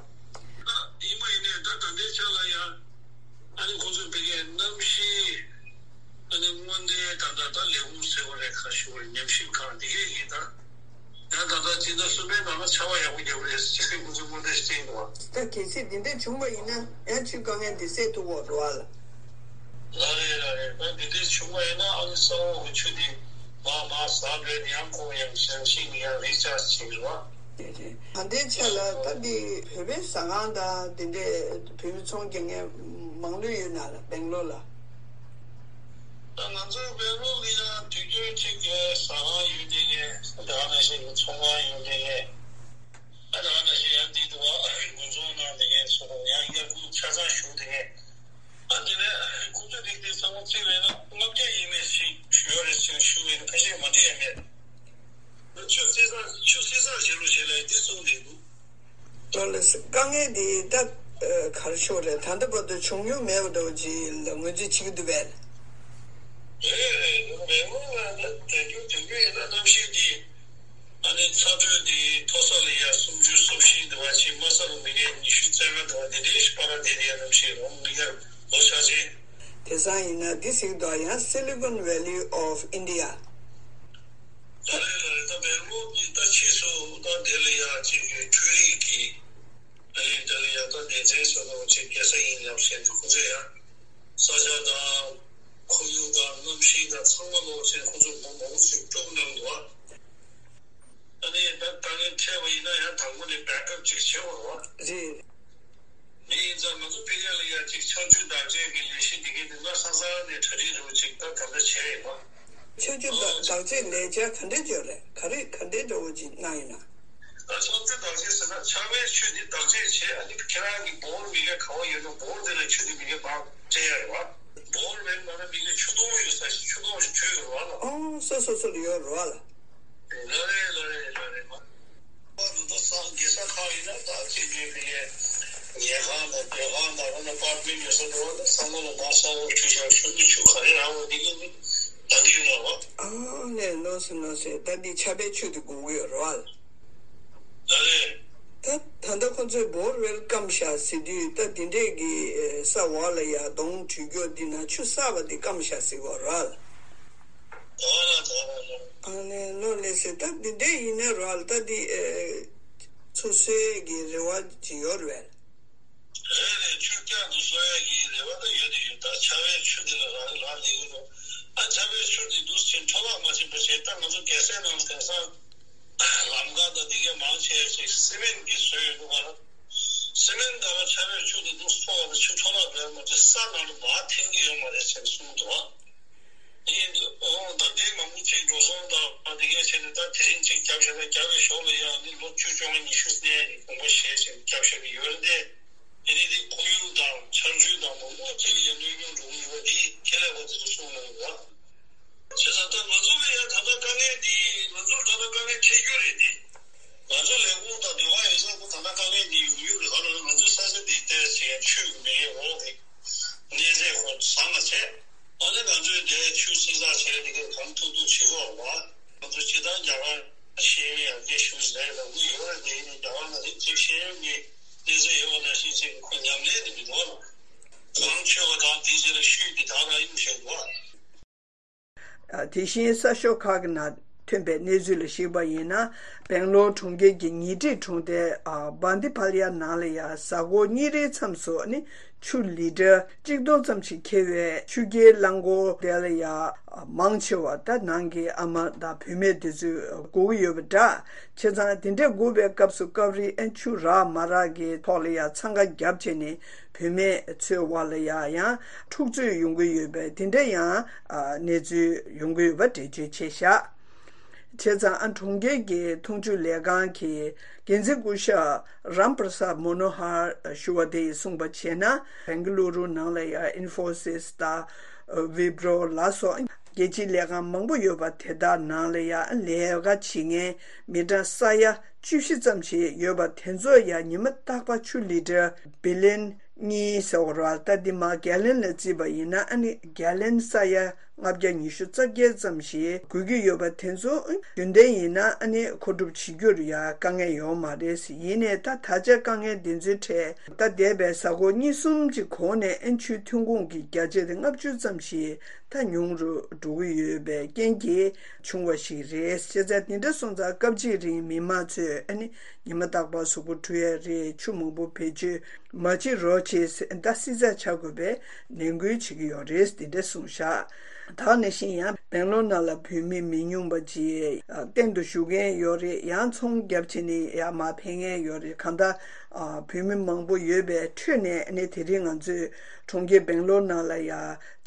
ཡིན་པ་ཡིན་ནའི་ད་ད་ལྟའི་ཆ་ལ་ཡང་ཨ་ནི་ཁོང་ཚོས་ཕ་གིའི་གནམ་གཤིས་ཨ་ནི་སྔོན་བརྡའི་ད་ལྟ་ད་ལས་ཁུངས་ཟེར་བ་རེད་ག་ཞུ་བ་རེད། ཉམས་ཞིབ་ཁང་འདི་གས་ཀྱིས་ད་ཡང་ད་ལྟ་སྤྱི་ཟླ་གསུམ་པའི་ནང་ལ་ཆར་པ་ཡག་པོ་རྒྱག་གི་རེད་ཟེར་ཁོང་ཚོས་སྔོན་བརྡ་ཞིག་སྤྲད་འདུག་བ། ད་གལ་སྲིད་འདི་འདྲ་བྱུང་བ་ཡིན་ན་ཡང་ཆུའི་དཀའ་ངལ་འདི་སེལ་ཐུབ་ཀྱི་ཡོད་རེད་བ་ལ། ལགས་རེད་ལགས་རེད། ད་འདི་འདྲ་བྱུང་བ་ཡིན་ན་ཨ་ནི་ས་འོག་གི་ཆུ་འདི་མར་མར་ཟགས་འགྲོ་ཡང་ཁོ་ཡང་ཞང་ཞིང་ཡང་རི་ལྕགས་བྱེད་ཀྱི་རེད་བ། ད་ལྟའི་ཆ་ལ་ད་འདི་བོད་པའི་ཟ་ཁང་དང་དེ་འདྲའི་བོད་མི་ཚོང་རྒྱག་མཁན་མང་ལོས་ཡོད་ན་ལ་སྦེང་ལོར་ལ། ད་ང་ཚོ་སྦེང་ལོར་ལ་ཡང་དུས་རྒྱུན་གཅིག་གི་ཟ་ཁང་ཡོད་དེ་ངས་ད་ག་ནང་བཞིན་གྱི་ཚོང་ཁང་ཡོད་དེ་ངས་ད་ག་ནང་བཞིན་ཡང་འདི་དུ་བ་དགུན་ཚོང་ནང་དེ་ངས་སོ་ཡང་ཡར་རྒྱུག་ཆ་ཚང་ཞུགས་དེ་ངས། ཨ་དེ་ནས་ཁོ་ཚོས་རིགས་དེ་ཚང་མ་བརྩིས་པས་ན་ལྔ་བརྒྱ་ཡས་མས་ཤིག་ཡོད་རེད་ཟེར་ཞུ་བས་ན་ཕལ་ཆེར་མ་འགྲིག་ཡ་མེད། ཆུ་བསྲེ་ཚང་ཆུ་བསྲེ་ཚང་བྱེད་རོགས་བྱེད་ལ་འདི་གསུངས་བསྡད་འདུག་ལོ་ལགས་སེ་དཀའ་ངལ་འདི་ད་ག་རེ་ཤོག་རེད། ད་ལྟ་བར་དུ་བྱུང་མྱོང་མེད་པ་འདྲ་བོ་ཅིག་ལ་ངོས་འཛིན་བྱེད་ཀྱི་འདུག་པས། རེད་རེད། ལོ་མེད་སྔོན་ལ་ད་དུས་རྒྱུན་དུས་རྒྱུན་ཡིན་ན་གནམ་གཤིས་འདི། ཨ་ནི་ཚ་དྲོད་འདི་མཐོ་ས་ལ་ཡ་སུམ་ཅུ་སོ་བཞི་འདི་བ་ཕྱིན་དམའ་ས་ལ་མི་ཀེ་ཉི་ཤུ་རྩ་ལྔ་འདི་བ་འདི་འདྲའི་ཞིག་བར་ལ་བསྡད་དེ་ཡ་གནམ་གཤིས་རོང་མི་ཀེ་ལོ་ཆ་ཆེན། དེང་སང་ཡིན་ན་འདི་ཟེར་གྱི་འདུག་ཡང་Silicon Valley of India། ད་རེས་ལ་རེད། ད་སྦེང་ལོར་གྱི་ད་ཕྱིས་སུ་ད་དེ་ལ་ཡ་ཅིག་གི་འཕྲུལ་རིག་གི་ཨ་ནི་དེ་ལ་ཡ་ད་སྡེ་ཚན་བཟོ་འདྲ་བོ་ཅིག་རྒྱལ་ས་ཡིན་ལབ་བཤད་འདུག་ཁོ་ཚོས་ཡ་ས་ཆ་དང་ཁོར་ཡུག་དང་གནམ་གཤིས་དང་ཚང་མ་ལོག་ཅིག་ཁོ་ཚོ་མང་པོ་ཞིག་སྐྱོབ་གནང་འདུག་ཨ། ཨ་ནི་ད་དཀའ་ངལ་འཕྲད་པ་ཡིན་ན་ཡང་དང་པོ་ནས་བེག་ཨབ་ཅིག་བྱེད་དགོས་རེད་བ། རེད། འདི་ཡིན་ཙང་ང་ཚོ་ཕ་གི་ལ་ཡ་ཅིག་ཆར་ཆུ་དག་ཆའི་གི་ལས་གཞི་འདི་གའི་འདི་ང་ས་ས་ནས་གྲ་སྒྲིག་རུ་ཅིག་ད་ག་འདྲ་བྱས་ཡིན་པ། ཆར་ཆུ་དག་ཆའི་ལས་འཆར་ག་འདྲ་བྱས་རེད། ག་རེ་ག་འདྲའི་འདྲ་བོ་ཅིག་གནང་ཡིན་ན། ད་ཆར་ཆུ་དག་ཆ་ཟེར་ན་ཆར་པའི་ཆུ་འདི་དག་ཆ་བྱས། ཨ་ནི་ཁྱེད་རང་གི་བོར་མི་གའི་ག་བ་ཡོད་ན་བོར་དེ་ལ་ཆུ་འདི་མི་གའི་མར་སྤྲད་ཡ་རེད་བ། བོར་མེད་ན་མི་གའི་ཆུ་དོང་ཡོད་ས་ཞིག་ཆུ་དོང་ཞིག་བྱུག་ཡོད་རེད་བ་ལ། ཨོ་སོ་སོ་སོ་ལ་ཡོད་རེད་བ་ལ། ལ་རེད་ལ་རེད་ལ་རེད་མ། ད་ད་སང་རྒྱལ་ས་ཁག་ཡིན་ན་ད་ཅིག་ཉོས་པའི་ཉལ་ཁང་དང་སྡོད་ཁང་དང་ཨ་ནི་ཨ་པར་ཊི་མེན་ཊི་ཡོད་ས་འགྲོ་བ་ན་ཚང་མ་ལ་མར་ས་འོག་བྱུགས་བཞག་ཤོག་གི་ཆུ་ག་རེ་རག་པ་འདི་གི་ནི་ད་འདི་ཡོད་ལ་བ། ཨ་ནས་ལོས་སོ་ལོས་སོ། ད་འདི་ཆར་པའི་ཆུ་དེ་དགོས་ཀྱི་ཡོད་རེད་བ། ལ་རེད། ད་ད་ལྟ་ཁོ་ཚོས་བོར་ཝེལ་སྐམ་བཞག་ཟེར་དུས་ད་འདི་འདྲས་ཀྱི་ས་འོག་ལ་ཡ་གདོང་དྲུད་སྐྱོ་འདི་ན་ཆུ་གསར་པ་འདི་སྐམ་བཞག་ཟེར་གྱི་ཡོད་རེད་བ། ཨ་ནས་ལོ་ལེ་ ཟེར། ད་འདི་འདྲས་ཡིན་ན་ར་ད་འདི་ཨེ་ཆུ་གསོལ་གྱི་རེ་བ་ཅིག་ཡོད་རེད་པས། རེད་རེད། ཆུ་བསྐྱར་དུ་གསོ་ཡ་གི་རེ་བ་ད་ཡོད་དེ་ཡོད། ད་ཆར་པའི་ཆུ་དེ་ལ་རག་རག་ལས་ཀྱི་འདུག་ཨ་ཆར་པའི་ཆུ་དེ་འདུག་ཟིན་འཕྲོ་བརླག་མ་བྱེད་པ་བྱས། ད་ང་ཚོ་རྒྱལ་སའི་ནང་དེང་སང་ལམ་ཁ་དང་དེ་གའི་མང་ཆེ་ཞིག་སི་མེན་གྱིས་བཟོས་ཡོད་འདུག་ག་སི་མེན་དང་ཆར་པའི་ཆུ་དེ་འདུག་ཕོག་པ་དང་ཆུ་འཕྲོ་བརླག་འགྲོ་ཡ་མ་གཏོགས་ས་ནང་དུ་མར་འཐེན་གྱི་ཡོད་མ་རེད་ཟེར་གསུངས་འདུག་ཡིན་འདུག་ཨོ་ད་དེ་མང་པོ་ཅིག་འགྲོ་སོང་དང་དེ་གའི་ཆེད་དུ་ད་དེ་རིང་ཅིག་བརྒྱབ་བཞག་ན་རྒྱབ་པའི་ཞོར་ལ་ཡང་ནི་ལོ་བཅུ་བཅོ་ལྔ་ཉི་ཤུ་སྣེ་ནི་དགོངས་པ་བཞེས་བྱས་ནས་བརྒྱབ་བཞག་གི་ཡོད་རེད་དེ། དེ་ནི་དེ་ཁོར་ཡུག་དང་ཆར་ཆུ་དང་མང་པོ་ཅིག་ལ་ཡང་གནོད་སྐྱོན་འགྲོ་གི་ཡོད་པ་དེ་ཁས་ལེན་པ་དེ་ཚོ་གསུངས་གནང་ཡོད། བྱས་ཙང་ད་ང་ཚོ་ལ་ཡང་ད་ལྟ་དཀའ་ངལ་འདི་ང་ཚོར་ད་ལྟ་དཀའ་ངལ་འཕྲད་རྒྱུ་རེད་དེ། ང་ཚོ་ལས་ཁུངས་དང་འབྲེལ་བ་ཡོད་ས་ཁོ་ད་ལྟ་དཀའ་ངལ་འདི་ཡོང་རྒྱུ་རེད། ག་ལ་ང་ཚོའི་ས་ཆ་འདི་ལྟས་བྱས་ཆུ་མེད་འོག་གི་གནས་ཚད་ཁོ་བཟང་ང་བྱས། ཨ་ནི་ང་ཚོས་འདིར་ཆུ་བསྲི་ཚགས་བྱས་ཏེ་གང་ཐུབ་ཐུབ་བྱེད་དགོས་པ། ང་ཚོ་སྤྱིར་བཏང་རྒྱ་གར་ཤེས་ཡོན་ཡར་རྒྱས་ཞུ་ཟེར་ལབ་ཀྱི་ཡོད་རེད་དེ། ཡིན་ནའི་རྒྱ་གར་ནང་དེ་ཅིག་ཤེས་ཡོན་གྱི་གནས་ཚད་ཡོད་པ་ནང་བཞིན་ཅིག་ཁོ་ཉམས་ལེན་དེ་མི་འདུག་ཨ། གང་ཆོད་པ་དང་དེའི་རྗེས་ལ་ཤུལ་དེ་དག་ལ་གཡུག་བཞག་འདུག་ཨ། དེ་བཞིན་གསར་ཤོག་ཁག་གི་ནང་ཐོན་པའི་གནས་ཚུལ་ལ་གཞིགས་པ་ཡིན་ན། སྦེང་ལོར་གྲོང་ཁྱེར་གྱི་ཉེ་འཁྲིས་གྲོང་རྡལ་བྷན་དི་ཕ་ལ་ཡ་ནང་ལ་ཡང་གཟའ་འཁོར་གཉིས་རེའི་མཚམས་སུ་ནི་ཆུ་ལི་ཊར་གཅིག་སྟོང་ཙམ་ཞིག་འཁྱེར་བའི་ཆུ་རྐྱལ་རླངས་འཁོར་དེ་ལ་ཡང་མང་ཆེ་བ་ད་ནང་གི་ཨ་མ་དང་བུད་མེད་དེ་ཚོས་སྒུག་གི་ཡོད་པ་འདྲ། བྱས་ཙང་དེ་འདྲས་སྒུག་པའི་སྐབས་སུ་སྐབས་རེ་ཨ་ཆུ་རག་མ་རག་གི་ཐོག་ལ་ཡང་འཚང་ཁ་བརྒྱབ་བྱས་ནས། བུད་མེད་ཚོའི་བར་ལ་ཡང་ཡང་འཁྲུག་རྩོད་ཡོང་གི་ཡོད་པའི་དེ་འདྲ་ཡང་ཨ་གནས་ཚུལ་ཡོང་གི་ཡོད་པ་འགྲེལ་བརྗོད་བྱས་བཞག་བྱས་ཙང་ཨ་གྲོང་ཁྱེར་གྱི་འཐུང་ཆུ་ལས་ཁང་གི་འགན་འཛིན་སྐུ་ཞབས་རམ་པྲ་སཱད་མོ་ནོ་ཧར་ཞུ་བ་དེ་ཡིས་གསུངས་པ་བྱས་ན། བེང་ག་ལུ་རུ་ནང་ལ་ཡང་ཨིན་ཧྥོ་སིས་དང་ཝི་པྲོ་ལ་སོགས་རྒྱལ་སྤྱིའི་ལས་ཁང་མང་པོ་ཡོད་པ་དེ་དག་ནང་ལ་ཡང་ལས་ཀ་བྱེད་མཁན་མི་གྲངས་ས་ཡ་བཅུ་བཞི་ཙམ་ཞིག་ཡོད་པ་དེ་ཚོ་ཡང་ཉི་མ་རྟག་པར་ཆུ་ལི་ཊར་བི་ལན་གཉིས་ཟེར་བ་རེད་པ། ད་འདི་མར་གྷལ་ལན་ལ་བརྩིས་པ་ཡིན་ན་ཨ་ནི་གྷལ་ལན་ས་ཡ་ལྔ་བརྒྱ་ཉི་ཤུ་རྩ་བརྒྱད་ཙམ་ཞིག་དགོས་ཀྱི་ཡོད་པ་དེ་ཚོ་རྒྱུན་ལྡན་ཡིན་ན་ཨ་ནི་མཁོ་སྒྲུབ་བྱེད་རྒྱུར་ཡང་དཀའ་ངལ་ཡོད་མ་རེད། ཡིན་ནའི་ད་ད་ཆ་དཀའ་ངལ་འདི་ཚོའི་གྲས་ད་འདས་པའི་གཟའ་འཁོར་གཉིས་གསུམ་གྱི་གོང་ནས་ཨ་ནི་ཆུའི་ཐོན་ཁུངས་ཀྱི་བརྒྱ་ཆ་དེ་ལྔ་བཅུ་ཙམ་ཞིག་ད་ཉུང་རུ་འགྲོ་གི་ཡོད་པའི་རྐྱེན་གྱིས་བྱུང་བ་ཞིག་རེད། བྱས་ཙང་དེ་འདྲ་སོང་ཙང་སྐབས་གཅིག་རིང་མི་མང་ཚོས་ཨ་ནི་ཉི་མ་རྟག་པར་གཟུགས་པོ་བཀྲུ་ཡ་རེད། ཆུ་མང་པོ་བེད་སྤྱོད་མ་བྱེད་རོགས་བྱེད་ཟེར་ད་བསྲི་ཚགས་བྱ་དགོས་པའི་ནན་སྐུལ་བྱེད་ཀྱི་ཡོད་རེད། དེ་འདྲ་གསུངས་བཞག་ད་ནང་བཞིན་ཡང་སྦེང་ལོར་ནང་ལ་བོད་མི་མི་ཉུང་བ་ཅིག་གཏན་དུ་བཞུགས་མཁན་ཡོད་རེད། ཡང་ཚོང་རྒྱབ་བྱས་ནས་ཡར་མར་ཕེབས་མཁན་ཡོད་རེད། གང་ལྟར་བོད་མི་མང་པོ་ཡོད་པའི་ཁྲོད་ནས་ཨ་ནི་དེ་རིང་ང་ཚོས་གྲོང་ཁྱེར་སྦེང་ལོར་ནང་ལ་ཡ་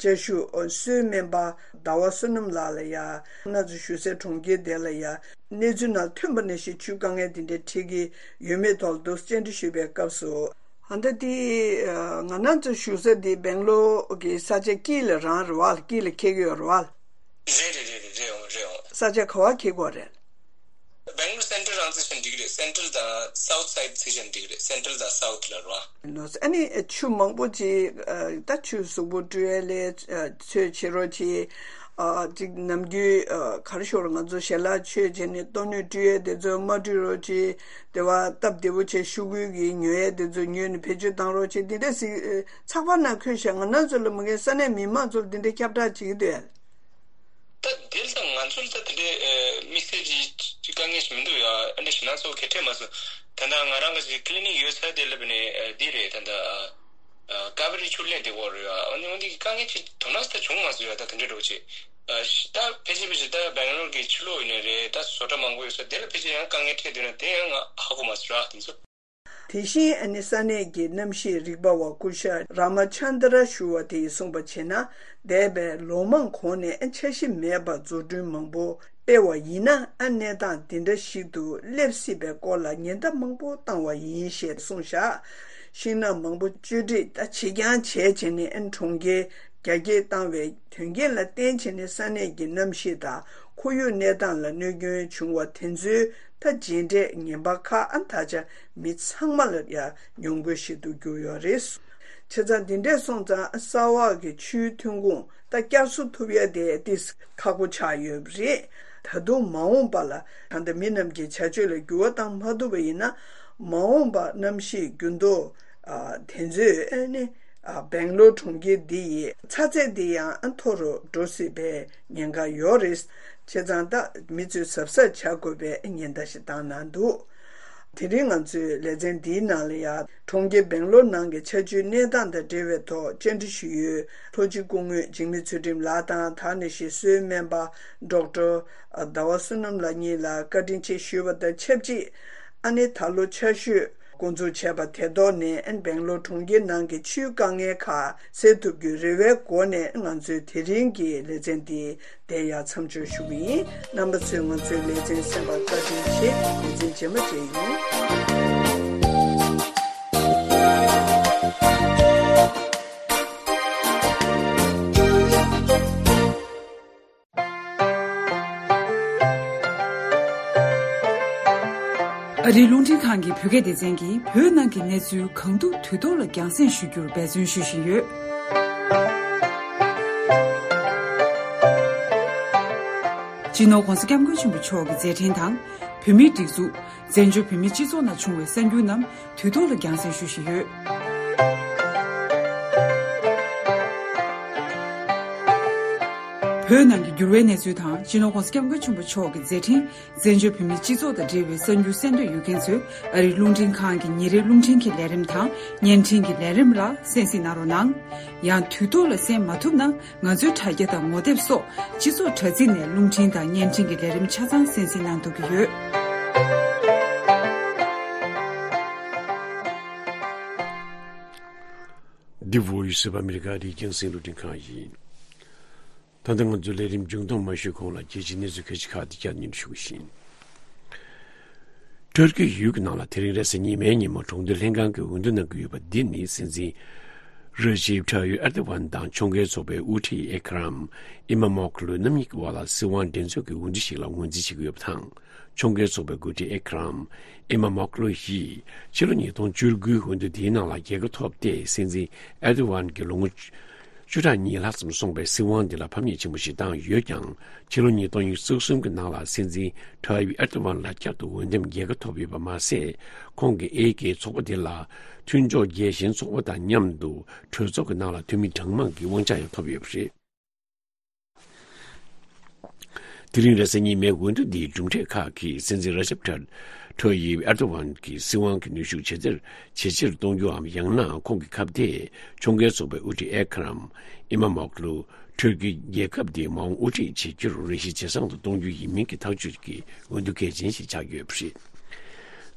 བཅའ་བཞུགས་གསོལ་སྨན་པ་ཟླ་བ་བསོད་ནམས་ལགས་ལ་ཡ་གནས་ཚུལ་ཞུ་སའི་གྲོང་ཁྱེར་དེ་ལ་ཡ་གནས་ཚུལ་ནང་ཐོན་པ་ནང་བཞིན་ཆུའི་དཀའ་ངལ་དེ་འདྲ་འཕྲད་ཀྱི་ཡོད་མེད་ཐོག་ཏུ་བཅར་འདྲི་ཞུས་པའི་སྐབས་སུ། ཨ་ད་དེ་ང་གནས་ཚུལ་ཞུ་ས་དེ་སྦེང་ལོར་གྱི་ས་ཆ་དཀྱིལ་ལ་རང་རེད་པ། དཀྱིལ་ལ་འཁེལ་གྱི་ཡོད་རེད་པ། རེད་རེད་རེད་རེད་རེད་འོང་རེད་འོང་། ས་ཆ་ག་པར་འཁེལ་གྱི་ཡོད་རེད། སྦེང་ལོར་སེན་ཊལ་རང་བརྩི་བྱས་ན་འགྲིག་གི་རེད། སེན་ཊལ་དང་སའུ་ཐི་སའི་ཌི་བརྩི་བྱས་ན་འགྲིག་གི་རེད། སེན་ཊལ་དང་སའུ་ཐི་ལ་རོ། ཨ་ནི་ཆུ་མང་པོ་ཅིག་ད་ཆུ་གཟུགས་པོ་བཀྲུ་ཡས་ལ་ཚོད་བྱེད་རོགས་གྱིས། ཅིག་ནམ་རྒྱུན་ག་རེ་ཞུ་རོགས། ང་ཚོ་ཞལ་ལག་མཆོད་བྱས་ནས་ལྟོ་སྣོད་བཀྲུ་ཡས་དེ་ཚོ་མ་བཀྲུ་རོགས་གྱིས། དེ་བ་སྟབས་བདེ་པོ་བྱས་ཤོག་གུ་གི་ཉོ་ཡས་དེ་ཚོ་ཉོས་ནས་བེད་སྤྱོད་བཏང་རོགས་གྱིས། འདི་འདྲ་ཞིག་ཚགས་པར་ནང་འཁོད་བཞག་ང་རང་ཚོ་ལ་མ་གིན་ས་གནས་མི་མང་ཚོར་འདི་འདྲའི་ཁྱབ་བསྒྲགས་བྱེད་ཀྱི་འདུག་ཡ། ད་དེ་ལ་ང་ཚོ་ལ་ད་དེ་འདྲའི་དམིགས་བསལ་གྱི་དཀའ་ངལ་ཞིག་མི་འདུག་ཡ། ཨ་འདྲ་ཞིག་ན་ཚོ་གལ་འཕྲད་མ་སོང་། ད་ལྟ་ང་རང་གི་ཅིག་ཀི་ལི་ནིག་ཡོད་ས་དེ་ལ་བ་ནས་འདི་རེད། ད་ལྟ་ཀ་བེ་རི་ཆུ་ལེན་དེ་འོག་རེད་ཡ། འོ་འདི་འོ་འདི་དཀའ་ངལ་ཅིག་དོ་སྣང་ད་བྱུང་མ་སོང་ཡ། ད་དེ་འདྲ་འགྲོ་ཅིག་ད་ཕལ་ཆེར་ཕལ་ཆེར་ད་སྦེང་ལོར་གྱི་ཕྱི་ལོགས་ཡིན་ནའི་རེད། ད་བཟོ་གྲྭ་མང་པོ་ཡོད་ས་དེ་ལ་ཕལ་ཆེར་ཡང་དཀའ་ངལ་འཕྲད་འདུག་ན་དེ་ཡང་ང་ཧ་གོ་མ་སོང་ར་དེ་ཚོ། དེ་བཞིན་ཨ་ནི་ས་གནས་ཀྱི་གནམ་གཤིས་རིག་པ་བ་སྐུ་ཞབས་ར་མ་ཆན་དྲ་ཞུ་བ་དེས་གསུངས་པ་བྱས་ན། འདས་པའི་ལོ་མང་གོང་ནས་འཆར་གཞི་མེད་པར་འཛུགས་སྐྲུན་མང་པོ་སྤེལ་བ་ཡིན་ན། ཨ་གནས་སྟངས་འདི་འདྲ་ཞིག་ཏུ་སླེབས་སྲིད་པའི་སྐོར་ལ་ཉེན་བརྡ་མང་པོ་བཏང་བ་ཡིན་ཞེས་གསུངས་བཞག་ཤིང་ནགས་མང་པོ་གཅོད་འབྲེག་ད་བྱེད་རྐྱང་བྱས་བྱས་ནས་ཨ་གྲོང་ཁྱེར་རྒྱ་སྐྱེད་བཏང་བའི་དོན་རྐྱེན་ལ་བརྟེན་བྱས་ནས་ས་གནས་ཀྱི་གནམ་གཤིས་དང་ཁོར་ཡུག་གནས་སྟངས་ལ་གནོད་སྐྱོན་བྱུང་བ་དེ་ཚོའི་ད་རྗེས་འབྲས་ངན་པ་ཁག་ཨ་ད་ཆ་མི་ཚང་མ་ལ་ཡང་མྱོང་དགོས་ཤིག་ཏུ་གྱུར་ཡོད་རེད། བྱས་ཙང་འདི་འདྲས་སོང་ཙང་ས་འོག་གི་ཆུའི་ཐོན་ཁུངས་ད་བསྐྱར་གསོ་ཐུབ་ཡ་དེ་ཏིས་ཁག་པོ་ཆགས་ཡོད་པ་རེད། ད་དུང་མ་འོངས་པ་ལ་ད་ལྟ་མི་རྣམས་ཀྱི་བྱ་སྤྱོད་ལ་འགྱུར་བ་བཏང་མ་ཐུབ་པ་ཡིན་ན། མ་འོངས་པ་གནམ་གཤིས་འགྱུར་ལྡོག་དེ་ཚོས་ཨ་ནི་ ཨ། སྦེང་ལོར་གྲོང་ཁྱེར་འདི་ཡི་ཚ་ཚད་འདི་ཡང་མཐོ་རུ་འགྲོ་སྲིད་པའི་ཉེན་ཁ་ཡོད་རེད། བྱས་ཙང་ད་མི་ཚོས་གཟབ་གཟབ་བྱ་དགོས་པའི་ཉེན་བརྡ་ཞིག་བཏང་གནང་འདུག་དེ་རིང་ང་ཚོའི་ལེ་ཚན་འདིའི་ནང་ལ་ཡང་གྲོང་ཁྱེར་སྦེང་ལོར་ནང་གི་ཆར་ཆུའི་གནས་སྟངས་དང་འབྲེལ་བའི་ཐོག་བཅར་འདྲི་ཞུ་ཡུལ་ལྷོ་སྤྱི་སྐུ་ངོ་འཇིགས་མེད་ཚུལ་ཁྲིམས་ལགས་དང་། ད་ནི་ཞིག་གསོའི་སྨན་པ་ཌོག་ཊར་ཟླ་བ་བསོད་ནམས་ལགས་གཉིས་ལ་བཀའ་དྲིན་ཆེ་ཞུས་པ་དང་ཆབས་ཅིག་ཨ་ནི་ད་ལོ་ཆར་ཞོད་འགོ་འཛུགས་བྱས་པ་དེ་ཐོག་ནས་སྦེང་ལོར་གྲོང་ཁྱེར་ནང་གི་ཆུའི་དཀའ་ངལ་ཁག་སེལ་ཐུབ་རྒྱུའི་རེ་བའི་སྒོ་ནས་ང་ཚོའི་དེ་རིང་གི་ལེ་ཚན་འདི་དེ་ཡང་མཚམས་འཇོག་ཞུ་གི་ཡིན། རྣམ་པ་ཚོས་ང་ཚོའི་ལེ་ཚན་གསན་པར་བཀའ་དྲིན་ཆེ། ལེ་ཚན་རྗེས་མ་མཇལ་ཡོང་། ཨ་རིའི་རླུང་འཕྲིན་ཁང་གི་བོད་སྐད་སྡེ་ཚན་གྱིས་བོད་ནང་གི་གནས་ཚུལ་གང་ཐུབ་དུས་ཐོག་ལ་རྒྱང་སྲིང་ཞུ་རྒྱུར་འབད་བརྩོན་ཞུ་བཞིན་ཡོད། སྤྱི་ནོར་༧གོང་ས་༧སྐྱབས་མགོན་ཆེན་པོ་མཆོག་གི་མཛད་འཕྲིན་དང་། བོད་མིའི་སྒྲིག་འཛུགས། བཙན་བྱོལ་བོད་མིའི་སྤྱི་ཚོགས་ནང་བྱུང་བའི་གསར་འགྱུར་རྣམས་དུས་ཐོག་ལ་རྒྱང་སྲིང་ཞུ་བཞིན་ཡོད། བོད་ནང་གི་འགྱུར་བའི་གནས་ཚུལ་དང་། སྤྱི་ནོར་༧གོང་ས་༧སྐྱབས་མགོན་ཆེན་པོ་མཆོག་གི་མཛད་འཕྲིན། བཙན་བྱོལ་བོད་མིའི་སྤྱི་ཚོགས་དང་འབྲེལ་བའི་གསར་འགྱུར་གསན་འདོད་ཡོད་མཁན་ཚོས་ཨ་རིའི་རླུང་འཕྲིན་ཁང་གི་ཉིན་རེའི་རླུང་འཕྲིན་གྱི་ལས་རིམ་དང་བརྙན་འཕྲིན་གྱི་ལས་རིམ་ལ་གསན་གཟིགས་གནང་རོགས་གནང་། ཡང་དུས་ཐོག་ལ་གསན་མ་ཐུབ་ན། ང་ཚོའི་དྲ་རྒྱ་དང་ངོ་དེབ་སོགས་སྤྱི་ཚོགས་དྲ་ཚིགས་ནས་རླུང་འཕྲིན་དང་བརྙན་འཕྲིན་གྱི་ལས་རིམ་ཆ་ཚང་གསན་གཟིགས་གནང་ཐུབ་ཀྱི་ཡོད། འདི་Voice of America རྒྱང་སྲིང་རླུང་འཕྲིན་ཁང་ཡིན། ད་ལྟ་ང་ཚོའི་ལས་རིམ་མཇུག་སྡོམ་མ་ཞུས་གོང་ལ་རྒྱལ་སྤྱིའི་གནས་ཚུལ་ཁག་ཅིག་ཁག་ཏུ་བསྐྱར་སྙན་ཞུ་གི་ཡིན། ཏུར་ཀི་ཡུལ་གྱི་ནང་ལ་དེ་རིང་རེས་གཟའ་ཉི་མའི་ཉིན་མོ་གྲོང་སྡེ་ལྷན་ཁང་གིས་འོས་བསྡུ་གནང་གི་ཡོད་པ་འདི་ནི་སྲིད་འཛིན་ར་ཇིབ་ཐ་ཡིབ་ཨེར་དོ་གྷན་དང་ཕྱོགས་འགལ་ཚོགས་པའི་དབུ་ཁྲིད་ཨེ་ཁ་རམ་ཨི་མ་མོག་ལུ་རྣམ་གཉིས་ཀྱི་དབར་ལ་སྲིད་དབང་འགྲན་རྩོད་ཀྱི་འོས་བསྡུ་ཞིག་ལ་ངོས་འཛིན་བྱེད་ཀྱི་ཡོད་པ་དང་། ཕྱོགས་འགལ་ཚོགས་པའི་འགོ་ཁྲིད་ཨེ་ཁ་རམ་ཨི་མ་མོག་ལུ་ཡིས་ཕྱི་ལོ་ཉིས་སྟོང་བཅུ་དགུའི་འོས་བསྡུ་དེའི་ནང་ལ་རྒྱལ་ཁ་ཐོབ་སྟེ། སྲིད་འཛིན་ཨེར་དོ་གྷན་གྱི་ལོ་ངོ་བཅུ་ཕྲག་གཉིས་ལྷག་ཙམ་སོང་པའི་སྲིད་དབང་འདི་ལ་ཕམ་ཉེས་ཆེན་པོ་ཞིག་བཏང་ཡོད་ཀྱང་། ཕྱི་ལོ་ཉིས་སྟོང་ཉི་ཤུ་རྩ་གསུམ་གྱི་ནང་ལ་སྲིད་འཛིན་ཐ་ཡིབ་ཨེར་དོ་གྷན་ལ་བསྐྱར་དུ་འོས་འདེམས་རྒྱལ་ཁ་ཐོབ་ཡོད་པ་མ་ཟད། ཁོང་གིས་ཨེ་ཀེ་ཚོགས་པ་དེ་ལ་མཐུན་ཕྱོགས་རྒྱལ་ཞེན་ཚོགས་པ་དང་མཉམ་དུ་གྲོས་ཚོགས་ཀྱི་ནང་ལ་འཐུས་མི་གྲངས་མང་གི་དབང་ཆ་ཡང་ཐོབ་ཡོད་པ་རེད། དེ་རིང་རེས་གཟའ་ཉི་མའི་འོས་བསྡུ་འདིའི་གྲུབ་འབྲས་ཁག་གིས་སྲིད་འཛིན་ར་ཇབ་ཐ་ཐ་ཡིབ་ཨེར་དོ་གྷན་གྱི་སྲིད་དབང་གི་ནུས་ཤུགས་ཇེ་ཆེར་ཇེ་ཆེར་གཏོང་རྒྱུའམ། ཡང་ན་ཁོང་གི་ཁ་གཏད་ཕྱོགས་འགལ་ཚོགས་པའི་དབུ་ཁྲིད་ཨེ་ཁ་རམ་ཨི་མ་མོག་ལུ་ཏུར་ཀི་རྒྱལ་ཁབ་འདིའི་མ་འོངས་དབུ་ཁྲིད་བྱེད་རྒྱུར་རེ་ཞིག་ཇེ་བཟང་དུ་གཏོང་རྒྱུ་ཡིན་མིན་གྱི་ཐག་གཅོད་ཀྱི་འོས་བསྡུ་གལ་ཆེན་ཞིག་ཆགས་ཡོད་པ་རེད།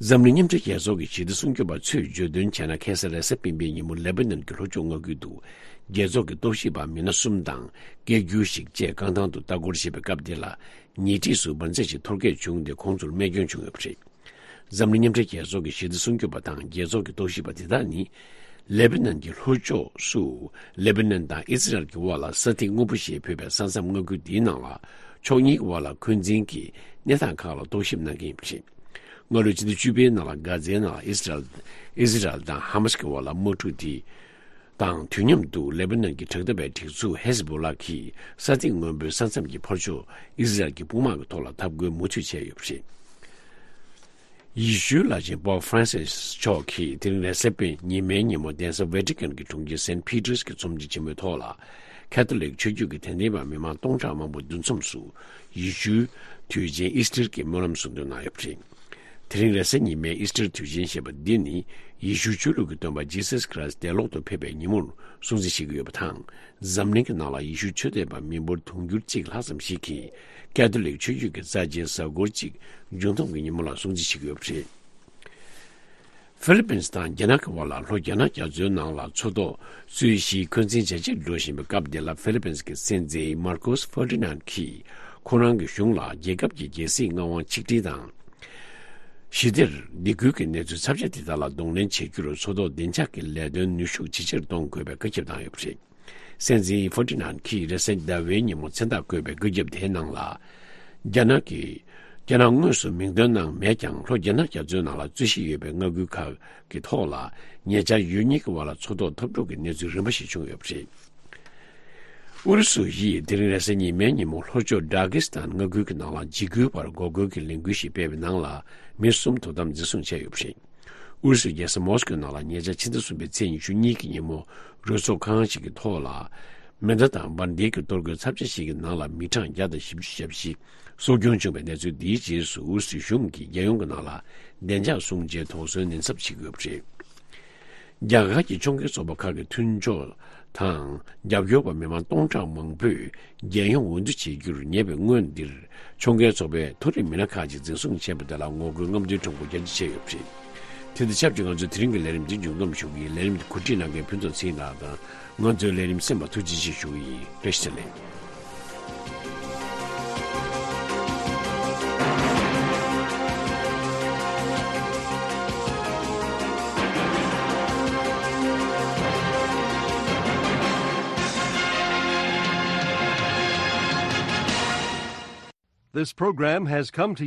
འཛམ་གླིང་མཉམ་འབྲེལ་རྒྱལ་ཚོགས་ཀྱི་ཞི་བདེ་སྲུང་སྐྱོབ་པ་ཚོས་བརྗོད་དོན་བྱས་ན། ཁ་སང་རེས་གཟའ་སྤེན་པའི་ཉིན་མོ་ལེ་པ་ནན་གྱི་ལྷོ་ཕྱོགས་མངའ་ཁུལ་དུ་རྒྱལ་ཚོགས་ཀྱི་རྟོག་ཞིབ་པ་མི་སྣ་གསུམ་དང་སྐད་སྒྱུར་ཞིག་བཅས་རྐང་ཐང་དུ་ལྟ་སྐོར་བྱེད་པའི་སྐབས་དེ་ལ། ཉེ་འཁྲིས་སུ་འབར་རྫས་ཤིག་འཐོར་སྐད་བྱུང་སྟེ། ཁོང་ཚོར་རྨས་སྐྱོན་བྱུང་ཡོད་པ་རེད། འཛམ་གླིང་མཉམ་འབྲེལ་རྒྱལ་ཚོགས་ཀྱི་ཞི་བདེ་སྲུང་སྐྱོབ་པ་དང་རྒྱལ་ཚོགས་ཀྱི་རྟོག་ཞིབ་པ་དེ་དག་ནི། ལེ་པ་ནན་གྱི་ལྷོ་ཕྱོགས་སུ་ལེ་པ་ནན་དང་ཨི་ཟི་རལ་གྱི་དབར་ལ་ས་ཐིག་སྔོན་པོ་ཞེས་འབོད་པའི་ས་མཚམས་མངའ་ཁུལ་འདིའི་ནང་ལ་ཕྱོགས་གཉིས་ཀྱི་དབར་ལ་འཁོན་འཛིན་གྱི་གནས་སྟངས་ཁག་ལ་རྟོག་ཞིབ་གནང་གི་ཡིན་པ་རེད། སྔ་ལོའི་ཕྱི་ཟླ་བཅུ་པའི་ནང་ལ་གྷ་ཛའི་ནང་ལ་ཨི་ཟི་རལ་ཨི་ཟི་རལ་དང་ཧ་མ་སི་ཀྱི་དབར་ལ་དམག་འཁྲུག་དེ་དང་དུས་མཉམ་དུ་ལེ་པ་ནན་གྱི་དྲག་འཐབ་པའི་སྒྲིག་འཛུགས་ཧེ་ཟི་བྷོ་ལ་གིས་ས་ཐིག་སྔོན་པོའི་ས་མཚམས་ཀྱི་ཕར་ཕྱོགས་ཨི་ཟི་རལ་གྱི་དཔུང་དམག་གི་ཐོག་ལ་འཐབ་རྒོལ་མུ་མཐུད་བྱས་ཡོད་པ་རེད། ཡེ་ཤུའི་བླ་ཆེན་པོབ་ཧྥ་རན་སིས་མཆོག་གིས་དེ་རིང་རེས་གཟའ་སྤེན་ཉི་མའི་ཉིན་མོ་གདན་ས་ཝེ་ཏི་ཀན་གྱི་གྲོང་ཁྱེར་སེན་ཕི་ཏྲིས་ཀྱི་ཚོམས་ཆེན་ཆེན་མོའི་ཐོག་ལ། ཁ་ཐོ་ལིག་ཆོས་བརྒྱུད་ཀྱི་དད་ལྡན་པ་མི་མང་སྟོང་ཕྲག་མང་པོ་འདུ་འཛོམས་སུ་ཡེ་ཤུའི་དུས་ཆེན་ཨིས་ཊར་གྱི་སྨོན་ལམ་གསུང་འདོན་གནང་ཡོད་པ་རེད། དེ་རིང་རེས་གཟའ་ཉི་མའི་ཨིས་ཊར་དུས་ཆེན་ཞེས་པ་འདི་ནི་ཡེ་ཤུ་ཆོས་ལུགས་ཀྱི་སྟོན་པ་ཇི་སཱས་ཁྲི་སི་འདས་ལོག་ཏུ་ཕེབས་པའི་ཉིན་མོར་སྲུང་བརྩི་བྱེད་ཀྱི་ཡོད་པ་དང་། འཛམ་གླིང་གི་ནང་ལ་ཡེ་ཤུ་ཆོས་དད་པ་མི་འབོར་དུང་ཕྱུར་གཅིག་ལྷག་ཙམ་ཞིག་གིས་ཀ་ཐོ་ལིག་ཆོས་བརྒྱུད་ཀྱི་རྩ་ཆེའི་གཟའ་འཁོར་གཅིག་འབྱུང་སྟོང་གི་ཉིན་མོ་ལ་སྲུང་བརྩི་བྱེད་ཀྱི་ཡོད་པ་རེད། ཧྥི་ལི་པིན་དང་རྒྱ་ནག་གི་དབར་ལ་ལྷོ་རྒྱ་ནག་རྒྱ་མཚོའི་ནང་ལ་མཚོ་ཐོག་རྩོད་གཞིའི་འཁོན་འཛིན་ཇེ་ཆེར་འགྲོ་བཞིན་པའི་སྐབས་འདི་ལ། ཧྥི་ལི་པིན་གྱི་སྲིད་འཛིན་མར་ཁོ་སི་ཧྥེར་ཏི་ནན་གྱིས་ཁོ་རང་གི་གཞུང་ལ་རྒྱལ་ཁབ་ཀྱི་རྒྱལ་སྲིད་མངའ་དབང་ཆིག་སྒྲིལ་དང་། ཞི་བདེར་སྡིགས་སྐུལ་གྱི་གནས་ཚུལ་ཚབས་ཆེ་དེ་དག་ལ་གདོང་ལེན་བྱེད་རྒྱུར་མཚོ་ཐོག་བདེ་འཇགས་ཀྱི་ལས་དོན་ནུས་ཤུགས་ཇེ་ཆེར་གཏོང་དགོས་པའི་བཀའ་ཁྱབ་བཏང་ཡོད་པ་རེད། སྲིད་འཛིན་ཧྥེར་ཏི་ནན་གྱིས་རེས་གཟའ་ཟླ་བའི་ཉིན་མོ་མཚན་རྟགས་བཀོད་པའི་བཀའ་ཁྱབ་དེའི་ནང་ལ། རྒྱ་ནག་གིས། རྒྱ་ནག་དངོས་སུ་མིང་འདོན་གནང་མེད་ཀྱང་། ལྷོ་རྒྱ་ནག་རྒྱ་མཚོའི་ནང་ལ་རྩོད་གཞི་ཡོད་པའི་མངའ་ཁུལ་ཁག་གི་ཐོག་ལ། ཉེ་ཆར་ཡུལ་གཉིས་ཀྱི་དབར་ལ་མཚོ་ཐོག་འཐབ་འཁྲུག་གི་གནས་ཚུལ་རིམ་པ་ཞིག་བྱུང་ཡོད་པ་རེད། ཨུ་རུ་སུ་ཡིས་དེ་རིང་རེས་གཟའ་ཉི་མའི་ཉིན་མོ་ལྷོ་ཕྱོགས་ཌ་གྷི་སི་ཐན་མངའ་ཁུལ་གྱི་ནང་ལ་འཇིགས་སྐུལ་བར་འགོག་རྒོལ་གྱི་ལས་འགུལ་ཞིག་སྤེལ་བའི་ནང་ལ་མི་གསུམ་དོ་དམ་འཛིན་བཟུང་བྱས་ཡོད་པ་རེད། ཨུ་རུ་སུའི་རྒྱལ་ས་མོ་སི་ཀོའི་ནང་ལ་ཉེ་ཆར་ཕྱི་ཟླ་གསུམ་པའི་ཚེས་ཉི་ཤུ་གཉིས་ཀྱི་ཉིན་མོ་རུ་ཚོགས་ཁང་ཞིག་གི་ཐོག་ལ། མེ་མདའ་དང་འབར་མདེལ་གྱི་གཏོར་རྒོལ་ཚབས་ཆེ་ཞིག་གི་ནང་ལ་མི་གྲངས་བརྒྱ་དང་བཞི་བཅུ་ཞེ་བཞི་སྲོག་སྐྱོན་བྱུང་བའི་གནས་ཚུལ་འདིའི་རྗེས་སུ་ཨུ་རུ་སུའི་གཞུང་གིས་རྒྱལ་ཡོངས་ཀྱི་ནང་ལ་བདེ་འཇགས་སྲུང་བྱའི་དོགས་ཟོན་ནན་ཚབས་བྱེད་དགོས་པ་རེད། རྒྱ་གར་གྱི་ཕྱོགས་འགལ་ཚོགས་པ་ཁག་གི་མཐུན་ཕྱོགས་དང་རྒྱབ་སྐྱོར་པ་མི་མང་སྟོང་ཕྲག་མང་པོས་རྒྱལ་ཡོངས་འོས་བསྡུ་བྱེད་རྒྱུར་ཉེ་བའི་སྔོན་འདིར་ཕྱོགས་འགལ་ཚོགས་པའི་མཐོ་རིམ་མི་སྣ་ཁག་ཅིག་འཛིན་བཟུང་བྱས་པ་དེ་ལ་ངོ་རྒོལ་རྔམ་སྟོན་ཁྲོམ་སྐོར་རྒྱ་ཆེ་བྱས་ཡོད་པ་རེད། དེ་དང་ཆབས་ཅིག་ང་ཚོའི་དེ་རིང་གི་ལས་རིམ་འདི་མཇུག་བསྡོམས་ཞུ་གི་ཡིན། ལས་རིམ་འདི་གོ་སྒྲིག་གནང་མཁན་ཕུན་ཚོགས་ཚེ་རིང་ལགས་དང་། ང་ཚོའི་ལས་རིམ་གསན་པར་ཐུགས་རྗེ་ཆེ་ཞུ་གི་ཡིན། བཀྲ་ཤིས་བདེ་ལེགས། This program has come to you